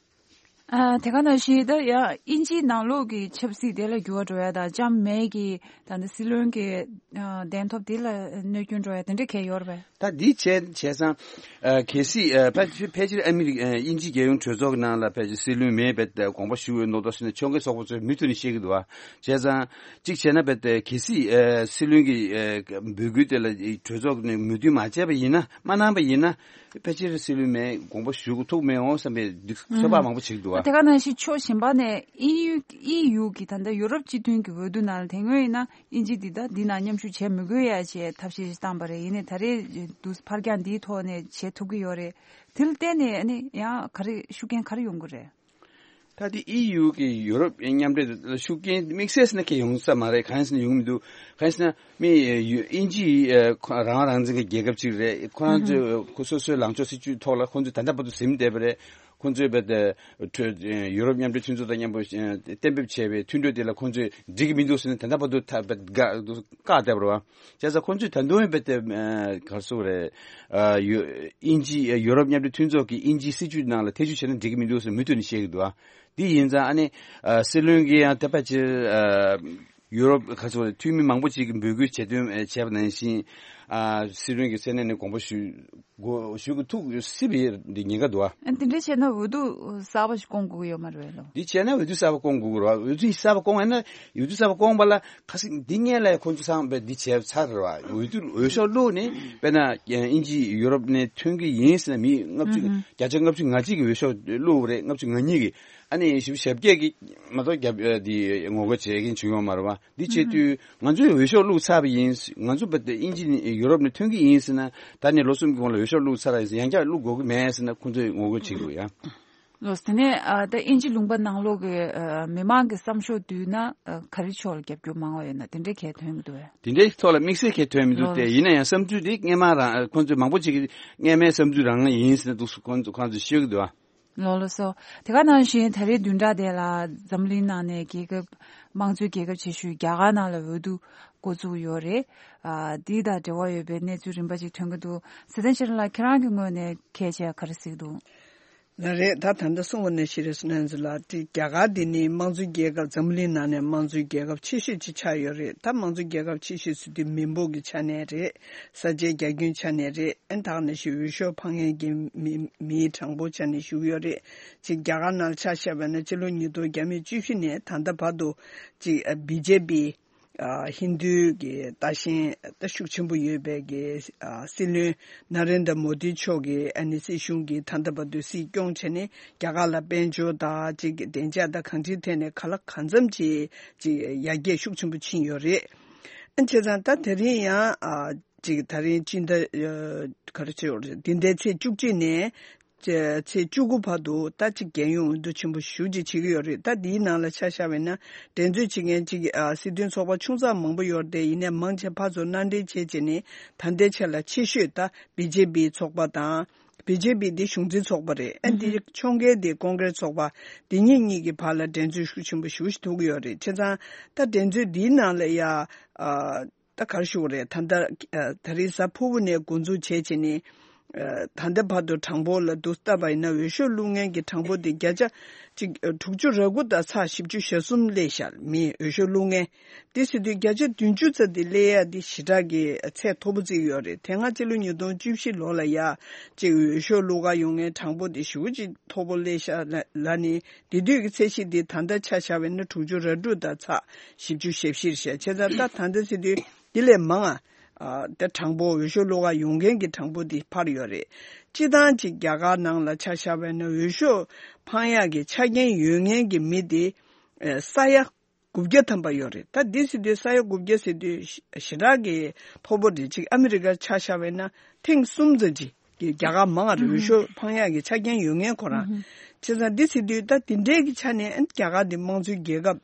ཨ་དེ་ག་ནང་བཞིན་ད་ཡང་དབྱིན་ཇིའི་ནང་ལོགས་ཀྱི་ཆབ་སྲིད་དེ་ལ་འགྱུར་བ་འགྲོ་ཡ་དང་ལྕམ་མེ་གི་ད་ལྟ་སྲིད་བློན་གྱི་ཨ་གདན་ཐོབ་དེ་ལ་གནོད་སྐྱོན་འགྲོ་ཡ་དེ་འདྲ་གས་ཡོད་རེད་པས། ད་འདི་བྱས་བྱས་ཙང་ཨ་གལ་སྲིད་ཨ་ཕལ་ཕལ་ཆེར་ཨ་མི་རི་ཨ་དབྱིན་ཇིའི་རྒྱལ་ཡོངས་གྲོས་ཚོགས་ཀྱི་ནང་ལ་ཕལ་ཆེར་སྲིད་བློན་མེ་བས་དགོངས་པ་ཞུ་འོས་མདོག་མདོག་བྱས་ནས་ཕྱོགས་འགལ་ཚོགས་པ་ཚོས་མུ་མཐུད་ནས་བཤད་ཀྱི་འདུག་བ། བྱས་ཙང་གཅིག་བྱས་ན་བས་གལ་སྲིད་ཨ་སྲིད་བློན་གྱི་ཨ་འབོད་སྐུལ་དེ་ལ་གྲོས་ཚོགས་ནས་མོས་མཐུན་མ་བྱས་པ་ཡིན་ན་མ་གནང་པ་ཡིན་ན། ཕལ་ཆེར་སྲིད་བློན་མེ་དགོངས་པ་ཞུ་ཐུབ་མི་འོང་བསམ་པའི་འདི་ཚོད་དཔག་མང་པོ་བྱེད་ཀྱི་འདུག་བ། དེ་ག་ནང་བཞིན་ཕྱོགས་གཞན་པ་ནས་ཨི་ཡུ་ཨི་ཡུ་གི་ད་ལྟ་ཡུ་རོབ་སྤྱི་མཐུན་གྱི་འོས་བསྡུ་ནང་ལ་དེ་སྔོན་ཡིན་ན་དབྱིན་ཇི་འདི་ད་འདི་ནང་མཉམ་ཞུགས་བྱས་མི་དགོས་ཡ་ཅེས་ཐབས་ཤེས་ཤིག་བཏང་པ་རེད། ཡིན་ནའི་ད་རེས་འདུག་ཕར་འགྱངས་འདིའི་ཐོག་ནས་བྱེད་ཐུབ་ཀྱི་ཡོད་རེད། དེ་ལ་བརྟེན་ནས་ནི་ཡང་ག་རེ་ཤུགས་རྐྱེན་ག་རེ་ཡོང་གི་རེད། ད་དེ་ཨི་ཡུ་གི་ཡུ་རོབ་མཉམ་འབྲེལ་ལ་ཤུགས་རྐྱེན་དམིགས་བསལ་ཟེར་ན་གང་ཡང་ཡོང་ས་མ་རེད། གང་ཡིན་ཟེར་ན་ཡོང་མི་འདུག་གང་ཡིན་ཟེར་ན་མི་ཡུ་དབྱིན་ཇི་ཡི་ཁོ་རང་རང་བཙན་གྱི་རྒྱལ་ཁབ་ཅིག་རེད། ཁོ་རང་ཚོས་ཁོ་སོ་སོའི་ལངས་ཕྱོགས་སྲིད་ཇུས་ཐོག་ལ་ཁོ་ཚོས་ད་ལྟ་བར་དུ་ཟིན་བསྡད་པ་རེད། ཁོ་ཚོས་བས་ཏེ་ཡུ་རོབ་མཉམ་འབྲེལ་མཐུན་ཚོགས་དང་མཉམ་པོ་གཏན་འབེབས་བྱས་པའི་མཐུན་གྲོས་དེ་ལ་ཁོ་ཚོས་འགྲིག་གི་མི་འདུག་ཟེར་ནས་ད་ལྟ་བར་དུ་ཐ་བཀག་བཀག་བསྡད་པ་རེད་བ། བྱས་ཙང་ཁོ་ཚོས་ད་དུང་བས་ཏེ་ག་རེ་ཟེར་དགོས་རེད། ཨ་ཡུ་དབྱིན་ཇི་ཡུ་རོབ་མཉམ་འབྲེལ་མཐུན་ཚོགས་ཀྱིས་དབྱིན་ཇིའི་སྲིད་ཇུས་ནང་ལ་ཐེ་བྱུས་བྱས་ན་འགྲིག་གི་མི་འདུག་ཟེར་མུ་མཐུད་ནས་བཤད་ཀྱི་འདུག་ཨ། འདི་ཡིན་ཙང་ཨ་ནི་ཨ་སྲིད་བློན་གྱིས་ཡང་ད་ཕལ་ཆེར་ཨ་ཡུ་རོབ་ག་རེ་ཟེར་དགོས་རེད། འཐུས་མི་མང་པོ་ཅིག་གིས་འབོད་སྐུལ་བྱེད་དོན་ཨ་བྱས་པ་ནང་བཞིན་ཨ་སྲིད་བློན་གྱི་སེམས་ནང་ནས་དགོངས་པ་ཞུ་དགོས་ཞུ་གི་ཐུག་སྲིད་པའི་འདི་ཉེན་ཁ་འདུག་ཨ། ཨ་འདི་འདྲ་བྱས་ན་འོས་བསྡུ་གསར་པ་ཞིག་སྐོང་དགོས་ཀྱི་ཡོད་མ་རེད་ལོ། འདི་བྱས་ན་འོས་བསྡུ་གསར་པ་སྐོང་དགོས་ཀྱི་རེད་བ། འོས་བསྡུ་གསར་པ་སྐོང་ཡིན་ན་འོས་བསྡུ་གསར་པ་སྐོང་པ་ལ་ཁ་སང་འདི་སྔོན་ལ་ཁོང་ཚོ་ཚང་མས་འདི་བྱས་ཚར་རེད་བ། འོས་བསྡུ་འོས་ཤོག་བླུགས་ནས་དཔེར་ན་དབྱིན་ཇི་ཡུ་རོབ་ནས་ཐོན་གྱི་ཡིན་ཟེར་ན་མི་ལྔ་བཅུ་ཨུ་ཧུམ། བརྒྱ་ཆ་ལྔ་བཅུ་ང་གཅིག་གིས་འོས་ཤོག་བླུགས་པ་རེད། ལྔ་བཅུ་ང་གཉིས་ཀྱིས། ཨ་ནི་ཞིབ་ཞབས་རྒྱས་ཀྱི་མ་གཏོགས་རྒྱབ་ཨ་འདི་ངོ་རྒོལ་བྱེད་མཁན་བྱུང་ཡོད་མ་རེད་བ། འདི་བྱེད་དུས་ང་ཚོས་འོས་ཤོག་བླུགས་ཚར་བ་ཡིན། ང་ཚོ་བ་དེ་དབྱིན་ཇི་ནས་ཡུ་རོབ་ནས་ཐོན་གྱི་ཡིན་ཟེར་ན། ད་ནས་ལོ་གསུམ་གྱི་གོང་ལ་འོས་ཤོག་བླུགས་ཚར་ཡིན་ཟེར། ཡང་བསྐྱར་བླུགས་དགོས་ཀྱི་མེད་ཟེར་ན་ཁོང་ཚོས་ངོ་རྒོལ་བྱེད་ཀྱི་འདུག་ཡ། ལགས་སོ། དེ་ནས་ཨ་ད་དབྱིན་ཇི་ལུང་པ་ནང་ལོགས་ཀྱི་ཨ་མི་མང་གི་བསམ་ཤོག་བསྡུས་ན་ཨ་ག་རེ་ཕྱོགས་ལ་རྒྱབ་སྐྱོར་མང་བ་ཡོད་ན་དེ་འདྲའི་གལ་ཐོན་གྱི་འདུག་བས། དེ་འདྲའི་ཐོག་ལ་དམིགས་བསལ་གལ་ཐོན་མི་འདུག་སྟེ། ཡིན་ན་ཡང་བསམ་ཚུལ་དེ་སྔས་མ་རང་ཁོང་ཚོས་མང་པོ་ཅིག་གིས་སྔས་མའི་བསམ་ཚུལ་རང་ཡིན་ཟེར་ན་འདུག་ཁོང་ཚོ་ཁོང་ཚོས་ཤོད་ཀྱི་འདུག་བ། ལགས་ལགས་སོ། དེ་ག་ནང་བཞིན་ད་རེས་བདུན་ཕྲག་དེ་ལ་འཛམ་གླིང་ནང་ནས་རྒྱལ་ཁབ་དམངས་གཙོའི་རྒྱལ་ཁབ་ཆེ་ཤོས་རྒྱ་གར་ནང་ལ་འོས་བསྡུ་འགོ་བཙུགས་ཡོད་རེད། ཨ་འདི་དང་འབྲེལ་བ་ཡོད་པའི་གནས་ཚུལ་རིམ་པ་ཅིག་ཐོན་གྱི་འདུག་སྲིད་དོན་ཤེས་རབ་ལགས་ཁྱེད་རང་གི་ངོས་ནས་གལ་ཆེ་ག་རེ་གཟིགས་འདུག་ལགས་རེད། ད་ད་ལྟ་གསུངས་པ་ནང་བཞིན་རེད་སོང་ན་ཚོ་ལ་དེ་རྒྱ་གར་འདི་ནི་དམངས་གཙོའི་རྒྱལ་ཁབ། འཛམ་གླིང་ནང་ནས་དམངས་གཙོའི་རྒྱལ་ཁབ་ཆེ་ཤོས་ཅིག་ཆགས་ཡོད་རེད། ད་དམངས་གཙོའི་རྒྱལ་ཁབ་ཆེ་ཤོས་ཟེར་དུས་མི་འབོར་གྱི་ཆ་ནས་རེད། ས་ཆའི་རྒྱ་ཁྱོན་ཆ་ནས་རེད། ཨན་ད་ག་ནང་བཞིན་འོས་ཤོག་འཕང་མཁན་གྱི་མི་མིའི་གྲངས་འབོར་ཆ་ནས་ཞུ་གི་ཡོད་རེད། ཅིག་རྒྱ་གར་ནང་ལ་ཆ་བཞག་པ་ན་སྤྱི་ལོ་ཉིས་སྟོང་བརྒྱ་མེད་བཅུ་བཞི་ནས་ད་ལྟ་བར་དུ་ཅིག་བི་ཇེ་པི་ཨ་ཧིན་རྡུའི་གི་ལྟ་ཞེན་ད་ཤུགས་ཆེན་པོ་ཡོད་པའི་གི་ཨ་སྲིད་བློན་ན་རེན་དྲ་མོ་དི་མཆོག་གིས་ཨ་ནི་སྲིད་གཞུང་གི་ད་ལྟ་བར་དུ་སྲིད་སྐྱོང་བྱས་ནས་རྒྱ་གར་ལ་དཔལ་འབྱོར་དང་ཅིག་གི་བདེ་འཇགས་དང་གང་ཅིའི་ཐད་ནས་ག་ལ་གང་འཚམ་ཅིག་ཅིག་ཡར་རྒྱས་ཤུགས་ཆེན་པོ་ཕྱིན་ཡོད་རེད། ཨ་བྱས་ཙང་ད་དེ་རིང་ཡང་ཨ་ཅིག་ད་རིང་སྤྱི་ཟླ་ཨ་ག་རེ་ཟེར་དགོས་རེད། འདི་ཟླའི་ཚེས་བཅུ་གཅིག་ནས། ཚེས་བཅུ་དགུ་བར་དུ་ད་ཅིག་རྒྱལ་ཡོངས་འོས་བསྡུ་ཆེན་པོ་ཞེ་པོ་ཅིག་བྱེད་ཀྱི་ཡོད་རེད། ད་འདིའི་ནང་ལ་ཆ་བཞག་པ་ཡིན་ན་འགྲན་རྩོད་བྱེད་མཁན་ཅིག་ཨ་སྲིད་དོན་ཚོགས་པ་ཆུང་ཙག་མང་པོ་ཡོད་རེད། ཡིན་ནའི་མང་ཆེ་ཕར་ཚུར་མནའ་འབྲེལ་བྱས་བྱས་ནས་ད་ལྟའི་ཆ་ལ་ཆེ་ཤོས་ད་བི་ཇེ་པི་ཚོགས་པ་དང་། བི་ཇེ་པི་འདི་གཞུང་འཛིན་ཚོགས་པ་རེད། ཨ་འདི་ཕྱོགས་འགལ་འདི་ཀོང་ཀྲེས་ཚོགས་པ། འདི་གཉིས་གཉིས་ཀྱི་བར་ལ་འགྲན་རྩོད་ཤུགས་ཆེན་པོ་ཞེ་པོ་ཅིག་ཐུག་གི་ཡོད་རེད། བྱས་ཙང་ད་འགྲན་རྩོད་འདིའི་ནང་ལ་ཡ་ཨ། ད་ག་རེ་ཞུ་དགོས་རེད། ད་ལྟ་ཨ་ད་རེས་གཟའ་ཕུར་བུ་ནས་འགོ་འཛུགས་བྱས་བྱས་ནས་ཨ་ད་ལྟ་བར་དུ་གྲངས་འབོར་ལ་བསྡུར་བལྟས་པ་ཡིན་ན་འོས་ཤོག་བླུག་མཁན་གྱི་གྲངས་འབོར་དེ་བརྒྱ་ཆ་གཅིག་ཨ་དྲུག་ཅུ་རེ་དགུ་དང་ཚེག་བཞི་བཅུ་ཞེ་གསུམ་སླེབས་ཤག་མི་འོས་ཤོག་བླུག་མཁན་དེ་ཟེར་དུས་བརྒྱ་ཆ་བདུན་ཅུ་ཙམ་དེ་སླེབས་ཡ་དེ་ཞེ་དྲག་གི་ཚད་མཐོ་པོ་བརྩི་གི་ཡོད་རེད། དེ་སྔ་སྤྱི་ལོ་ཉིས་སྟོང་བཅུ་བཞི་ལོ་ལ་ཡ་གཅིག་འོས་ཤོག་བླུག་ག་ཡོང་མཁན་གྲངས་འབོར་དེ་ཞེ་པོ་ཅིག་མཐོ་པོ་སླེབས་ཤག་ལ་ལ་ནི། དེ་དུས་ཀྱི་ཚད་གཞི་འདི་ད་ལྟ་ཆ་བཞག་པ་ཡིན་ན་དྲུག་ཅུ་རེ་དྲུག་དང་ཚེག་བཞི་བཅུ་ཞེ་བཞི་རེད་ཤག་བྱས་ཙང་ད་ད་ལྟ་ཟེར་དུས་འདི་ལས་མང་ང་ཨ་ད་གྲངས་འབོར་འོས་ཤོག་བླུག་ག་ཡོང་མཁན་གྱི་གྲངས་འབོར་འདི་འཕར་ཡོད་རེད། སྤྱིར་བཏང་ཅིག་རྒྱ་གར་ནང་ལ་ཆ་བཞག་པ་ཡིན་ན་འོས་ཤོག་འཕང་ཡག་གི་ཆ་རྐྱེན་ཡོད་མཁན་གྱི་མི་དེ་ཨ་ས་ཡ་དགུ་བརྒྱ་ཐམ་པ་ཡོད་རེད། ད་འདི་ཟེར་དུས་ས་ཡ་དགུ་བརྒྱ་ཟེར་དུས་ཞེ་དྲག་གི་མཐོ་པོ་རེད། ཅིག་ཨ་མི་རི་ཀར་ཆ་བཞག་པ་ཡིན་ན་ཐེངས་གསུམ་ཙམ་ཅིག་གི་རྒྱ་གར་མང་ང་རེད། འོས་ཤོག་འཕང་ཡག་གི་ཆ་རྐྱེན་ཡོད་མཁན་ཁོ་རང་། བྱས་ཙང་འདི་ཟེར་དུས་ད་འདི་འདྲའི་གི་ཆ་ནས་ཨ་རྒྱ་གར་འདི་དམངས་གཙོའི་རྒྱལ་ཁབ་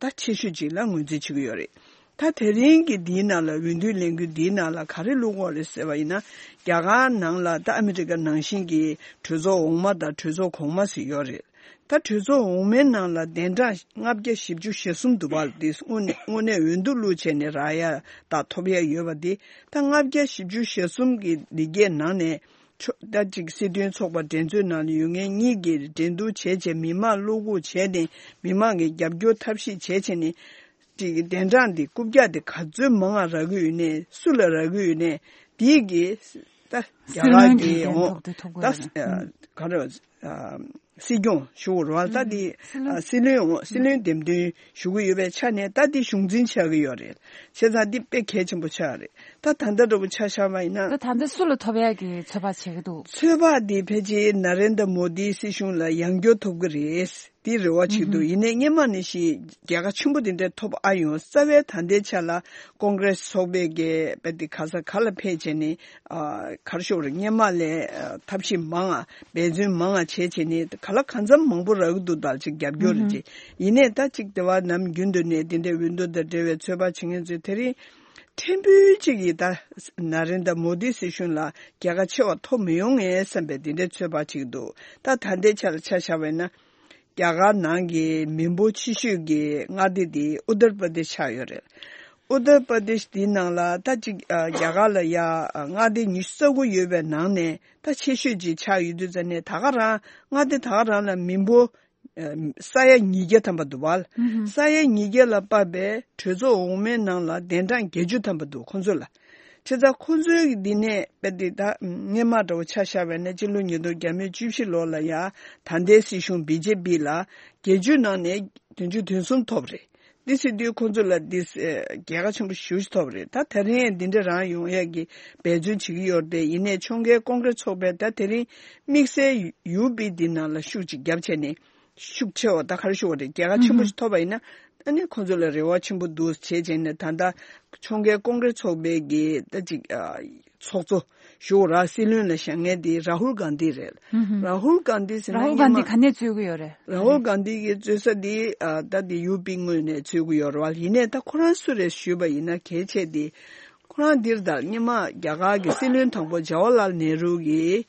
ད་ཆེ་ཤོས་ཅིག་ལ་ངོས་འཛིན་བྱེད་ཀྱི་ཡོད་རེད། ད་དེ་རིང་གི་འདིའི་ནང་ལ་འོས་བསྡུའི་ལས་འགུལ་འདིའི་ནང་ལ་ག་རེ་བླུག་དགོས་རེད་ཟེར་བ་ཡིན་ན། རྒྱ་གར་ནང་ལ་ད་ཨ་མི་རི་ཀ་ནང་བཞིན་གྱི་གྲོས་ཚོགས་འོག་མ་དང་གྲོས་ཚོགས་གོང་མ་ཟེར་ཡོད་རེད། ད་གྲོས་ཚོགས་འོག་མའི་ནང་ལ་གདན་གྲངས་ལྔ་བརྒྱ་བཞི་བཅུ་ཞེ་གསུམ་འདུག་པ། དེ་དངོས་གནས་དངོས་གནས་འོས་བསྡུ་བླུགས་བྱས་ནས་རག་ཡ་དང་ཐོབ་ཡ་ཡོད་པ་དེ་ད་ལྔ་བརྒྱ་བཞི་བཅུ་ཞེ་གསུམ་གྱི་འདི་གའི་ནང་ནས་ཆོ་ད་ཅིག་སྲིད་དོན་ཚོགས་པ་འགྲན་རྩོད་ནང་ལ་ཡོད་མཁན་གཉིས་ཀྱིས་འགྲན་བསྡུར་བྱས་བྱས་མི་མང་བློ་འགུག་བྱས་ནས་མི་མང་གི་རྒྱབ་སྐྱོར་ཐབས་ཤེས་བྱས་བྱས་ནས་ཅིག་གདན་གྲངས་འདི་རྐུབ་བཀྱག་འདི་ག་ཚོད་མང་ང་རག་གི་ཡོད་ནས་སུ་ལ་རག་གི་ཡོད་ནས་དེའི་གི་ད་རྒྱ་གར་གྱི་འོང་ད་ག་རེ་སྲིད་སྐྱོང་ཞུ་རོགས་ད་འདི་སྲིད་བློན་འོང་སྲིད་བློན་འདེམས་ཐོན་ཞུ་གི་ཡོད་པའི་ཆ་ནས་ད་འདི་གཞུང་འཛིན་ཆགས་ཀྱི་ཡོད་རེད། བྱས་ཙང་འདི་དཔེ་གལ་ཆེན་པོ་ཆགས་རེད། ད་ད་ལྟ་འདྲ་པོ་ཆ་བཞག་པ་ཡིན་ན། ད་ད་ལྟ་སུ་ལ་ཐོབ་ཡག་གི་ཚོད་དཔག་བྱེད་ཀྱི་འདུག་ཚོད་དཔག་འདི་ཕལ་ཆེར་ན་རེན་དྲ་མོ་དིའི་སྲིད་གཞུང་ལ་ཡང་བསྐྱར་ཐོབ་ཀྱི་རེད། འདི་རེ་བ་བྱེད་འདུག་ཡིན་ནའི་སྔོན་མ་ནས་ཤིག་རྒྱལ་ཁ་ཆེན་པོ་འདི་འདྲ་ཐོབ་ཨ་ཡོང་རྩ་བའི་ད་ལྟའི་ཆ་ལ་ཀོང་ཀྲེས་ཚོགས་པའི་གི་དཔེ་འདི་ག་ས་ག་ལ་ཕེབས་བྱས་ནས་ཨ་ག་རེ་ཞུ་དགོས་རེད། སྔོན་མ་ལས་ཨ་ཐབས་ཤེས་མང་ང་འབད་བརྩོན་མང་ང་བྱས་བྱས་ནས་ག་ལ་གང་འཚམ་མང་པོ་རག་གི་འདུག་ད་ཅིག་རྒྱབ་སྐྱོར་རེད་ཅེས། ཡིན་ནའི་ད་ཅིག་དེ་བ་ནམ་རྒྱུན་དུ་ནས་འདི་འདྲའི་འོས་བསྡུ་དང་འབྲེལ་བའི་ཚོད་དཔག་བྱེད་མཁན་ཚོས་དེ་རིང་ཕྲན་བུ་ཅིག་གིས་ད་ན་རེན་དྲ་མོ་དི་སྲིད་གཞུང་ལ་རྒྱལ་ཁ་ཆེ་བ་ཐོབ་མི་ཡོང་ངས་བསམ་པའི་འདི་འདྲའི་ཚོད་དཔག་བྱེད་ཀྱི་འདུག་ད་ད་ལྟའི་ཆ་ལ་ཆ་བཞག་པ་ཡིན་ན། རྒྱ་གར་ནང་གི་མི་འབོར་ཆེ་ཤོས་ཀྱི་མངའ་སྡེ་དེ་ཨུ་ཏར་པར་དེཤ་ཆགས་ཡོད་རེད། ཨུ་ཏར་པར་དེཤ་དེའི་ནང་ལ་ད་ཅིག་ཨ་རྒྱ་གར་ལ་ཡ་ཨ་མངའ་སྡེ་ཉི་ཤུ་རྩ་དགུ་ཡོད་པའི་ནང་ནས་ད་ཆེ་ཤོས་ཅིག་ཆགས་ཡོད་དུས་ཙ་ནས་ད་ག་རང་མངའ་སྡེ་ད་ག་རང་ལ་མི་འབོར་ཨ་ས་ཡ་ཉིས་བརྒྱ་ཐམ་པ་འདུག་བ། ཨུ་ཧུ། ས་ཡ་ཉིས་བརྒྱ་ལ་དཔག་པའི་གྲོས་ཚོགས་འོག་མའི་ནང་ལ་གདན་གྲངས་བརྒྱད་ཅུ་ཐམ་པ་འདུག་ཁོང་ཚོ་ལ། བྱས་ཙང་ཁོ་ཚོའི་འདི་ནས་དཔེ་དེ་ད་སྔོན་མ་འདྲ་བོ་ཆ་བཞག་པ་ཡིན་ན་སྤྱི་ལོ་ཉིས་སྟོང་བརྒྱ་མེད་བཅུ་བཞི་ལོ་ལ་ཡ་ད་ལྟའི་སྲིད་གཞུང་བི་ཇེ་པི་ལ་བརྒྱད་ཅུ་ནང་ནས་བདུན་ཅུ་དོན་གསུམ་ཐོབ་རེད། འདི་ཟེར་དུས་ཁོ་ཚོ་ལ་འདི་རྒྱལ་ཁ་ཆེན་པོ་ཞེ་པོ་ཅིག་ཐོབ་རེད། ད་དེ་རིང་འདི་འདྲ་རང་ཡོང་ཡས་ཀྱི་འབད་བརྩོན་བྱེད་ཀྱི་ཡོད་རེད། ཡིན་ནའི་ཕྱོགས་འགལ་ཀོང་ཀྲེས་ཚོགས་པས་ད་དེ་རིང་དམིགས་བསལ་ཡུ་པི་འདི་ནང་ལ་ཤུགས་ཅིག་བརྒྱབ་བྱས་ནས། ཤུགས་ཆེ་བ་ད་ག་རེ་ཞུ་བ་རེད། རྒྱལ་ཁ་ཆེན་པོ་ཞིག་ཐོབ་པ་ཡིན་ན་ཨ་ནི་ཁོང་ཚོ་ལ་རེ་བ་ཆེན་པོ་འདུག་བྱས་བྱས་ནས་ད་ལྟ་ཕྱོགས་འགལ་ཀོང་ཀྲེས་ཚོགས་པའི་གི་ད་ཅིག་ཨ་ཚོགས་གཙོ་ཞུ་ར་སྲིད་བློན་ལ་བཞེངས་མཁན་དེ་རཱ་ཧུལ་གྷན་དྷི་རེད། རཱ་ཧུལ་གྷན་དྷི་ཟེར་ན་རཱ་ཧུལ་གྷན་དྷི་ག་ནས་རྩོད་ཀྱི་ཡོད་རེད། རཱ་ཧུལ་གྷན་དྷི་གི་རྩོད་ས་དེ་ཨ་ད་དེ་ཡུ་པི་ངོས་ནས་རྩོད་ཀྱི་ཡོད་རེད་བ། ཡིན་ནའི་ད་ཁོ་རང་སུ་རེད་ཞུས་པ་ཡིན་ན་གལ་ཆེ་དེ་ཁོ་རང་འདིར་ད་སྔོན་མ་རྒྱ་གར་གི་སྲིད་བློན་དང་པོ་ཇ་ཝར་ལཱལ་ནེ་རུ་གི་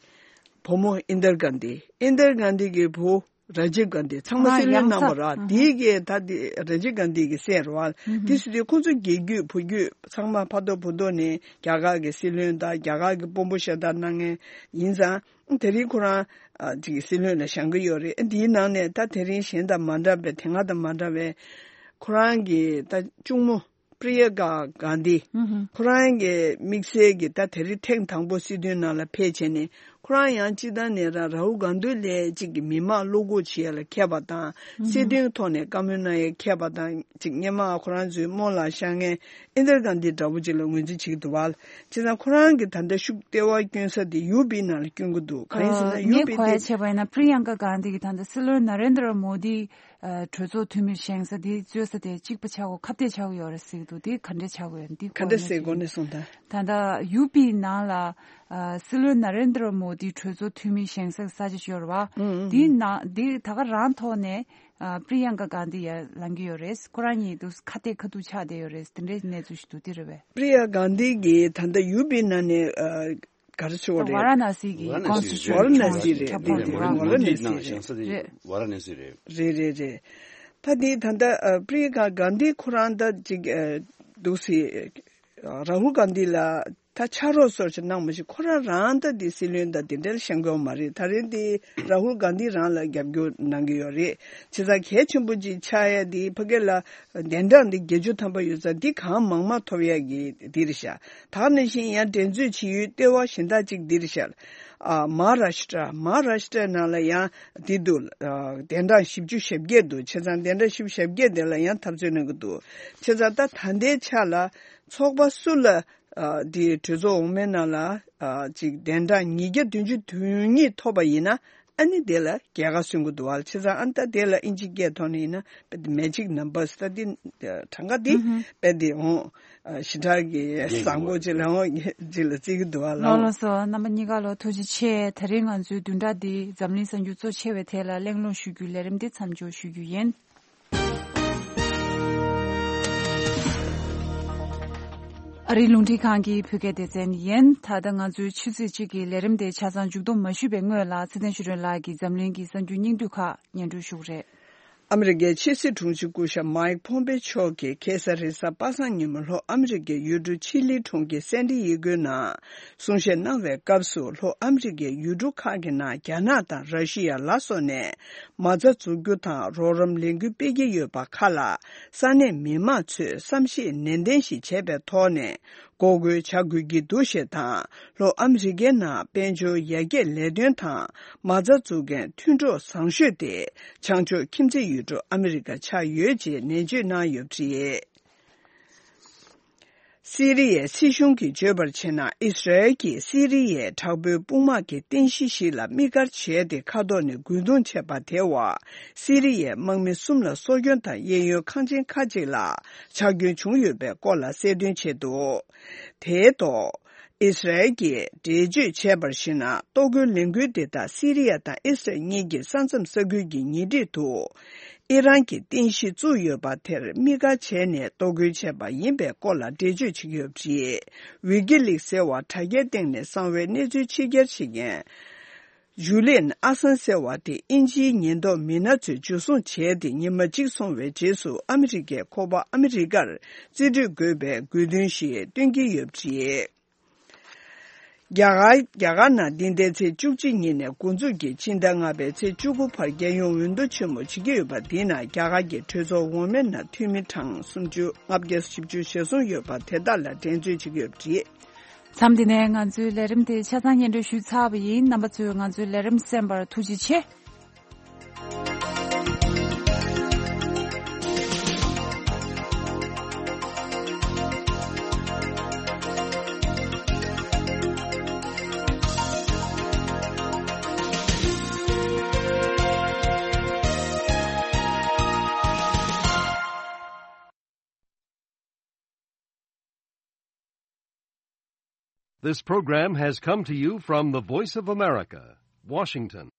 བུ་མོ་ཨིན་དར་གྷན་དྷི། ཨིན་དར་གྷན་དྷི་གི་བུ་ར་ཇིབ་གྷན་དྷི་ཚང་མ་ཨ་སྲིད་བློན་ཡང་གནང་བ་ར། ཨ་དེའི་གི་ད་དེ་ར་ཇིབ་གྷན་དྷི་གི་སྲས་རེད་བ། དེ་སྲིད་དུས་ཁོང་ཚོ་རྒྱལ་རྒྱུད་བུ་རྒྱུད་ཚང་མ་ཕ་ཐོག་བུ་ཐོག་ནས་རྒྱ་གར་གི་སྲིད་བློན་དང་རྒྱ་གར་གི་དཔོན་པོ་ཤ་སྟག་གནང་མཁན་ཡིན་ཙང་དེ་རིང་ཁོ་རང་ཨ་ཅིག་སྲིད་བློན་ལ་བཞེངས་ཀྱི་ཡོད་རེད། འདིའི་ནང་ནས་ད་དེ་རིང་གཞན་དང་མ་འདྲ་བའི་དེ་སྔ་དང་མ་འདྲ་བའི་ཁོ་རང་གི་ད་གཅུང་མོ་པྲི་ཡ་ཀ་གྷན་དྷི། ཁོ་རང་གི་དམིགས་བསལ་གྱི་ད་དེ་རིང་ཐེངས་དང་པོ་སྲིད་དོན་ནང་ལ་ཕེབས་བྱས་ནས་ཁོ་རང་ཡང་སྤྱི་བཏང་ནས་ར་རཱ་ཧུལ་གྷན་དྷི་ལས་གཅིག་གི་མི་མང་བློ་འགུག་བྱེད་ཡ་ལ་མཁས་པ་དང་། སྲིད་དོན་ཐོག་ནས་བཀའ་མོལ་གནང་ཡ་མཁས་པ་དང་གཅིག་སྔོན་མ་ཁོ་རང་ཚོའི་རྨོ་ལགས་བཞེངས་མཁན་ཨིན་དར་གྷན་དྷི་འདྲ་བོ་ཅིག་ལ་ངོས་འཛིན་བྱེད་ཀྱི་འདུག་བ། བྱས་ཙང་ཁོ་རང་གི་ད་ལྟ་ཤུགས་ལྟེ་བ་བསྐྱོན་ས་དེ་ཡུ་པི་ནང་ལ་བསྐྱོན་གྱི་འདུག་གང་ཡིན་ཟེར་ན་ཡུ་པི་དེ་ངས་གོ་ཡ་བྱས་པ་ཡིན་ན་པྲི་ཡང་ཀ་གྷན་དྷི་གི་ད་ལྟ་སྲིད་བློན་ན་རེན་དྲ་མོ་དི་གྲོས་ཚོགས་འཐུས་མི་བཞེངས་ས་དེ་རྩོད་ས་དེ་གཅིག་པ་ཆགས་ཀྱི་ཡོད་རེད་ཟེར་གྱི་འདུག་དེ་ག་འདྲ་ཆགས་ཀྱི་ཡོད་རེད། འདི་ག་འདྲ་ཟེར་གོ་ནས་སོང་ད། ད་ལྟ་ཡུ་པི་ནང་ལ་ཨ་སྲིད་བློན་ན་རེན་དྲ་མོ་དི་གྲོས་ཚོགས་འཐུས་མི་བཞེངས་ས་ས་ཆ་ཤོར་བ། དེའི་ནང་དེ་ད་ག་རང་ཐོག་ནས་ཨ་པྲི་ཡང་ཀ་གྷན་དྷི་ཡར་ལངས་ཀྱི་ཡོད་རེད། ཁོ་རང་གཉིས་འདུག་ཁ་གཏད་ཁ་ཐུག་ཆགས་བསྡད་ཡོད་རེད། དེ་འདྲའི་གནས་ཚུལ་ཞིག་འདུག་དེ་རེད་པས། པྲི་ཡང་ཀ་གྷན་དྷི་གིས་ད་ལྟ་ཡུ་པི་ནང་ནས་ཨ་ག་རེ་ཞུ་བ་རེད། ཝཱ་ར་ཎ་སི་གི་ཝཱ་ར་ཎ་སི་ཀོན་སི་ཊི་ཊུ་ཝཱ་ར་ཎ་སི་རེད། ཁྱབ་ཁོངས་དེ་རེད། ཝཱ་ར་ཎ་སི་རེད། ཝཱ་ར་ཎ་སི་རེད། རེད་རེད་རེད། ད་དེ་ད་ལྟ་ཨ་པྲི་ཡང་ཀ་གྷན་དྷི་ཁོ་རང་ད་ཅིག་ཨ་འདུག་སེ་རཱ་ཧུལ་གྷན་དྷི་ལ་ད་ཕྱག་རོགས་སོར་ཆ་གནང་མ་ཤེས། ཁོ་རང་རང་ད་དེ་སྲིད་བློན་ད་དེ་འདྲ་བཞེངས་དགོས་མ་རེད། ད་རེས་དེ་རཱ་ཧུལ་གྷན་དྷི་རང་ལ་རྒྱབ་སྐྱོར་གནང་གི་ཡོད་རེད། བྱས་ཙང་གལ་ཆེན་པོ་ཅིག་ཆགས་ཡ་དེ་ཕ་གི་ལ་གདན་གྲངས་འདི་བརྒྱད་ཅུ་ཐམ་པ་ཡོད་ཙང་འདི་གང་མང་མང་ཐོབ་ཡ་གི་འདི་རེད་ཤག་ད་ག་ནང་བཞིན་ཡང་འགྲན་རྩོད་བྱེད་ཡུལ་ལྟེ་བ་གཞན་དག་ཅིག་འདི་རེད་ཤག་ཨ་མ་ཧཱ་རཱ་ཤི་ཏྲ། མ་ཧཱ་རཱ་ཤི་ཏྲའི་ནང་ལ་ཡང་འདི་འདུག་ཨ་གདན་གྲངས་བཞི་བཅུ་ཞེ་བརྒྱད་འདུག་བྱས་ཙང་གདན་གྲངས་བཞི་བཅུ་ཞེ་བརྒྱད་དེ་ལ་ཡང་འཐབ་རྩོད་གནང་གི་འདུག་བྱས་ཙང་ད་ད་ལྟའི་ཆ་ལ་ཚོགས་པ་སུ་ལ་ཨ་འདི་གྲོས་ཚོགས་འོག་མའི་ནང་ལ་ཨ་ཅིག་གདན་གྲངས་ཉིས་བརྒྱ་བདུན་ཅུ་དོན་གཉིས་ཐོབ་པ་ཡིན་ན་ཨ་ནི་དེ་ལ་རྒྱལ་ཁ་སོན་གྱི་འདུག་བ། བྱས་ཙང་ཨ་ནི་ད་དེ་ལ་ཨིན་ཇི་སྐད་ཐོག་ནས་ཡིན་ན་དཔེ་དེ་མེ་ཇིག་ནམ་བར་ད་དེ་གྲངས་ཀ་དེ་དཔེ་དེ་འོང་ཞེ་དྲག་གི་བཟང་པོ་ཅིག་ལ་འོང་ཅིག་ལ་བརྩི་གི་འདུག་བ། ལགས་ལགས་སོ། རྣམ་པ་གཉིས་ཀ་ལ་ཐུགས་རྗེ་ཆེ། དེ་རིང་ང་ཚོའི་བདུན་ཕྲག་འདིའི་འཛམ་གླིང་གསར་འགྱུར་གཙོ་ཆེ་བའི་ཐད་ལ་གླེང་སློང་ཞུ་རྒྱུའི་ལས་རིམ་འདི་མཚམས་འཇོག་ཞུ་རྒྱུ་ཡིན། ཨ་རིའི་རླུང་འཕྲིན་ཁང་གི་བོད་སྐད་སྡེ་ཚན་ཡིན། ད་ལྟ་ང་ཚོའི་ཆུ་ཚོད་གཅིག་གི་ལས་རིམ་དེ་ཆ་ཚང་མཇུག་སྡོམ་མ་ཞུས་པའི་སྔོན་ལ་ཚེ་བརྟན་ཆོས་སྒྲོན་ལགས་ཀྱིས་འཛམ་གླིང་གི་གསར་འགྱུར་སྙིང་བསྡུས་ཁག་སྙན་སྒྲོན་ཞུ་གི་རེད། ཨ་མི་རི་ཀའི་ཕྱི་སྲིད་དྲུང་ཆེ་སྐུ་ཞབས་མཱིག་ཕོམ་པེ་མཆོག་གིས་ཁ་སང་རེས་གཟའ་པ་སངས་ཉིན་མོ་ལྷོ་ཨ་མི་རི་ཀའི་ཡུལ་གྲུ་ཆི་ལི་གྲོང་ཁྱེར་སན་ཏི་ཡེ་གོའི་ནང་གསུང་བཤད་གནང་བའི་སྐབས་སུ་ལྷོ་ཨ་མི་རི་ཀའི་ཡུལ་གྲུ་ཁག་གི་ནང་རྒྱ་ནག་དང་ར་ཤི་ཡ་ལ་སོགས་ནས་མ་རྩ་འཛུགས་རྒྱུ་དང་རོགས་རམ་ལེན་སྐུལ་སྤེལ་གྱི་ཡོད་པ་ཁག་ལ་ས་གནས་མི་མང་ཚོས་བསམ་ཤེས་ནན་ཏན་ཞིག་བྱས་པའི་ཐོག་ནས་འགོག་རྒོལ་བྱ་དགོས་ཀྱི་འདུག་ཞེས་དང་། ལྷོ་ཨ་མི་རི་ཀའི་ནང་དཔལ་འབྱོར་ཡར་རྒྱས་ལས་དོན་དང་མ་རྩ་འཛུགས་མཁན་མཐུན་གྲོགས་བཟང་ཤོས་དེ་བྱང་ཕྱོགས་ཁྱིམ་མཚེས་ཡུལ་གྲུ་ཨ་མི་རི་ཀ་ཆགས་ཡོད་ཅེས་ནན་བརྗོད་གནང་ཡོད་པ་རེད། སི་རི་ཡའི་སྲིད་གཞུང་གིས་བརྗོད་པར་བྱས་ན། ཨི་སི་རལ་གྱིས་སི་རི་ཡའི་དྲག་པོའི་དཔུང་དམག་གི་རྟེན་གཞི་ཞིག་ལ་དམིགས་བཀར་བྱས་ཏེ་མཁའ་ཐོག་ནས་རྒོལ་རྡུང་བྱས་པ་དེ་བ། སི་རི་ཡའི་དམག་མི་གསུམ་ལ་སྲོག་སྐྱོན་དང་གཡས་གཡོན་ཁང་ཆེན་ཁག་ཅིག་ལ་ཆག་སྐྱོན་བྱུང་ཡོད་པའི་སྐོར་ལ་གསལ་སྟོན་བྱས་འདུག་དེའི་ཐོག་ཨི་སི་རལ་གྱིས་འགྲེལ་བརྗོད་བྱས་པར་གཞིགས་ན། གཏོར་རྒོལ་ལས་འགུལ་འདི་དག་སི་རི་ཡ་དང་ཨི་སི་རལ་གཉིས་ཀྱི་ས་མཚམས་ས་ཁུལ་གྱི་ཉེ་འཁྲིས་དུ་ཨི་རན་གྱི་རྟེན་གཞི་བཙུགས་ཡོད་པ་དེར་དམིགས་བཀར་བྱས་ནས་གཏོར་རྒོལ་བྱས་པ་ཡིན་པའི་སྐོར་ལ་འགྲེལ་བརྗོད་བྱེད་ཀྱི་ཡོད་པ་རེད། ཝི་ཀི་ལིག་ཟེར་བ་དྲ་རྒྱའི་སྟེང་ནས་གསང་བའི་གནས་ཚུལ་ཕྱི་གྱར་བྱེད་མཁན་ཇུ་ལི་ཡན་ཨ་སན་ཟེར་བ་དེ་དབྱིན་ཇིའི་ཉེན་རྟོག་མི་སྣ་ཚོས་འཇུ་བཟུང་བྱས་ཏེ་ཉི་མ་གཅིག་སོང་བའི་རྗེས་སུ་ཨ་མི་རི་ཀའི་ཁོག་པ་ཨ་མི་རི་ཀར་རྩིས་སྤྲོད་དགོས་པའི་དགོས་འདུན་ཞིག་བཏོན་གྱི་ཡོད་པ་རེད། རྒྱ་གར། རྒྱ་གར་ནང་འདི་ཟླའི་ཚེས་བཅུ་གཅིག་ཉིན་ནས་འགོ་འཛུགས་ཀྱིས་ཕྱི་ཟླ་ལྔ་པའི་ཚེས་བཅུ་དགུ་བར་རྒྱལ་ཡོངས་འོས་བསྡུ་ཆེན་མོ་བྱེད་ཀྱི་ཡོད་པ་འདི་ནང་རྒྱ་གར་གྱི་གྲོས་ཚོགས་འོག་མའི་ནང་འཐུས་མི་གྲངས་སུམ་ཅུ་ལྔ་བརྒྱ་བཞི་བཅུ་ཞེ་གསུམ་ཡོད་པ་དེ་དག་ལ་འགྲན་རྩོད་བྱེད་ཀྱི་ཡོད་པ་རེད། མཚམས་འདི་ནས་ང་ཚོའི་ལས་རིམ་དེ་ཆ་ཚང་སྙན་སྒྲོན་ཞུས་ཚར་བ་ཡིན། རྣམ་པ་ཚོས་ང་ཚོའི་ལས་རིམ་གསན་པར་ཐུགས་རྗེ་ཆེ། This program has come to you from the Voice of America, Washington.